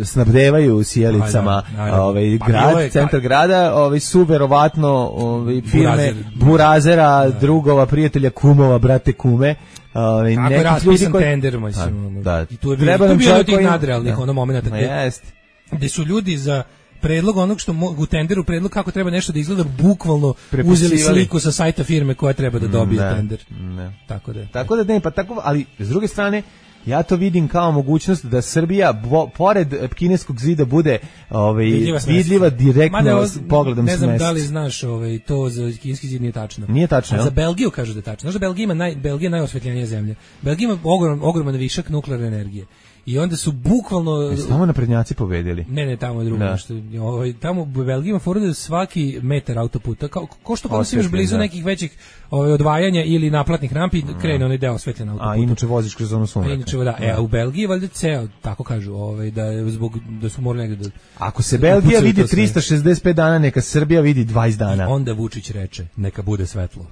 snabdevaju sjelicama ovaj, pa grad, je, centar ka... grada, ovaj, su verovatno ovaj, firme burazera, da. drugova, prijatelja, kumova, brate, kume. Ovaj, kako je raspisan koji... tender, mislim. Da, i tu je bilo, tu bilo tih nadrealnih ono momenta gde, gde su ljudi za predlog onog što mogu u tenderu, predlog kako treba nešto da izgleda, bukvalno uzeli sliku sa sajta firme koja treba da dobije ne, tender. Ne. Tako da je. Tako da ne, pa tako, ali s druge strane, ja to vidim kao mogućnost da Srbija bo, pored kineskog zida bude ovaj vidljiva, vidljiva direktno s pogledom s ne znam smest. Da li znaš ovaj to za kineski zid nije tačno. Nije tačno. A za Belgiju kažu da je tačno. Znaš da Belgija ima naj Belgija najosvetljenija zemlja. Belgija ima ogrom, ogroman višak nuklearne energije. I onda su bukvalno... Jesu tamo naprednjaci pobedili? Ne, ne, tamo je drugo. Da. Što, ovaj, tamo u Belgiji ima fora da svaki metar autoputa, kao, ko što kada si imaš blizu da. nekih većih ovaj, odvajanja ili naplatnih rampi, krene onaj deo osvetljen autoputa. A inače voziš kroz zonu sumraka. A inače, da. E, a u Belgiji valjda ceo, tako kažu, ovaj, da, je zbog, da su morali negde da... Ako se Belgija vidi tristo šezdeset pet dana, neka Srbija vidi dvadeset dana. I onda Vučić reče, neka bude svetlo.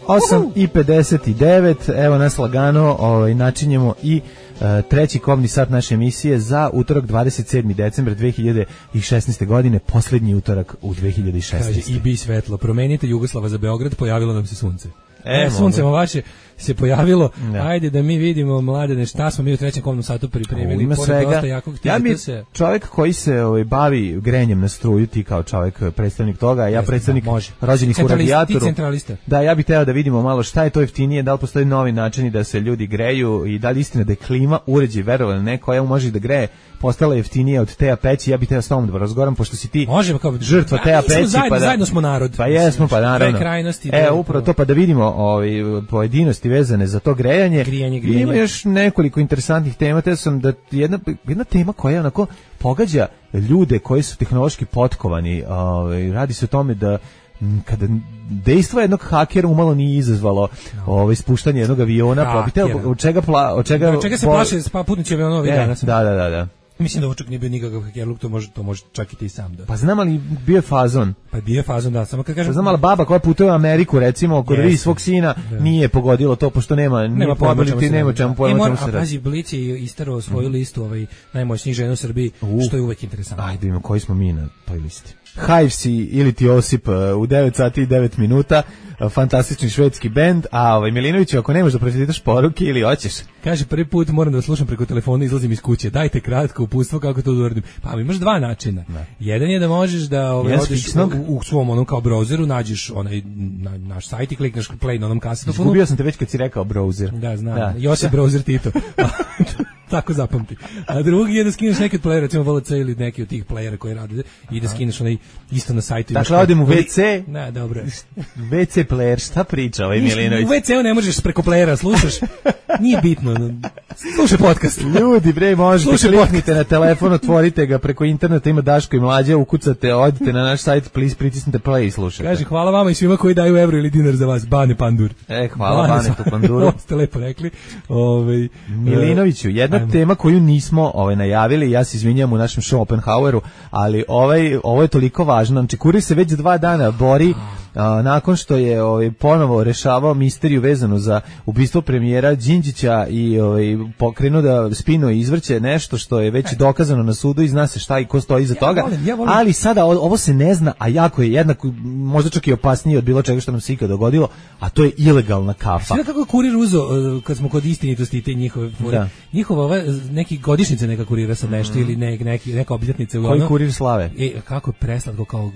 osam i pedeset devet, evo nas lagano, ovaj, načinjemo i uh, treći kobni sat naše emisije za utorak dvadeset sedmi decembar dve hiljade šesnaeste. godine, poslednji utorak u dve hiljade šesnaeste. Kaže, i bi svetlo, promenite Jugoslava za Beograd, pojavilo nam se sunce. E, e sunce vaše se pojavilo, da. Ajde da mi vidimo, mladene, šta smo mi u trećem kobnom satu pripremili. Ima svega, ja mi se... čovjek koji se ovaj, bavi grenjem na struju, ti kao čovjek predstavnik toga, ja predstavnik da, rođenih u radijatoru. Ti centralista. Da, ja bih teo da vidimo malo šta je to jeftinije, da li postoji novi načini da se ljudi greju i da li istina da je klima uređaj, verovali ne, koja može da greje, postala jeftinije od Teja peći, ja bih teo s tobom da razgovaram, pošto si ti Možemo kao žrtva Teja peći. Zajedno, pa da, zajedno smo narod. Pa jesmo, pa naravno. Krajnosti, e, upravo to, pa da vidimo ovaj, pojedinosti vezane za to grejanje. Grijanje, grijanje. Ima još nekoliko interesantnih tema, te sam da jedna, jedna tema koja onako pogađa ljude koji su tehnološki potkovani. Ovaj, radi se o tome da kada dejstvo jednog hakera umalo nije izazvalo no. ovaj spuštanje jednog aviona, pa bi teo od čega pla, od čega, od čega se plaše spa putnici aviona ovih dana. Da, da, da, da. Mislim da ovo čak nije bio nikakav hakerluk, to može, to može čak i ti sam da. Pa znam, ali bio je fazon. Pa bio je fazon, da, samo kad kažem... Pa znam, ali baba koja putuje u Ameriku, recimo, kod vidi svog sina, da. Nije pogodilo to, pošto nema, nema pojma čemu se nema čemu pojma čemu se radi. A pazi, Blic je istarao svoju mm. listu ovaj, najmoćnijih žena u Srbiji, uh. što je uvek interesantno. Ajde, imamo, koji smo mi na toj listi? Hivesi ili ti Osip u devet sati i devet minuta, fantastični švedski bend, a ovaj Milinoviću, ako nemaš da pročitaš poruke ili hoćeš. Kaže, prvi put moram da slušam preko telefona, izlazim iz kuće, dajte kratko uputstvo kako to uradim. Pa imaš dva načina. Ne. Jedan je da možeš da ovaj, odeš u, u svom onom kao browseru, nađeš onaj na, naš sajt i klikneš play na onom kasetofonu. Izgubio sam te već kad si rekao browser. Da, znam. Da. Josip browser Tito. Tako zapamti. A drugi je da skineš neki od playera, recimo V L C ili neki od tih playera koji rade i da skineš onaj isto na sajtu. Dakle, odem u ve ce. Ne, dobro. ve ce player, šta priča ovaj Milinović? U ve ce-u ne možeš preko playera, slušaš. Nije bitno. Slušaj podcast. Ljudi, bre, možete kliknite na telefon, otvorite ga preko interneta, ima Daško i Mlađa, ukucate, odite na naš sajt, please, pritisnite play i slušajte. Kaže, hvala vama i svima koji daju evro ili dinar za vas. Bane Pandur. E, hvala Bane, Bane tu Panduru. Ste lepo rekli. Ove, Milinoviću, jedna Ajmo. tema koju nismo ovaj, najavili, ja se izvinjam u našem show Oppenhaueru, ali ovaj, ovo je toliko važno. Znači, Kurir se već dva dana bori a, nakon što je ovaj, ponovo rešavao misteriju vezanu za ubistvo premijera Đinđića i ovaj, pokrenuo da spino i izvrće nešto što je već dokazano na sudu i zna se šta i ko stoji iza ja toga, volim, ja volim. Ali sada ovo se ne zna, a jako je jednako, možda čak i opasnije od bilo čega što nam se ikad dogodilo, a to je ilegalna kafa. Sve kako Kurir uzo, kad smo kod istinitosti te njihove, da. njihova ova, neki godišnjice neka Kurira sad nešto mm. ili ne, neki, neka obljetnica. Koji ono, Kurir slave? E, kako je preslatko, kao, uh,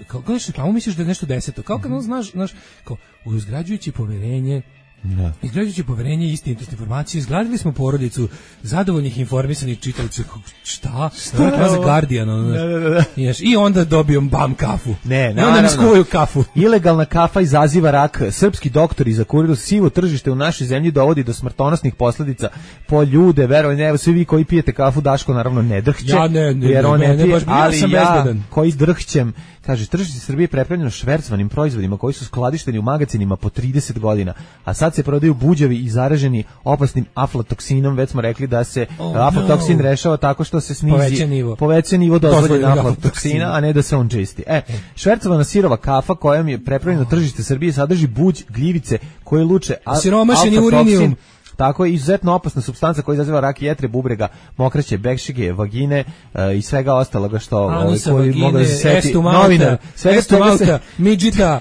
kao, kao, kao misliš da je nešto deseto, kao kad mm. znaš, znaš, kao, uzgrađujući poverenje, Da. Izgrađujući poverenje i istinitost informacije, izgradili smo porodicu zadovoljnih informisanih čitalaca. Šta? Šta je za Guardian? Ono, da, da, da. I onda dobijom bam kafu. Ne, I onda mi skuvaju kafu. Ilegalna kafa izaziva rak. Srpski doktori za Kuriru sivo tržište u našoj zemlji dovodi do smrtonosnih posljedica po ljude. Verovanje, evo svi vi koji pijete kafu, Daško naravno ne drhće. Ja ne, ne, jer on ne, ne, ne, pije, baš, ali sam ja bezbedan. Koji drhćem. Kaže, tržište Srbije je prepravljeno švercvanim proizvodima koji su skladišteni u magacinima po trideset godina, a sad se prodaju buđavi i zaraženi opasnim aflatoksinom. Već smo rekli da se oh, aflatoksin no. rešava tako što se snizi poveća nivo, poveća nivo dozvoljenog aflatoksina, a ne da se on čisti. E, švercovana sirova kafa kojom je prepravljeno oh. tržište Srbije sadrži buđ, gljivice koje luče siromašeni urinijum. Tako je izuzetno opasna supstanca koja izaziva rak jetre, bubrega, mokraće, bekšige, vagine uh, i svega ostaloga što Anusa, koji vagine, mogu da se seti novinar, svega estumalta, se... midžita,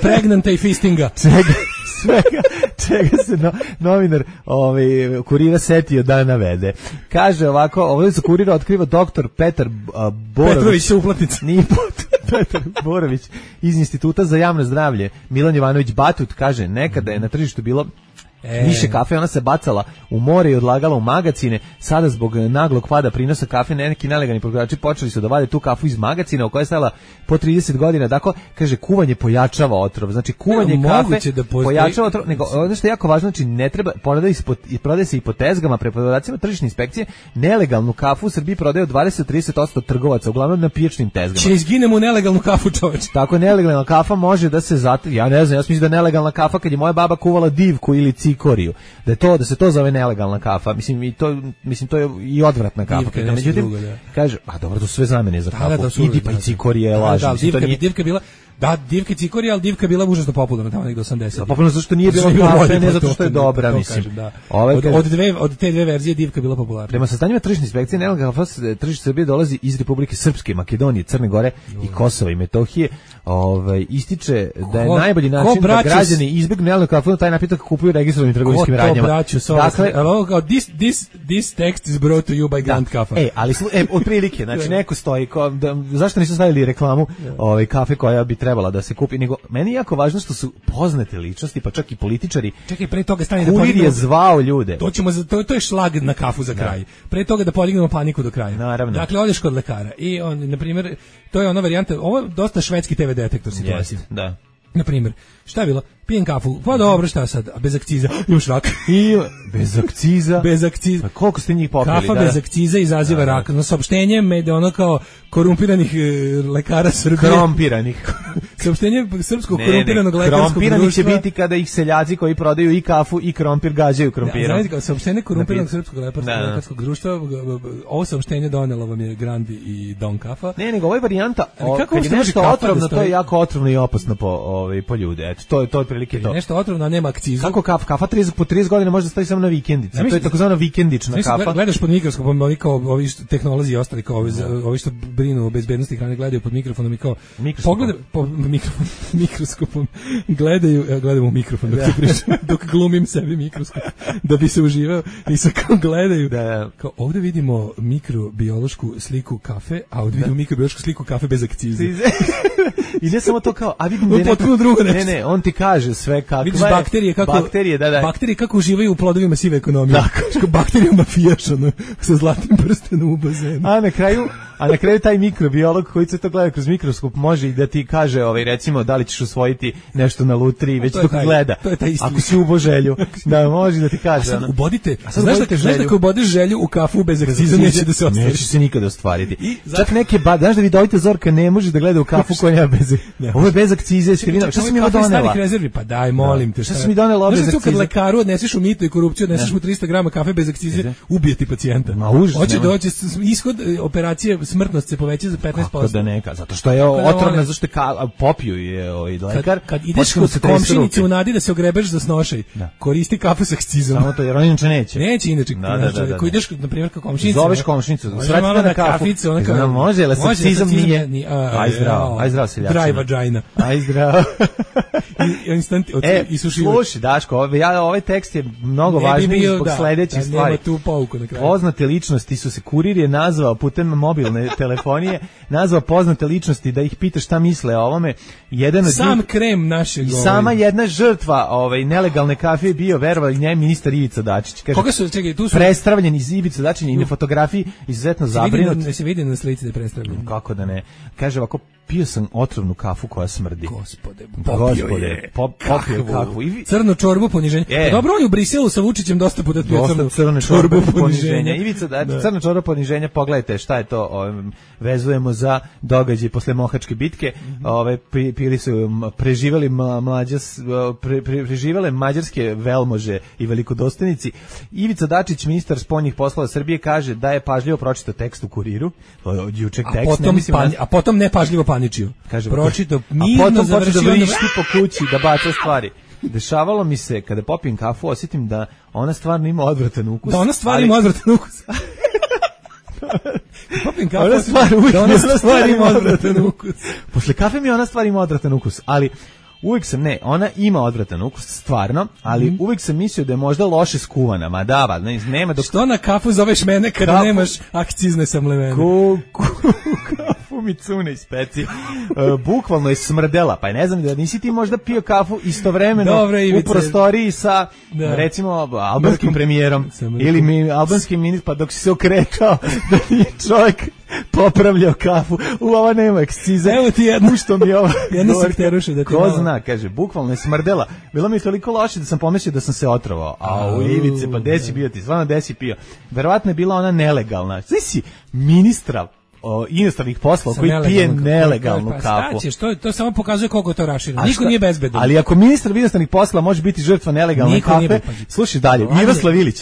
pregnanta i fistinga. Čega, svega, čega se no, novinar ovaj, Kurira setio da navede. Kaže ovako, ovdje za Kurira otkriva doktor Petar uh, Borović. Petrović uplatnica. Nije Petar Borović iz Instituta za javno zdravlje. Milan Jovanović Batut kaže, nekada je na tržištu bilo E. više kafe, ona se bacala u more i odlagala u magacine. Sada zbog naglog pada prinosa kafe neki nelegalni proizvođači počeli su da vade tu kafu iz magacina u kojoj je stajala po trideset godina. Dakle, kaže, kuvanje pojačava otrov. Znači, kuvanje ne, kafe da postoji... pojačava otrov. Nego, ono što je jako važno, znači, ne treba, prodaje, prodaje se i po tezgama, preprodavacima tržišne inspekcije, nelegalnu kafu u Srbiji prodaje od dvadeset do trideset posto trgovaca, uglavnom na pijačnim tezgama. Će izginemo u nelegalnu kafu, čoveč. Tako, nelegalna kafa može da se zatre, ja ne znam, ja mislim da je nelegalna kafa kad je moja baba kuvala divku ili cikoriju, da je to, da se to zove nelegalna kafa, mislim i to, mislim to je i odvratna kafa. Divka, kada, međutim, drugo, da. kaže, a dobro, to su sve zamene za kafu, da, da, idi pa i cikorije, da, laži. Da, mislim, divka, to nije... divka bila, da, divka cikorija, ali divka bila užasno popularna tamo negde osamdesetih. Popularno zato što nije bilo kafe, ne zato što je dobra, mislim. Da. Ove, od, od, dve, od te dve verzije divka bila popularna. Prema saznanjima tržišne inspekcije, nelegalna kafa tržište Srbije dolazi iz Republike Srpske, Makedonije, Crne Gore i Kosova i Metohije. Ovaj ističe da je ko, najbolji način da građani izbegnu nelegalnu kafu, taj napitak kupuju registrovanim trgovinskim radnjama. Dakle, kao this this this text is brought to you by Grand da. Kafa. E, ali e, otprilike, znači neko stoji, ko, da, zašto nisu stavili reklamu ovaj kafe koja bi trebala da se kupi, nego meni je jako važno što su poznate ličnosti, pa čak i političari. Čekaj, pre toga stani da Kurir je zvao ljude. To ćemo za to, to je šlag na kafu za kraj. Da. Pre toga da podignemo paniku do kraja. Naravno. Dakle, odeš kod lekara i on, na primjer, to je ona varijanta, ovo je dosta švedski te ve detektor situacija. Yes, da. Na primjer, šta je bilo? Pijem kafu, pa dobro, šta sad? Bez akciza, imaš rak. I bez akciza? Bez akciza. Pa koliko ste njih popili? Kafa da? bez akciza izaziva da, rak. No, saopštenje med ono kao korumpiranih e, lekara Srbije. Krompiranih. Saopštenje srpskog ne, korumpiranog ne, lekarskog društva. Krompirani će biti kada ih seljaci koji prodaju i kafu i krompir gađaju krompirom. Da, znate kao, saopštenje korumpiranog srpskog lekarskog društva, ovo saopštenje donelo vam je Grandi i Don Kafa. Ne, nego ovo je varijanta, o, kad je nešto otrovno, to je jako otrovno i opasno po, ovaj, po ljude. Eto, to je to otprilike to. Nešto otrovno, a nema akcizu. Kako kafa? Kafa trideset po trideset godina može da stoji samo na vikendici. To je takozvana vikendična mislim, kafa. Gledaš pod mikroskopom, ovi kao ovi tehnolozi i ostali kao ovi, ovi što brinu o bezbednosti hrane gledaju pod mikrofonom i kao pogledaj po mikrofon, mikroskopom gledaju, evo gledamo u mikrofon dok, pričam, dok glumim sebi mikroskop da bi se uživao i sa kao gledaju. Da. Kao ovdje vidimo mikrobiološku sliku kafe, a ovdje vidimo mikrobiološku sliku kafe bez akcize. I ne samo to kao, a vidim da je potpuno drugo nešto. Ne, ne, on ti kaže sve kakva vidiš je. bakterije kako bakterije, da, da. Bakterije kako uživaju u plodovima sive ekonomije. Tako, bakterije mafijaš ono, sa zlatnim prstenom u bazenu. A na kraju, a na kraju taj mikrobiolog koji se to gleda kroz mikroskop može i da ti kaže, ovaj recimo, da li ćeš usvojiti nešto na lutriji, već dok gleda. To je taj isti. Ako si ubo želju, da može da ti kaže. A sad ubodite, a sad znaš da znaš da ako ubodeš želju u kafu bez akciza neće da se ostvari. Neće se nikada ostvariti. I, Čak neke ba, znaš da vidovite Zorka ne može da gleda u kafu koja nema bez. Ovo je bez akcize, Stirina. Šta si mi ovo donela? Rezervi, pa daj, molim te. Šta si mi donela bez akcize? Kad lekaru odneseš u mito i korupciju, odneseš mu trista grama kafe bez akcize, ubije ti pacijenta. Ma užas. Hoće da hoće ishod operacije, smrtnost se poveća za petnaest posto. Kako da neka, zato što je otrovna, zašto je popiju je ovaj lekar. Kad ideš kod komšinice u nadi da se ogrebeš za snošaj, koristi kafu sa akcizom. Samo to, jer on inače neće. Neće inače. Ako ideš, na primjer, kod komšinice, zoveš komšinicu, svrati na kaficu, ona kao, može, ali sa akcizom nije. Aj zdravo, aj zdravo seljačina. Dry vagina. Aj zdravo. I instant e, slušaj, Daško, ja, ovaj tekst je mnogo važniji zbog da, sledećih stvari. Tu pouku na kraju. Poznate ličnosti su se, kurir je nazvao putem mobilne telefonije, nazvao poznate ličnosti da ih pita šta misle o ovome. Jedan od Sam njih, krem našeg. I sama jedna žrtva ovaj, nelegalne kafe je bio, verovali nje, ministar Ivica Dačić. Kaže, koga su, čekaj, tu su... Prestravljen iz Ivica Dačića i na fotografiji izuzetno zabrinut. Ne se vidi na slici da je prestravljen. Kako da ne. Kaže ovako, pio sam otrovnu kafu koja smrdi. Gospode, popio je. Pop, popio kakvu. I... Crnu čorbu poniženja. E. Dobro, on je u Briselu sa Vučićem dosta puta pio crnu crnu čorbu poniženja. Ivica, da, da. Crna čorba poniženja, pogledajte šta je to, ovaj, vezujemo za događaj posle Mohačke bitke. Mm -hmm. Ove, pri, pili su, preživeli mlađas, pre, pre, preživele mađarske velmože i velikodostojnici. Ivica Dačić, ministar spoljnih poslova Srbije, kaže da je pažljivo pročitao tekst u Kuriru, jučeg tekst. A potom, mislim, pan, a potom nepažljivo paničio. Kaže, pročitao, mirno a potom počeo da vrišti po kući, da baca stvari. Dešavalo mi se, kada popijem kafu, osjetim da ona stvarno ima odvratan ukus. Da ona stvarno ima odvratan ukus. Popijem kafu, ona stvar, da ona stvar ima odvratan ukus. Posle kafe mi ona stvar ima odvratan ukus, ali uvijek sam, ne, ona ima odvratan ukus, stvarno, ali mm. uvijek sam mislio da je možda loše skuvana, ma da, ne, nema dok... Što na kafu zoveš mene kada kafu... nemaš akcizne samlevene? Ku, ku, kafu kafu Mitsune ispeci. Uh, bukvalno je smrdela, pa ne znam da nisi ti možda pio kafu istovremeno Dobre, u prostoriji sa, da. recimo, albanskim premijerom ili mi, albanskim ministrom, pa dok si se okretao da nije čovjek popravljao kafu. U, ova nema ekscize. Evo ti jedno. Što mi ovo... Jedno se teruše da ti Ko malo... zna, kaže, bukvalno je smrdela. Bilo mi je toliko loše da sam pomislio da sam se otrovao. A u Ivice, pa gde si bio ti? Stvarno, gde si pio? Verovatno je bila ona nelegalna. Znaš si, ministra o inostranih poslova koji pije nelegalnu pa, kafu. Staćeš, to, to samo pokazuje koliko to raširano. Niko nije bezbedan. Ali ako ministar inostranih poslova može biti žrtva nelegalne Niko kafe, nije, slušaj dalje, Miroslav Ilić.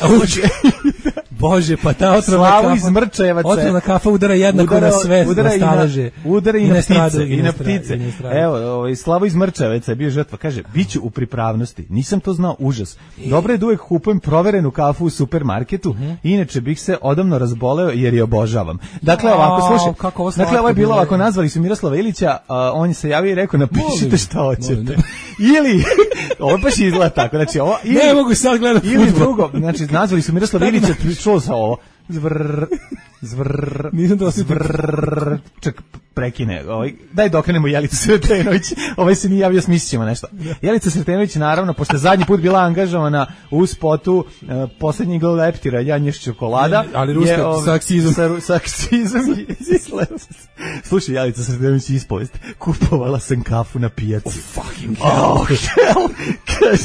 Bože, pa ta otrovna Slavu kafa, iz Mrčajevaca. otrovna kafa udara jednako udara, na sve, udara na staleže. Udara i, I na na ptice. stradu, I na ptice. i na stradu. Evo, ovaj, Slavo iz Mrčajevaca je bio žrtva. Kaže, biću u pripravnosti. Nisam to znao, užas. Dobro je da uvek kupujem proverenu kafu u supermarketu, uh-huh. inače bih se odavno razboleo jer je obožavam. Dakle, ovako, slušaj, kako ovo dakle, ovo je bilo ovako, nazvali su Miroslava Ilića, a on se javio i rekao, napišite šta hoćete. Ili, ovo baš izgleda tako, znači ovo, ili, ne mogu sad gledati ili drugo, znači, nazvali su Miroslava Ilića, čuo sa ovo, zvrr, zvrr, nisam to zvrr, čak prekine, ovaj, daj da okrenemo Jelicu Sretenović, ovaj se nije javio, smislit ćemo nešto. Jelica Sretenović, naravno, pošto je zadnji put bila angažovana u spotu uh, posljednji igla leptira, Janješ čokolada, ali ruska, je, ov, sa aksizom. Sa, sa aksizom. Slušaj, Jelica Sretenović ispovest, kupovala sam kafu na pijaci. Oh, fucking hell. Oh, hell. Kaže,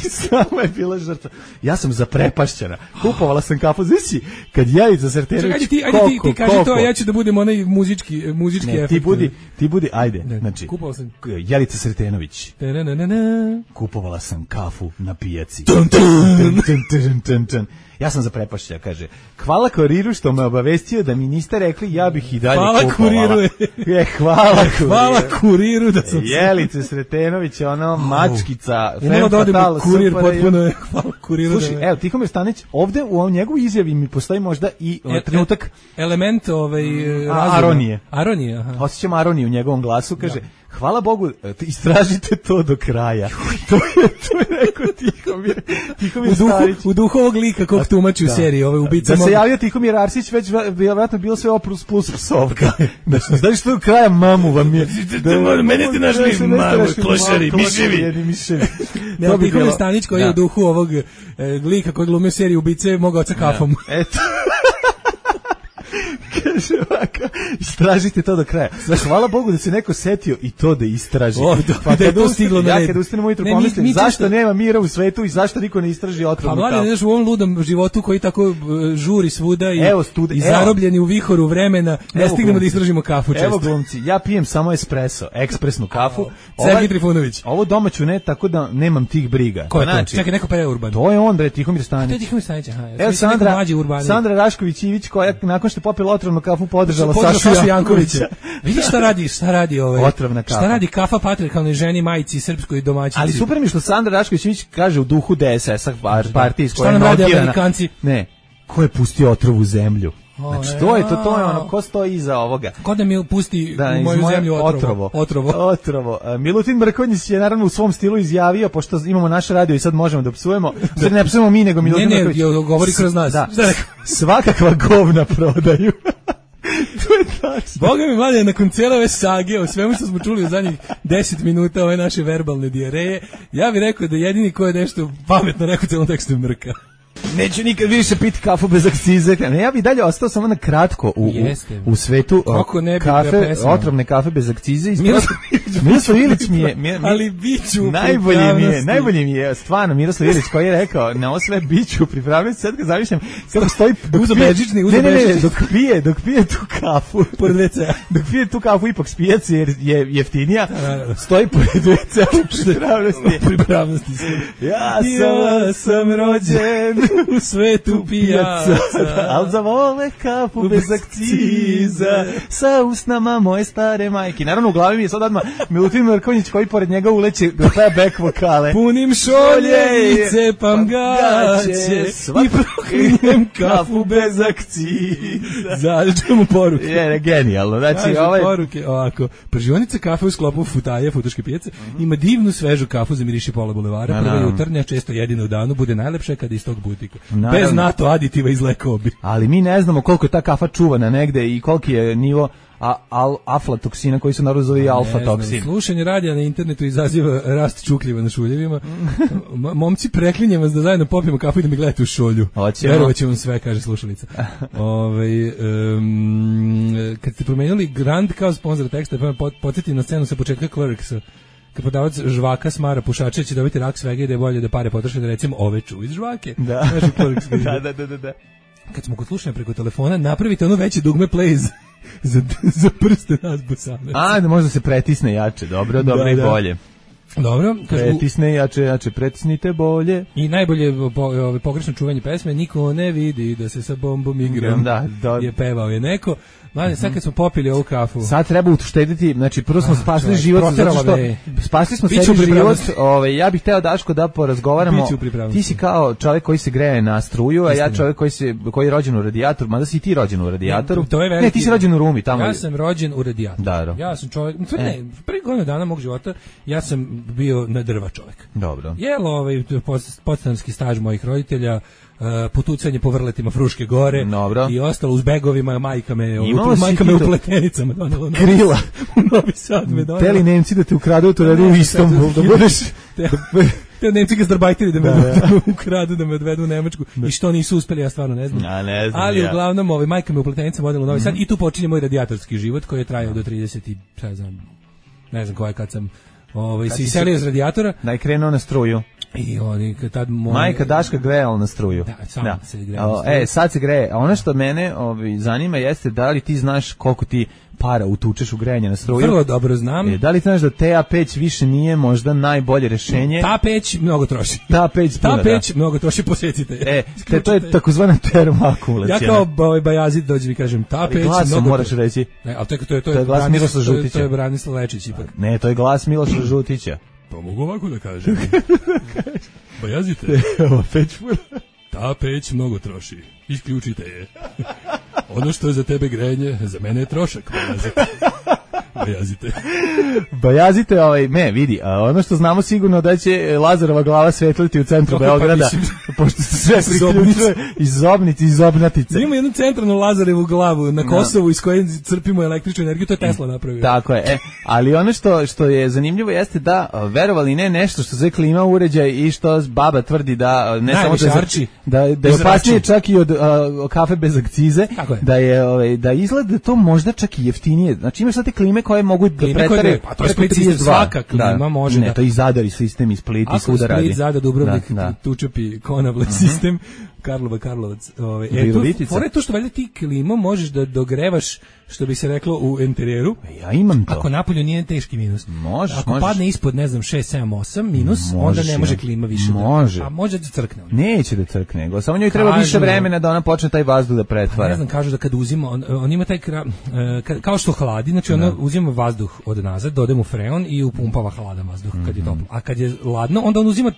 sama je bila žrtva. Ja sam zaprepašćena. Kupovala sam kafu, znaš si, kad Jelica Sretenović, ajde ti, ajde ti, ti kaži to, a ja ću da budem onaj muzički, muzički ne, efekt. ti budi, ti budi, ajde, ne, znači, kupovao sam. Jelica Sretenović. Ta-na-na-na-na. Kupovala sam kafu na pijaci. Dun, dun. Dun, dun, dun, dun, dun. Ja sam zaprepašća, kaže. Hvala kuriru što me obavestio da mi niste rekli, ja bih i dalje hvala kupovala. Kuriru. Je, hvala kuriru. Hvala kuriru da sam... Jelice Sretenović, ono, mačkica, fem fatale, kurir potpuno je, hvala kuriru. Slušaj, evo, Tihomir Stanić, ovde u ovom njegovu izjavi mi postoji možda i e, trenutak... Element ovaj, razuma. Aronije. Aronije, aha. Osjećam aroniju u njegovom glasu, kaže... Da. Hvala Bogu, istražite to do kraja. To je, to je rekao Tihomir, Tihomir u duhu, Starić. U duhu ovog lika kog tumači da. U seriji, ove ubice. Da mogu... se javio Tihomir Arsić, već vjerojatno bilo sve oprus plus psovka. Znaš što do kraja mamu vam je. Da, mene ste našli mamu, klošari, miševi. miševi. Ne, bi Tihomir Stanić koji je u duhu ovog e, lika koji glumio seriju ubice mogao sa kafom. Eto. Kaže ovako, istražite to do kraja. Hvala Bogu da se neko setio i to da istraži. O, do, pa da je to stiglo na red. Ja kada ustanem ujutro pomislim, mi, zašto često... nema mira u svetu i zašto niko ne istraži otrovnu kafu? Pa mlade, u ovom ludom životu koji tako uh, žuri svuda i, evo, stud... i zarobljeni u vihoru vremena, ne evo, stignemo da istražimo kafu često. Evo glumci, ja pijem samo espresso, ekspresnu kafu. Sergij Trifunović. Ovo domaću ne, tako da nemam tih briga. Ko je to? Znači, čekaj, neko pa je Urban. To je on, bre, Tihomir Stanić. To je Tihomir Stanić, aha. Evo Sandra, Sandra Rašković-Ivić koja nakon što je popila otrovnu kafu podržala Sašu Jankovića. Vidi šta radi, šta radi ovaj. Otrovna kafa. Šta radi kafa patrijarhalnoj ženi, majici srpskoj domaćici. Ali super mi što Sandra Rašković kaže u duhu D S S-a partije iz koje šta nam rade Amerikanci? Ne. Ko je pustio otrov u zemlju? Znači, to je to, to je ono, ko stoji iza ovoga. Ko da mi pusti da, u moju zemlju otrovo. Otrovo. Otrovo. otrovo. Milutin Mrkonjić je naravno u svom stilu izjavio, pošto imamo naš radio i sad možemo da psujemo, sad ne psujemo mi, nego Milutin Mrkonjić. Ne, ne, govori kroz nas. Da. Svakakva govna prodaju. To je tačno. Boga mi mlade, nakon cijele ove sage, o svemu što smo čuli u zadnjih deset minuta ove naše verbalne dijareje, ja bih rekao da jedini ko je nešto pametno rekao u celom tekstu Mrka. Neću nikad više piti kafu bez akcize. Ne, ja bih dalje ostao samo na kratko u, u, u svetu kafe, otrovne kafe bez akcize. Miroslav Ilić mi je, mi je ali biću najbolji mi je, najbolji mi je stvarno Miroslav Ilić koji je rekao na ovo sve biću pripravljati. Sad ga zamišljam kako stoji uzo bežični, uzo ne, ne, ne, bežični. dok pije, dok pije tu kafu pored ve cea. Dok pije tu kafu ipak s pijace jer je jeftinija. Stoji pored ve cea u pripravnosti. Pripravnosti. Ja sam, ja sam rođen u svetu pijaca, al zavole kafu bez akciza, sa usnama moje stare majke. Naravno u glavi mi je sad odmah Milutin Mrkonjić koji pored njega uleće da traja back vokale. Punim šolje i cepam gaće i proklinjem kafu bez akciza. Zađemo poruke. Je, genijalno. Znači, ovaj... poruke, ovako. Pržionica kafe u sklopu Futaje, Futoške pijace, mm-hmm. ima divnu svežu kafu za miriši pola bulevara. Prva jutarnja, često jedina u danu, bude najlepša kada iz tog butika. plastika. Naravno. Bez NATO aditiva iz lekobi. Ali mi ne znamo koliko je ta kafa čuvana negde i koliki je nivo a, al, aflatoksina koji se naravno zove i alfa-toksin. Slušanje radija na internetu izaziva rast čukljeva na šuljevima. M- momci, preklinjem vas da zajedno popijemo kafu i da mi gledate u šolju. Verovat će vam sve, kaže slušalica. Ove, um, kad ste promenili Grand kao sponsor teksta, pa pot, podsjetim na scenu sa početka Clerksa. Kad podavac žvaka smara pušače će dobiti rak svega i da je bolje da pare potroše da recimo oveču iz žvake. Da. da, da, da, da, da. Kad smo kod slušanja preko telefona, napravite ono veće dugme play za, za, za prste nas bosanaca. A, da možda se pretisne jače, dobro, dobro da, i da. bolje. Dobro, kažu, pretisne jače, jače, pretisnite bolje. I najbolje po, ove, pogrešno čuvanje pesme, niko ne vidi da se sa bombom igram, da, da. je pevao je neko. Mladen, sad kad smo popili ovu kafu. Sad treba uštediti, znači prvo smo spasili život, zato što spasili smo sebi život. Ovaj ja bih hteo Daško da porazgovaramo. Ti si kao čovjek koji se greje na struju, a ja čovjek koji se koji je rođen u radijatoru, mada si ti rođen u radijatoru. To je veliki, ne, ti si rođen u Rumi tamo. Ja sam rođen u radijatoru. Da, ja sam čovjek, ne, e. prvi godinu dana mog života ja sam bio na drva čovjek. Dobro. Jel ovaj podstanarski staž mojih roditelja, Uh, potucanje po vrletima Fruške gore. Dobro. I ostalo uz begovima, majka me, u, majka me u pletenicama donela na krila u Novi Sad me donela. Teli Nemci da te ukradu to radi u Istanbul, da budeš te, te Nemci ga zdarbajtili da me, da, da. me ukradu, da me odvedu u Nemačku da. I što nisu uspeli, ja stvarno ne znam. A, ne znam ali ja. Uglavnom ovaj, majka me u pletenicama donela u Novi Sad mm-hmm. i tu počinje moj radijatorski život koji je trajao do trideset i ne znam, ne znam koje kad sam ovaj, kad se iselio iz radijatora. Da je krenuo na struju. I oni kad tad moj... Majka Daška grejala na struju. Da, sam da. se grejala na struju. E, sad se greje. A ono što mene ovaj, zanima jeste da li ti znaš koliko ti para utučeš u grejanje na struju. Vrlo dobro znam. E, da li znaš da ta peć više nije možda najbolje rešenje? Ta peć mnogo troši. Ta peć, ta puna, peć da. mnogo troši, posjetite. E, te, to je takozvana termoakumulacija. Ja kao ovaj Bajazid dođem i kažem ta peć mnogo moraš reći. Ne, al to je to je to je, je glas Miroslava Žutića. To je Branislav Lečić ipak. Ne, to je glas Miloša Žutića. Pa mogu ovako da kažem. Bajazite. Ova peć puna. Ta peć mnogo troši. Isključite je. Ono što je za tebe grejanje, za mene je trošak. Bajazite. Bajazite. Bajazite, ovaj, me, vidi, a ono što znamo sigurno da će Lazarova glava svetliti u centru Kako Beograda, pa pošto se sve priključuje iz Zobnice, iz Zobnatice. Ima jednu centralnu Lazarevu glavu na Kosovu iz koje crpimo električnu energiju, to je Tesla napravio. Tako je, e, ali ono što, što je zanimljivo jeste da, verovali ne, nešto što se klima uređaj i što baba tvrdi da, ne samo da, arči, da, da je opasnije čak i od a, kafe bez akcize, je. da je, ovaj, da izgleda to možda čak i jeftinije. Znači imaš sad te klime koje mogu da pretare, pa to je Split sistem, svaka klima da, može ne, da... to i Zadar i sistem i Split i svuda radi. Split, Zadar, Dubrovnik, da, da. Tučepi, Konavle uh-huh. sistem, Karlova, Karlovac. Ove, e, tu, fore to što valjda ti klimom možeš da dogrevaš, što bi se reklo u enterijeru. Ja imam to. Ako napolju nije teški minus. Možeš, Ako možeš. padne ispod, ne znam, šest, sedam, osam minus, možeš, onda ne može klima više. Može. Da, a može da crkne. Neće da crkne, nego samo njoj treba kažu, više vremena da ona počne taj vazduh da pretvara. Ne znam, kažu da kad uzima, on, on ima taj, kra, kao što hladi, znači ona uzima vazduh od nazad, dode mu freon i upumpava hladan vazduh kad je toplo. A kad je ladno, onda on uzima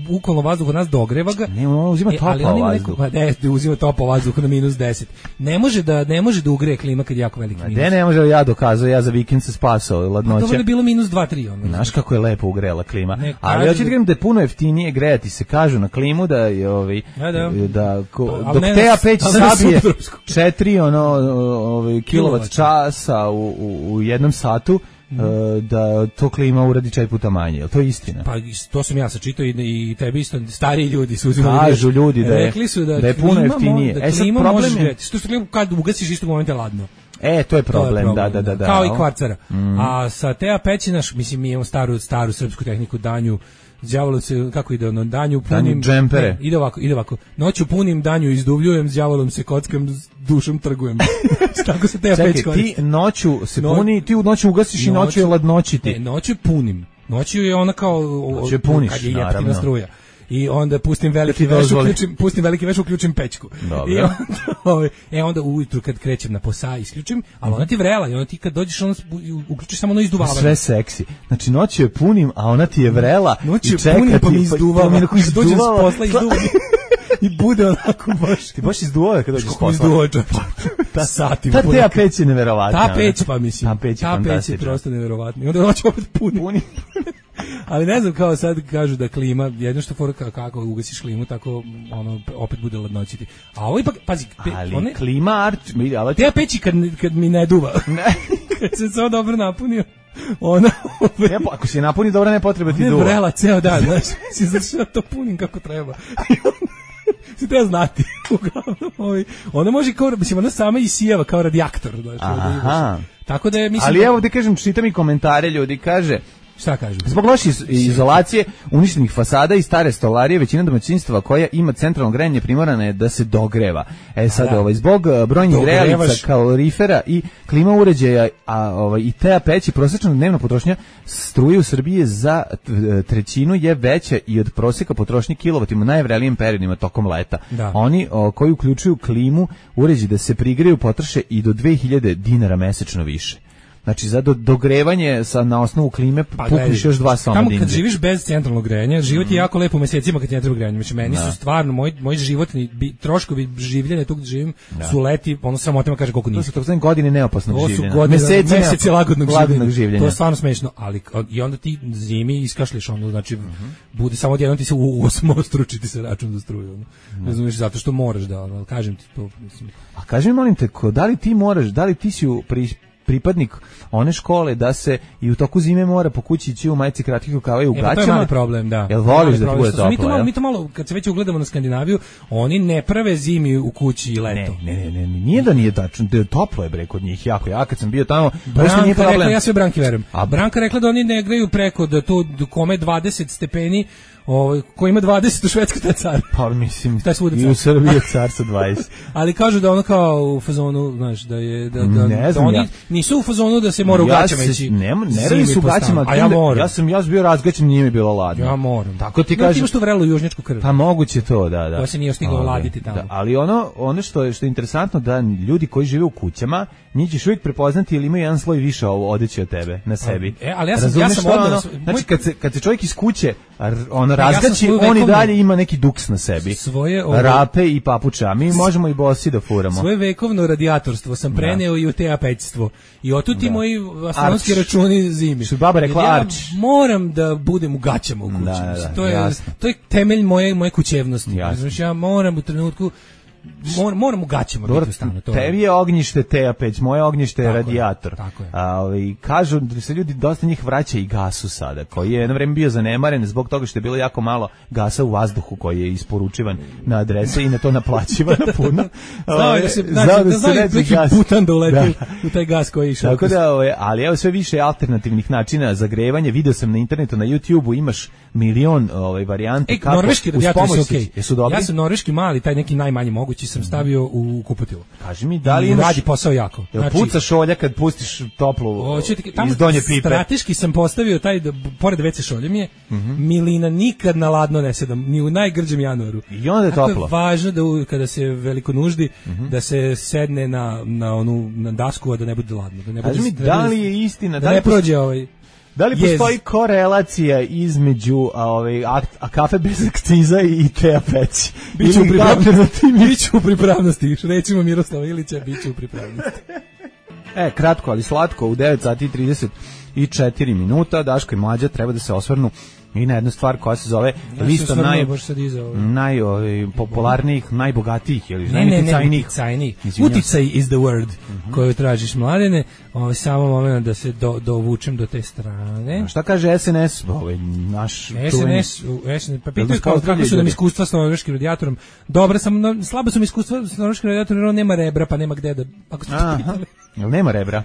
bukvalno vazduh od nas, dogreva ga. Ne, on uzima e, topao vazduh. Pa ne, uzima topao vazduh na minus deset. Ne može da ne može da ugreje klima kad je jako veliki minus. Ne, ne može, ja dokazao, ja za vikend se spasao ladnoća. To je bilo minus dva tri ono. Znaš kako je lepo ugrela klima. Ne, ali hoćete da kažem da je puno jeftinije grejati se, kažu na klimu da je ovaj da, da. da ko, dok Teja peć sabije četiri ono ovaj kilovat časa u, u, u jednom satu. Mm. da to klima uradi četiri puta manje, jel to je istina? Pa to sam ja sačitao i, i tebi isto stariji ljudi su uzimali. Kažu ljudi da je, rekli su da, da je puno jeftinije. Da klima e, može gledati. Što što klima kad ugasiš istog momenta je ladno. E, to je problem, to je problem da, da, da, da. Kao i kvarcara. Mm. A sa Teja peći naš, mislim, mi imamo staru, staru srpsku tehniku danju, đavolom se, kako ide ono, danju punim... Danju džempere. Ne, ide ovako, ide ovako. Noću punim, danju izduvljujem, s đavolom se kockam, s dušom trgujem. Tako se Teja peć koristi. Čekaj, ti noću se no, puni, ti u noću ugasiš noću, i noću je ladnoćiti. Ne, noću punim. Noću je ona kao... Noću je puniš, kad je naravno. Struja. I onda pustim veliki veš, uključim, pustim veliki veš, uključim pećku. Dobro. I onda, ovaj, e onda ujutru kad krećem na posao isključim, ali ona ti vrela i onda ti kad dođeš ona uključiš samo ono izduvavanje. Sve seksi. Znači noću je punim, a ona ti je vrela noću i čeka punim, ti pa mi izduvava. Pa kad dođem s posla izduva. I bude onako baš. Ti baš izduvao kad dođeš s posla. Izduvao ta sati. Ta Teja peć je neverovatna. Ta peć pa mislim. Ta peć je, ta peć je prosto neverovatna. I onda noć opet puni. Puni. Ali ne znam, kao sad kažu da klima, jedno što fora kao kako ugasiš klimu, tako ono opet bude ladnoćiti. A ovo ipak, pazi, pe, ali one, klima arč, ali te peći kad, kad mi ne duva, kad se samo dobro napunio, ona... Ne, ako si je napuni dobro, ne potreba ti ne duva. Ne vrela ceo dan, znaš, si završio to punim kako treba. Se treba znati. Uglavnom, ona može kao, mislim, ona sama isijava kao radijaktor. Znaš, aha. Tako da je, mislim... Ali da... evo da kažem, čitam i komentare ljudi, kaže... Šta kažu? Zbog loše izolacije, uništenih fasada i stare stolarije, većina domaćinstva koja ima centralno grejanje primorana je da se dogreva. E sad, da. ovaj, zbog brojnih grejalica, kalorifera i klima uređaja, a ovaj i te a peći, prosječna dnevna potrošnja struje u Srbiji za trećinu je veća i od prosjeka potrošnje kilovatima u najvrelijim periodima tokom leta. Da. Oni o, koji uključuju klimu, uređaji da se prigreju, potroše i do dve hiljade dinara mesečno više. Znači, za do, dogrevanje sa, na osnovu klime pa, pukniš još dva soma tamo dinara. kad živiš bez centralnog grejanja, život je jako lepo u mesecima kad ti ne treba grejanje. Znači, meni da. su stvarno, moj, moj životni bi, troškovi življenja tu gdje živim da. su leti, ono samotima kaže koliko niski. To su to godine neopasnog to življenja. To su godine, meseci, meseci lagodnog, lagodnog življenja. To je stvarno smešno, ali i onda ti zimi iskašliš ono, znači, mm-hmm. bude samo odjednom ti se u osmo stručiti se račun za struju. Ono. Mm. Ne znaš, zato što moraš da, ali kažem ti to. Mislim. A kaži mi, molim te, ko, da li ti moraš, da li ti si u pri, pripadnik one škole da se i u toku zime mora po kući ići u majici kratkih rukava i u gaćama? E, to je mali problem, da. Jel voliš da ti bude toplo? Mi to, malo, mi to malo, kad se već ugledamo na Skandinaviju, oni ne prave zimi u kući i leto. Ne, ne, ne, ne nije da nije tačno, da je toplo je bre kod njih jako. Ja kad sam bio tamo, Branka nije problem. Rekla, ja sve Branki verujem. A Branka rekla da oni ne greju preko, da to kome dvadeset stepeni, ovaj ko ima dvadeset u Švedskoj taj car. Pa mislim i u Srbiji car sa dvadeset. Ali kažu da ono kao u fazonu, znaš, da je da da, ne da oni ja. nisu u fazonu da se mora u gaćama ja ići. Ne, ne radi su gaćama, a ja moram. Ja sam ja bio razgaćen, nije mi bilo ladno. Ja moram. Tako ti no, kažeš. Imaš tu vrelu južnjačku krv. Pa moguće to, da, da. To se nije stiglo laditi tamo. Da, ali ono ono što je što je interesantno da ljudi koji žive u kućama, njih ćeš uvijek prepoznati ili imaju jedan sloj više odeće od tebe na sebi. E, ali ja sam ja sam odmah, znači kad se kad se čovjek iz kuće ono razgaći, on i dalje ima neki duks na sebi. Svoje ove, rape i papuča. Mi možemo i bosi da furamo. Svoje vekovno radijatorstvo sam preneo da. i u te a pećstvo. I otud ti moji astronomski računi zimi. Što baba rekla ja arč. Moram da budem u gaćama u kući. Da, da, to je jasno. To je temelj moje moje kućevnosti. Znači ja moram u trenutku Mor, moram u gaćama biti u stanu. Tebi je ognjište te a peć, moje ognjište je radijator. Tako je. A, ovaj, kažu da se ljudi, dosta njih vraća i gasu sada, koji je jedno vreme bio zanemaren zbog toga što je bilo jako malo gasa u vazduhu koji je isporučivan na adrese i na to naplaćivan puno. Znao da se, znači, da znao neki putan da uleti u taj gas koji je išao. Tako da, ovaj, ali evo sve više alternativnih načina za grevanje. Video sam na internetu, na YouTubeu imaš milion ovaj, varijanti. E, kako, norveški radijatori su okej. Jesu dobri? Ja sam norveški mali, taj neki najmanji mogući sam stavio u kupatilu. Kaži mi, da li imaš... Radi posao jako. Jel znači, pucaš šolja kad pustiš toplu oćete, iz donje pipe? Strateški sam postavio taj, da, pored ve ce šolje mi je, mm-hmm. milina nikad na ladno ne sedam, ni u najgrđem januaru. I onda je tako toplo. Tako je važno da u, kada se veliko nuždi, mm-hmm. da se sedne na, na, onu, na dasku, a da ne bude ladno. Da ne bude, kaži mi, da li je istina? Da, da ne prođe ovaj... Da li postoji yes. korelacija između a, ovaj, a, a kafe bez akciza i te a peći? Biću u pripravnosti. Biću u pripravnosti. Recimo Miroslava Ilića, biću u pripravnosti. E, kratko, ali slatko, u devet sati i trideset četiri minuta, Daško i Mlađa treba da se osvrnu i na jednu stvar koja se zove ja lista naj, ovaj. naj ovaj, popularnijih, najbogatijih ili ne, ne, ne, uticajnijih. Uticaj is the word uh-huh. koju tražiš, Mladene. Ovaj, samo moment da se do, dovučem do te strane. A šta kaže es en es? Ovaj, naš es en es, es en es pa pitaju kao kako su nam iskustva s norveškim radijatorom. Dobro, sam, no, slabo su mi iskustva s norveškim radijatorom, jer on nema rebra, pa nema gde da... Ako ste pitali. Jel nema rebra?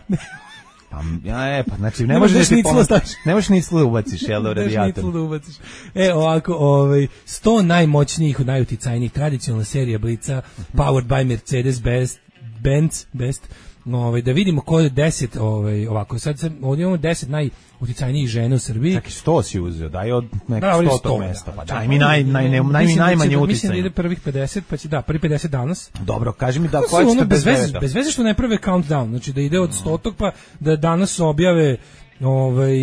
Pa, ja, e, pa, znači, ne možeš ni pomoći, ne možeš ni slu da ubaciš, jel da, u radijator. Ne da ubaciš. E, ovako, ovaj, sto najmoćnijih, najuticajnijih, tradicionalna serija Blica, powered by Mercedes-Benz, Benz, Best, ovaj, da vidimo ko je deset, ovaj, ovako, sad sam, ovdje imamo deset najuticajnijih žena u Srbiji. Čak i sto si uzeo, daj od nekog stotog mesta, pa daj mi naj, naj, naj, naj, najmanje uticajno. Mislim da ide prvih pedeset, pa će, da, prvi pedeset danas. Dobro, kaži mi da, koja ćete bez veze, bez veze što ne prve countdown, znači da ide od stotog, pa da danas objave ovaj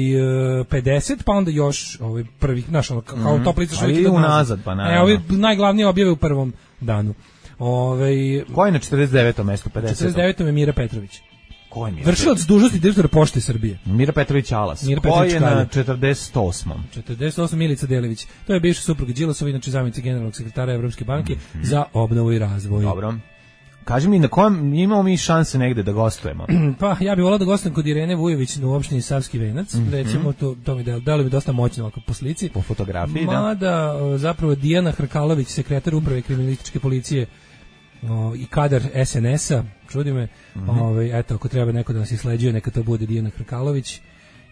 pedeset, pa onda još ovaj prvih, znaš, ono, kao top lica što ide unazad, pa naravno. E, ovi najglavnije objave u prvom danu. Ovaj ko je na četrdeset devetom mestu, pedeset? četrdeset devetom je Mira Petrović. Ko je Mira? Vršilac dužnosti direktora Pošte Srbije. Mira Petrović Alas. Mira Ko Petrović je Kalja. na četrdeset osmom? četrdeset osam Milica Delević. To je bivša supruga Đilasova, inače zamjenica generalnog sekretara Evropske banke mm-hmm. za obnovu i razvoj. Dobro. Kaži mi, na kojem imamo mi šanse negde da gostujemo? Pa, ja bih volao da gostujem kod Irene Vujović u opštini Savski Venac. Mm-hmm. Recimo, to, to mi delo, delo mi dosta moćno ovako po slici. Po fotografiji, Mada, da. Mada, zapravo, Dijana Hrkalović, sekretar uprave kriminalističke policije o, i kadar S N S-a, čudi me, mm-hmm. Ove, eto, ako treba neko da nas isleđuje, neka to bude Dijana Hrkalović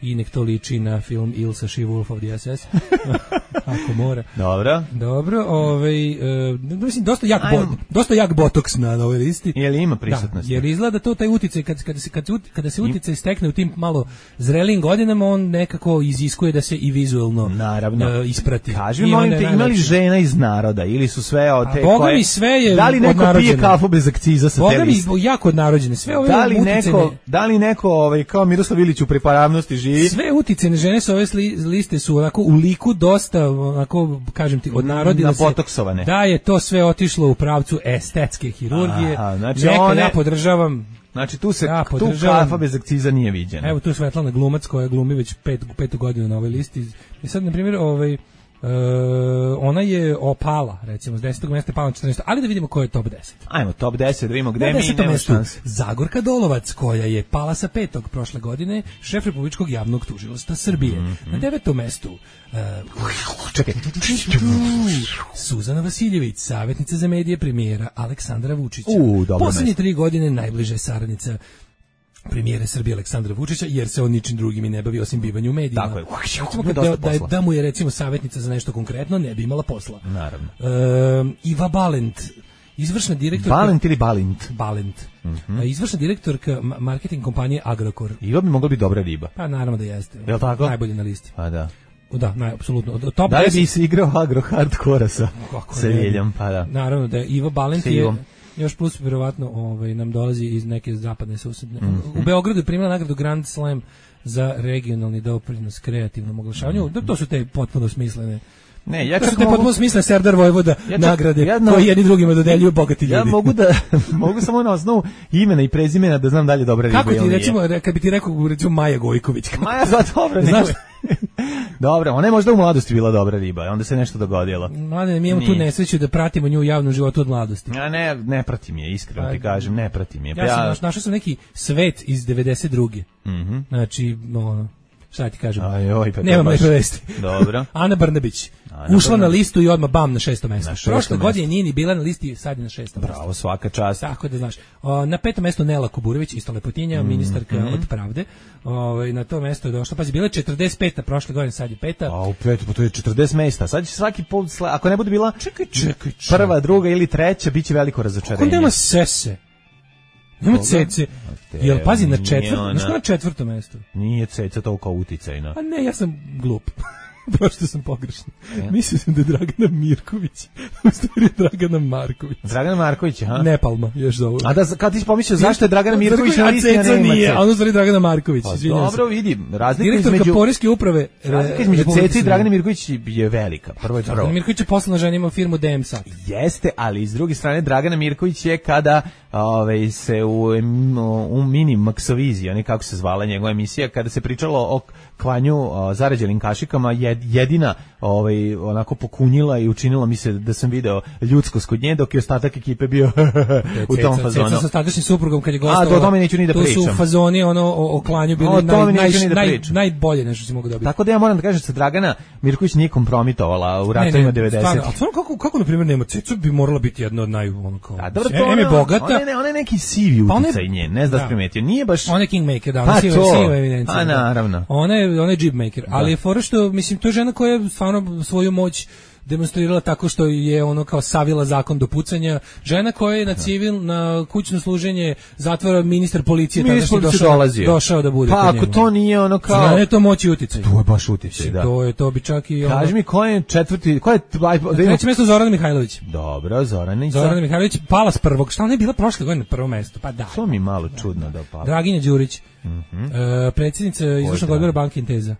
i nek to liči na film Ilsa She Wolf of the S S. Ako mora. Dobro. Dobro, ovaj e, mislim dosta jak bo, dosta jak botoks na ovoj listi. Je li ima prisutnosti? Da, jer izgleda to taj uticaj kad kada se kad kada se uticaj stekne u tim malo zrelim godinama, on nekako iziskuje da se i vizuelno naravno e, isprati. Kaži, molim te, imali žena iz naroda ili su sve od te Boga koje mi sve je da li neko pije kafu bez akciza sa te liste? Boga mi jako odnarođene. Sve ove da li uticajne, neko da li neko ovaj kao Miroslav Ilić u pripravnosti živi? Sve uticajne žene sa ove liste su onako u liku dosta onako, kažem ti, odnarodile se. Napotoksovane. Da je to sve otišlo u pravcu estetske hirurgije. Aha, znači neka one, ja podržavam. Znači tu se ja tu kafa bez akciza nije viđena. Evo tu je Svetlana Glumac koja glumi već pet, petu godinu na ovoj listi. I sad, na primjer, ovaj, Uh, ona je opala, recimo, s desetog mesta pala na četrnaesto, ali da vidimo ko je top deset. Ajmo, top deset, da vidimo gde mi imamo šanse. Zagorka Dolovac, koja je pala sa petog prošle godine, šef Republičkog javnog tužilaštva Srbije. Mm-hmm. Na devetom mestu uh, čekaj. Suzana Vasiljević, savjetnica za medije premijera Aleksandra Vučića. Uh, Poslednje tri godine najbliže saradnica premijere Srbije Aleksandra Vučića, jer se on ničim drugim i ne bavi osim bivanju u medijima. Tako je. Recimo, da, da, je, da mu je recimo savjetnica za nešto konkretno, ne bi imala posla. Naravno. E, Iva Balent, izvršna direktorka... Balent ili Balint? Balent. Mm-hmm. Izvršna direktorka marketing kompanije Agrokor. Iva bi mogla biti dobra riba. Pa naravno da jeste. Je li tako? Najbolje na listi. Pa da. Da, naj, apsolutno. Top da li bi se igrao agro hardkora sa, sa Ljeljom? Pa da. Naravno da je Iva Balent je... Još plus vjerovatno ovaj, nam dolazi iz neke zapadne susedne. Mm-hmm. U Beogradu je primila nagradu Grand Slam za regionalni doprinos kreativnom oglašavanju. Mm-hmm. To su te potpuno smislene. Ne, ja to su te mogu... potpuno smislene Serdar Vojvoda ja čak, nagrade ja na... koje jedni drugima dodeljuju bogati ljudi. Ja mogu da mogu samo na osnovu imena i prezimena da znam da li je dobra riba. Kako ti recimo kad bi ti rekao recimo Maja Gojković? Maja za dobro, znaš. Dobro, ona je možda u mladosti bila dobra riba, onda se nešto dogodilo. Mlade, mi imamo tu nesreću da pratimo nju u javnom životu od mladosti. Ja ne, ne pratim je, iskreno ti kažem, ne pratim je. Ja, ja sam naš, našao sam neki Svet iz devedeset druge. Mhm. Znači, ono, šta ti kažem? Aj, oj, pa nemam lepe vesti. Dobro. Ana Brnabić. Ana ušla Brnabić. Na listu i odmah bam na šesto mesto. Na šesto Prošle mesto. godine nije ni bila na listi, sad je na šestom mestu. Bravo, svaka čast. Tako da znaš. O, na petom mestu Nela Kuburović, isto lepotinja, mm, ministarka mm. od pravde. O, na to mesto je došla. Pazi, bila je četrdeset peta prošle godine, sad je peta. A u petu, pa to je četrdeset mesta. Sad će svaki pol, ako ne bude bila čekaj, čekaj, čekaj. prva, druga ili treća, biće veliko razočarenje. Kako nema sese? Nema cece. Jel pazi na četvrtom, znaš ko na četvrtom mestu? Nije ceca toliko uticajna. A ne, ja sam glup. Prošto sam pogrešno. Ja. Mislio sam da je Dragana Mirković. U stvari je Dragana Marković. Dragana Marković, ha? Ne Palma, još za ovo. A da, kad ti si pomislio zašto je Dragana Mirković na listi, a ne ima nije, a ono stvari Dragana Marković. Pa, dobro, vidim. Razlika direktorka između... poreske uprave... Razlika između Cece i Dragana Mirković je velika. Prvo je prvo. Dragana Mirković je poslana ženima firmu D M Sat. Jeste, ali s druge strane Dragana Mirković je kada ove, se u, u mini Maksoviziji, oni kako se zvala njegova emisija, kada se pričalo o klanju o, zarađenim kašikama, jed, jedina ovaj, onako pokunjila i učinila mi se da sam video ljudskost kod nje, dok je ostatak ekipe bio u tom fazonu. Ceca sa tadašnjim suprugom kad je gostovala. A, do tome neću ni da pričam. Tu su u fazoni ono, o, o klanju bili naj, naj, naj, najbolje nešto si mogu dobiti. Tako da ja moram da kažem da se Dragana Mirković nije kompromitovala u ratovima devedesetih. Stvarno, a stvarno kako, kako na primjer nema Ceca bi morala biti jedna od naj... Ono, kao, a dobro, to ona je bogata. Ona je, ona je neki sivi uticaj nje, ne znam da primetio. Nije baš... Ona je kingmaker, da, ona siva, siva evidencija. A naravno. Ona je, ona je jibmaker, ali je fora što, mislim, to je žena koja je stvarno svoju moć demonstrirala tako što je ono kao savila zakon do pucanja. Žena koja je na civil, na kućno služenje zatvora ministar policije ministar tadašnji došao, dolazio. došao da bude. Pa ako to nije ono kao... Zna je to moć i uticaj. To je baš uticaj, da. To je, to bi čak i... Ono... Kaži mi ko je četvrti... Ko je... Treće mjesto Zorana Mihajlović. Dobro, Zorana. Zorana Mihajlović pala s prvog. Šta ona je bila prošle godine na prvo mesto? Pa da. To mi malo čudno da pala. Draginja Đurić. Mhm. Uh, predsjednica izvršnog odbora banke Inteza.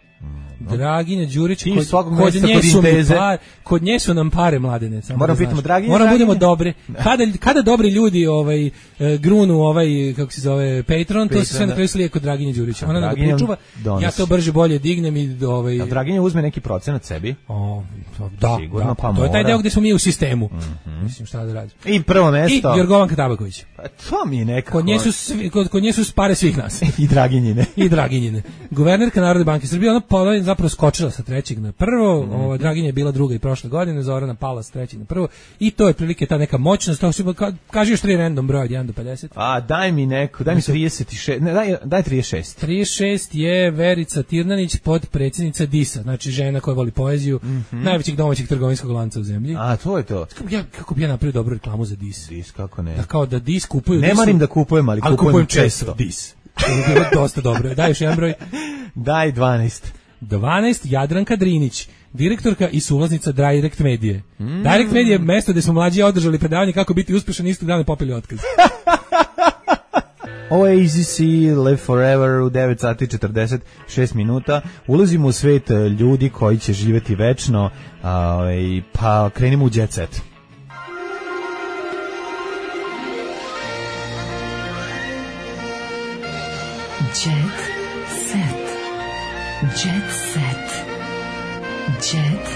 Draginja Đurić, Ti kod, svakog kod meseca nje kod su mi Inteze. par, kod nje su nam pare mladene. samo Moram da pitamo, znaš. Draginja, Moram budemo Draginja? dobri. Kada, kada dobri ljudi ovaj, e, grunu ovaj, kako se zove, Patreon, to se sve Patreon, na kraju slije kod Draginje Đurića. Ona da ga Draginja pričuva, donosi. ja to brže bolje dignem i ovaj... A Draginja uzme neki procenat sebi. O, to- da, Sigurno, da, pa to je taj mora. deo gde smo mi u sistemu. Mislim šta da radim. I prvo I mesto. Jorgovanka Tabaković. Pa to mi je nekako. Kod nje su, svi, kod, kod nje su pare svih nas. I Draginjine. I Draginjine. Guvernerka Narodne banke Srbije, ona pola zapravo skočila sa trećeg na prvo, Mhm. ova Draginja je bila druga i prošle godine, Zorana pala sa trećeg na prvo i to je prilike ta neka moćnost, to su, ka, kaži još tri random broja od jedan do pedeset. A daj mi neko, daj mi trideset šest, ne, daj, daj trideset šest. trideset šest je Verica Tirnanić, podpredsjednica D I S-a, znači žena koja voli poeziju, najvećeg domaćeg trgovinskog lanca u zemlji. A to je to. Kako bi ja, kako bi ja napravio dobru reklamu za D I S? Dis, kako ne. Da kao da D I S kupuju Ne D I S-u, marim da kupujem, ali, ali kupujem, kupujem često. često D I S. To bi bilo dosta dobro. Daj još jedan broj. Daj dvanaest. dvanaest Jadranka Drinić, direktorka i suvlasnica Direct Medije. Mm. Direct Medije je mesto gde smo mlađi održali predavanje kako biti uspešan, istog dana popili otkaz. Ovo je Easy C, Live Forever u devet sati četrdeset šest minuta. Ulazimo u svet e, ljudi koji će živjeti večno, a, i, pa krenimo u Jet Set. Jet set. Jet set. Jet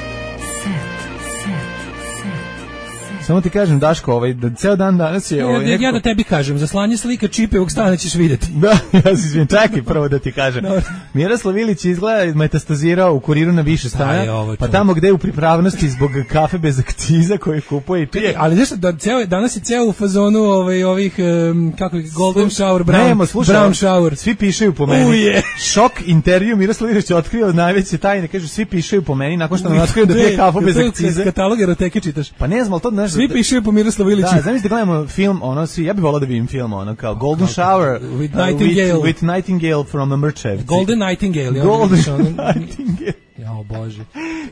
set. Set. Set. Samo ti kažem, Daško, ovaj, da ceo dan danas je... Ja, Ovaj, ja, ja neko- da tebi kažem, za slanje slika Čipevog stana ćeš vidjeti. Da, ja se izvijem, čekaj prvo da ti kažem. Dobro. Miroslav Ilić izgleda metastazirao u Kuriru na više Aj, stana, ovo pa čovjek. tamo gde je u pripravnosti zbog kafe bez akciza koje kupuje i pije. Ali znaš da ceo, danas je ceo u fazonu ovaj, ovih, um, kako je, Golden Shower, Brown, Nemo, slušaj, brown Shower. Svi pišaju po meni. Uje. Šok intervju, Miroslav Ilić je otkrio najveće tajne, kaže svi pišaju po meni nakon što nam otkrio da pije kafu bez akcize. Katalog eroteke čitaš. Pa ne znam, ali to znaš... Svi pišu po Miroslavu Iliću. Da, zamisli da gledamo film, ono, svi, ja bih volao da vidim film, ono, kao Golden Shower With uh, Nightingale. with, with Nightingale from Mrčevci. Golden Nightingale. ja Golden vidiš ono- Nightingale. Jao Bože.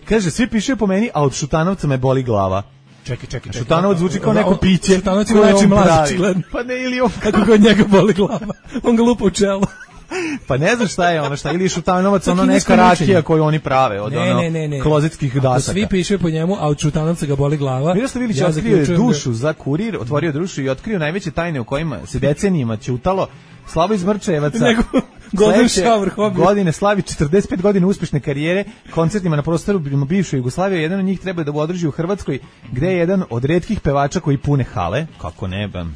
Kaže, svi pišaju po meni, a od Šutanovca me boli glava. Čekaj, čekaj, čekaj. Šutanovac zvuči kao Da, neko on- piće. Šutanovac ima koje najčim on mlazi, pravi. očigledno. Pa ne, ili on... Kako god njega boli glava. On ga lupa u čelo. Pa ne znam šta je ono, šta, ili je Šutanovac To je ono kinesko neka mučenje. rakija koju oni prave od Ne, ono ne, ne, ne. klozetskih Ako dasaka. svi pišu po njemu, a od Šutanovca ga boli glava. Miroslav Ilić ja otkrio je zaključujem da- dušu za Kurir, otvorio dušu i otkrio najveće tajne u kojima se decenijima ćutalo. Slavo iz Mrčevaca. Nego Golden sledeće Shower hobby. godine slavi četrdeset pet godina uspešne karijere koncertima na prostoru bivše Jugoslavije. Jedan od njih treba da održi u Hrvatskoj, gde je jedan od retkih pevača koji pune hale. Kako ne, ban.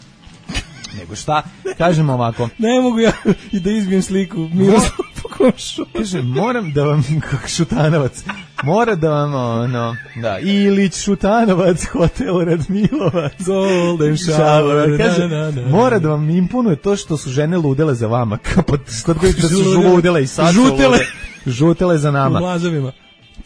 Nego šta? Kažemo ovako. Ne mogu ja i da izbijem sliku Miroslav po komšu. Kaže, moram da vam, kako Šutanovac, mora da vam, ono, da, Ilić, Šutanovac, Hotel Radmilovac, Golden Shower, kaže, na, na, na. mora da vam imponuje to što su žene ludele za vama, kao pod, kod koji da su Žudele. žudele i sad su Žutele. lude. Žutele za U nama. mlazovima.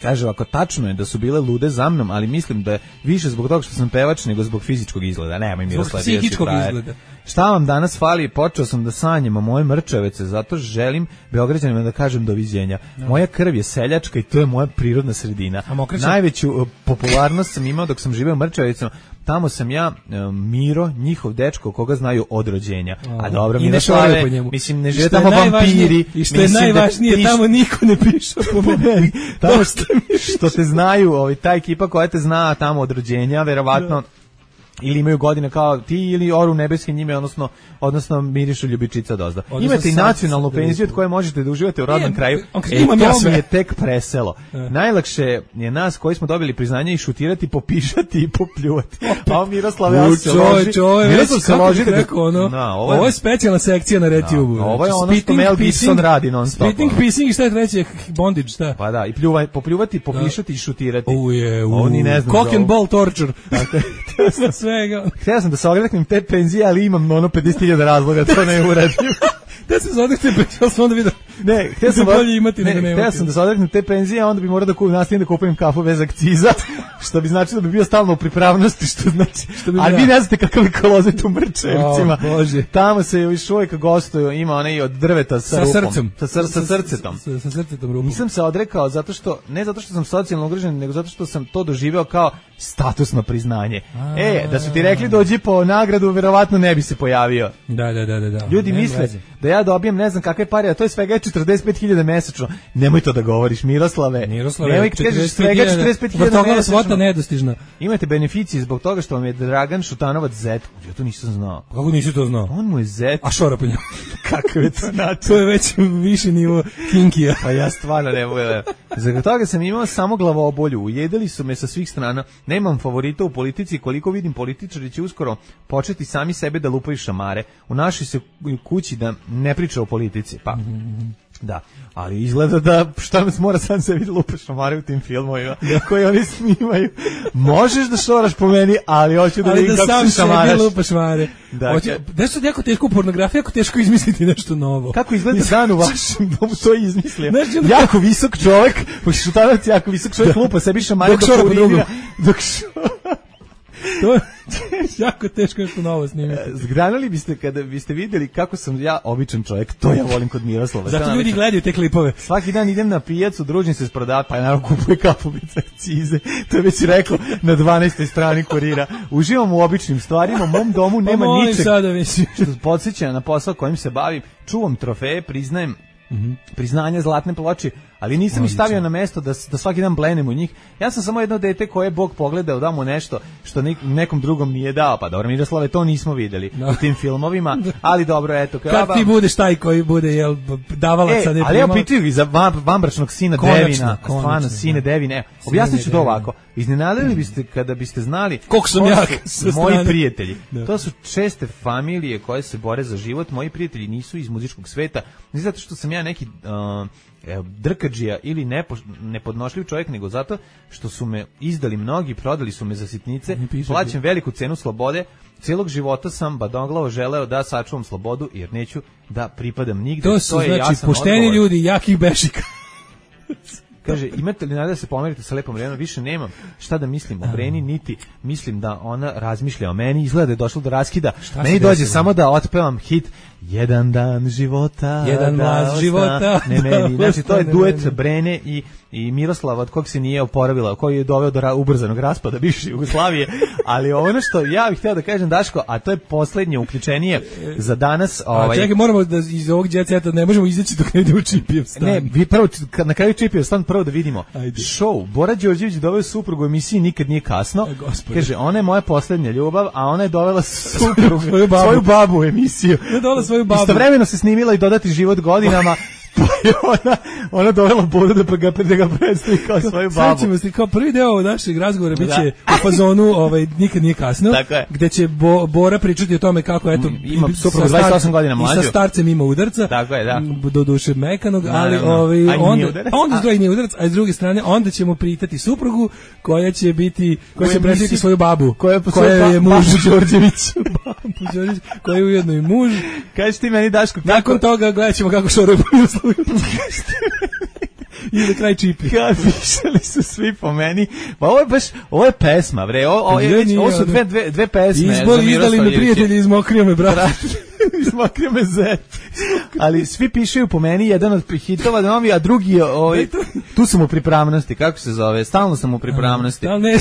Kaže, ako tačno je da su bile lude za mnom, ali mislim da je više zbog toga što sam pevač nego zbog fizičkog izgleda. Nemoj Miroslav, bio si psihičkog frajer. izgleda. Šta vam danas fali? Počeo sam da sanjam o moje Mrčevece, zato želim Beograđanima da kažem doviđenja. Moja krv je seljačka i to je moja prirodna sredina. A Mokreće? Najveću uh, popularnost sam imao dok sam živeo u Mrčevicama. Tamo sam ja, uh, Miro, njihov dečko, koga znaju od rođenja. A dobro, I ne Miroslave, šoraju po njemu. mislim, ne I žive što je tamo najvažnije- vampiri. I što je mislim da najvažnije, piš- tamo niko ne piše po meni. tamo što, što te znaju, ovaj, ta ekipa koja te zna tamo od rođenja, verovatno ili imaju godine kao ti ili oru nebeske njime, odnosno odnosno mirišu ljubičica dozda. Odnosno Imate i sad- nacionalnu penziju od koje možete da uživate u rodnom Ne, kraju. on kaže, E, imam ja to sve. mi je tek preselo. Najlakše je nas koji smo dobili priznanje i šutirati, popišati i popljuvati. A on Miroslav ja se loži. Čovječ, ovo je Miroslav već, se kako loži bih da ga- rekao, ono, Da, ovo je specijalna sekcija na RedTube. Da, ovo je ono što Mel Gibson radi non stop. Spitting, pissing i šta je treće? Bondage, šta? Pa da, i pljuvaj, popljuvati, popišati i šutirati. Uje, Ovo ni ne znam Cock za and ovo. ball torture. Sa svega. Htio sam da se ogreknem te penzije, ali imam ono pedeset hiljada razloga, to ne uradim. Da se zadrte, pa sam onda vidio. Ne, htio sam, Da je bolje imati ne, nego nemati. htio sam da se odreknem te penzije, a onda bi morao da kupim, nastavim da kupujem kafu bez akciza, što bi značilo da bi bio stalno u pripravnosti, što znači, Što bi ali da. vi ne znate kakav je kolozet u Mrčevcima. O, Bože. Tamo se još uvijek gostuju, ima onaj od drveta sa, Sa rupom. srcem. Sa, sr, sa srcetom. Sa, sa srcetom rupom. Nisam se odrekao zato što, ne zato što sam socijalno ugrožen, nego zato što sam to doživeo kao statusno priznanje. E, da su ti rekli dođi po nagradu, verovatno ne bi se pojavio. Da, da, da, da. da. Ljudi Nema misle veze. da ja dobijem ne znam kakve pare, a to je svega četrdeset pet hiljada mesečno. Nemoj to da govoriš, Miroslave. Miroslave, Nemoj kad kažeš svega četrdeset pet hiljada vrtoglava mesečno. svota nedostižna. Imate beneficije zbog toga što vam je Dragan Šutanovac zet. Ja to nisam znao. Kako nisi to znao? On mu je zet. A šora po njemu. Kakav je to način? To je već viši nivo kinkija. Pa ja stvarno ne mogu da... Zbog toga sam imao samo glavobolju. Ujedali su me sa svih strana. Nemam favorita u politici. Koliko vidim, političari će uskoro početi sami sebe da lupaju šamare. U našoj se kući da ne priča o politici. Pa... Da, ali izgleda da šta nas mora sam sebi da lupa šamare u tim filmovima koji oni snimaju. Možeš da šoraš po meni, ali hoću da vidim kako sam se šamaraš. sebi lupa šamare. Da, Hoće, da su jako teško u pornografiji, jako teško izmisliti nešto novo. kako izgleda dan u vašem domu, to je izmislio. Znaš, ono- Jako visok čovjek, pošto Šutanovac jako visok čovjek lupa sebi šamare Dok šora po drugom. urinira, Dok šora. To je jako teško nešto novo snimiti. Zgranali biste kada biste vidjeli kako sam ja običan čovjek, to ja volim kod Miroslava. Zato Šta ljudi navičam? gledaju te klipove. Svaki dan idem na pijacu, družim se s prodavačem, pa je naravno kupuje kapubice akcize. To je već rekao na dvanaestoj strani kurira. Uživam u običnim stvarima, u mom domu nema Pa molim ničeg sada, mislim. što podsjeća na posao kojim se bavim. Čuvam trofeje, priznajem priznanja, zlatne ploče, ali nisam ih stavio na mesto da, da svaki dan blenem u njih. Ja sam samo jedno dete koje je Bog pogledao, da mu nešto što nek, nekom drugom nije dao. Pa dobro, Miroslave, to nismo videli No. u tim filmovima, ali dobro, eto. Kad ti budeš taj koji bude jel, davalac, E, a ne ali evo primalac. pitaju i za vam- vambračnog sina Konačno, Devina, konačno, stvarno, sine da. Devine. Evo, Sine objasnit ću to Devina. ovako. Iznenadili biste kada biste znali Koliko sam ko jak su sa moji strane. prijatelji. Da. To su česte familije koje se bore za život. Moji prijatelji nisu iz muzičkog sveta, ne zato što sam ja neki uh, evo, drkadžija ili nepo, nepodnošljiv čovjek, nego zato što su me izdali mnogi, prodali su me za sitnice, Ne piše plaćam veliku cenu slobode. Cijelog života sam badoglavo želeo da sačuvam slobodu, jer neću da pripadam nigde. To su je znači jasan pošteni odgovor. ljudi, jakih bešika. Kaže, imate li nada da se pomerite sa lepom Brenom? Više nemam šta da mislim o Breni, niti mislim da ona razmišlja o meni. Izgleda da je došlo do raskida. Šta Meni se dođe desilo? samo da otpevam hit Jedan dan života. Jedan da glas osta- života, Ne da meni. Znači, to je ostane duet meni. Brene i, i Miroslava, od kog se nije oporavila, koji je doveo do ra- ubrzanog raspada bivše Jugoslavije. Ali ono što ja bih htio da kažem, Daško, a to je poslednje uključenije za danas. A Ovaj, čekaj, moramo da iz ovog jet seta ne možemo izaći dok ne ide u Čipijev stan. Ne, vi prvo, kad na kraju Čipijev stan prvo da vidimo. Ajde. Show, Bora Đorđević doveo suprugu u emisiji Nikad nije kasno. E, gospode. Kaže, ona je moja poslednja ljubav, a ona je dovela suprugu, Svoju babu. svoju babu u emisiju. Ne dala svoju babu. Istovremeno se snimila i Dodati život godinama. Pa je ona, ona dovela Boru da, pa ga, da ga predstavi kao svoju babu. Srećemo se, kao prvi deo našeg razgovora biće Da. u fazonu ovaj, nikad nije kasno, Tako je. gde će Bo, Bora pričati o tome kako eto, Ima i- suprugu sa dvadeset osam starcem- godina i mlađu. sa starcem ima udarca, Tako je, da. m, do duše mekanog, ali Naravno. ovaj, A i nije onda, udarac. onda A- s druge nije udarac, a s druge strane onda ćemo pitati suprugu koja će biti, koja U će predstaviti emisiji- svoju babu, koja je po koja svoju je ba- muž babu Đorđević. babu Đorđević, koja je ujedno i muž. Kažeš ti meni, Daško, kako... Nakon toga gledat ćemo kako šoraju po Miroslavu. I na kraj Čipi. Kad pišali su svi po meni. Pa ovo je baš, ovo je pesma, bre. Ovo, ovo, je, Ne, već- nije ovo su ono. dve, dve, dve pesme. Izbor za izdali Miroslav me Ljevića. prijatelji, izmokrio me brat. Izmakrio me zet. Ali svi pišaju po meni, jedan od hitova novi, a drugi je, ovaj, tu sam u pripravnosti, kako se zove, stalno sam u pripravnosti. Da, ne,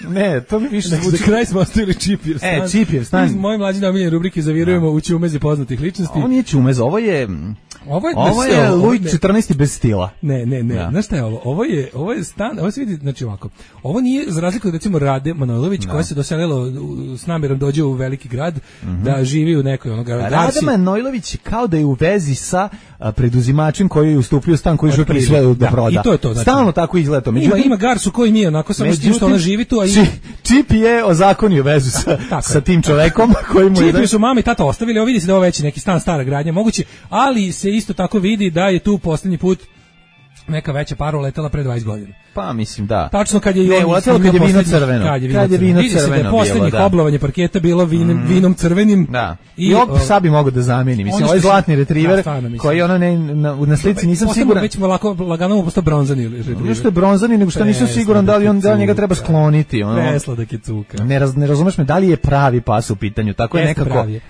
Ne, to mi više za zvuči. kraj smo ostavili Čipijev stan. E, Čipijev stan. Iz moje mlađe omiljene rubrike zavirujemo u ćumeze poznatih ličnosti. Ovo nije čumez, ovo je, Ovo je, ovo znaš šta je ovo? Luj Ne. četrnaesti bez stila. Ne, ne, ne. Da. Znaš šta je ovo? Ovo je, ovo je stan, ovo se vidi, znači ovako. Ovo nije, za razliku od recimo Rade Manojlović, koja se doselila u- s namjerom dođe u veliki grad, da živi u nekoj onoga Rada Garsi. Manojlović kao da je u vezi sa a, preduzimačem koji je ustupio stan koji žuri Otprilike. sve da Da, proda. i to je to, znači. Stalno tako izgleda to. Ima, Međutim, ima Garsu koji mi je onako, samo s tim što ona živi tu, a i... Či- Čip je ozakonio vezu sa, Tako sa je. tim čovekom koji mu je... Čipi su mama i tata ostavili, ovo vidi se da je ovo već neki stan, stara gradnja, moguće, ali se isto tako vidi da je tu poslednji put neka veća para uletela pre dvadeset godina. Pa mislim da. Tačno kad je i Ne, on uletelo snimio kad je vino poslednji- crveno. Kad je vino Kad je crveno. vino Vidi se da je crveno poslednjih bilo, da. oblovanje parketa bilo vinom, vinom crvenim. Da. I, I, ovo o, sad bi mogo da zameni. Mislim, ono ovaj što se- zlatni retriver Da, stvarno, mislim. koji ono ne, na, na slici nisam Postamo siguran. Već lako, lagano mu postao bronzani retriver. Ono što je bronzani, nego što nisam Presladak siguran da li on da li njega je treba cuka. skloniti. Ono, Presladak je cuka. ne, raz, ne razumeš me, da li je pravi pas u pitanju. Tako je Jeste nekako... pravi je.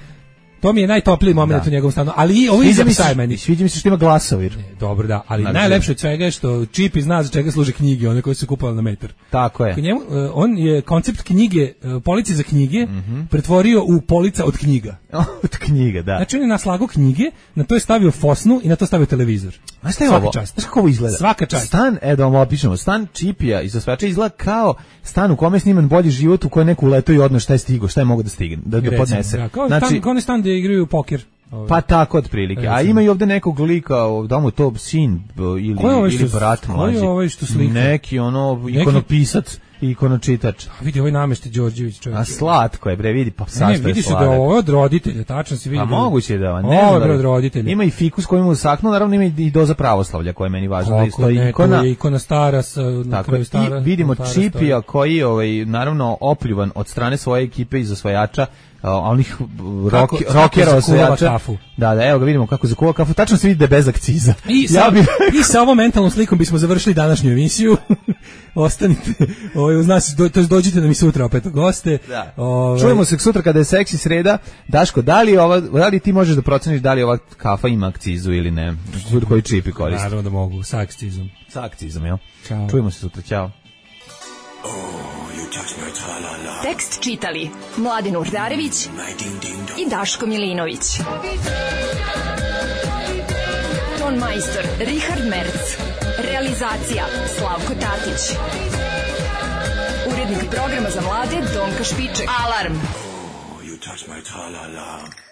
To mi je najtopliji moment Da. u njegovom stanu. Ali i ovo Sviđa iza mi psa je se, meni. sviđa mi se što ima glasovir. Dobro, da, ali Znači- najlepše od svega je što Čipi zna za čega služe knjige, one koje su kupovali na metar. Tako je. Kod njemu, uh, on je koncept knjige, uh, police za knjige, Mhm. pretvorio u polica od knjiga. Od knjiga, da. Znači on je naslagao knjige, na to je stavio fosnu i na to stavio televizor. Znaš šta je Svaka ovo? čast. Znaš kako ovo izgleda? Svaka čast. Stan, e da vam opišemo, stan Čipija iz osvajača izgleda kao stan u kome je sniman Bolji život, u kojem neko uletao i odno šta je stigo, šta je mogo da stigne, da, da podnese. Da, kao, znači, stan, kao ne stan gde igraju poker. Ove. Pa tako otprilike. A ima i ovde nekog lika, da mu to sin ili, ovaj ili brat mlađi. Ko je ovaj što slika? Neki ono ikonopisac i ikonočitač. A vidi ovaj Namešti Đorđević čovjek. A slatko je bre, vidi pa sastaje sladak. Ne, vidiš da ovo je od roditelja, tačno se vidi. A da moguće je da, ne ovo znam. je od roditelja. Ima i fikus koji mu usahnuo, naravno ima i doza pravoslavlja koja je meni važna. Kako Da stoji ne, ikona. to je ikona stara sa na Tako, kraju stara. i vidimo stara Čipija stoji. koji ovaj naravno opljuvan od strane svoje ekipe iz osvajača, a onih rock, rockera osvajača. Da, da, evo ga vidimo kako zakuva kafu. Tačno se vidi da je bez akciza. I sa, ja bi... i sa ovom mentalnom slikom bismo završili današnju emisiju. Ostanite, ovaj uz nas, do, to jest dođite da mi sutra opet goste. Da. Ovaj... Čujemo se sutra kada je seksi sreda. Daško, da li ova, da li ti možeš da proceniš da li ova kafa ima akcizu ili ne? Koji Čipi koristi? Naravno da mogu, sa akcizom. Sa akcizom, jel? Ćao. Čujemo se sutra, ćao. Tekst čitali Mladin Urdarević i Daško Milinović. Ton majstor Richard Merc. Realizacija Slavko Tatić. Urednik programa za mlade Donka Špiček. Alarm! You touch my tra-la-la.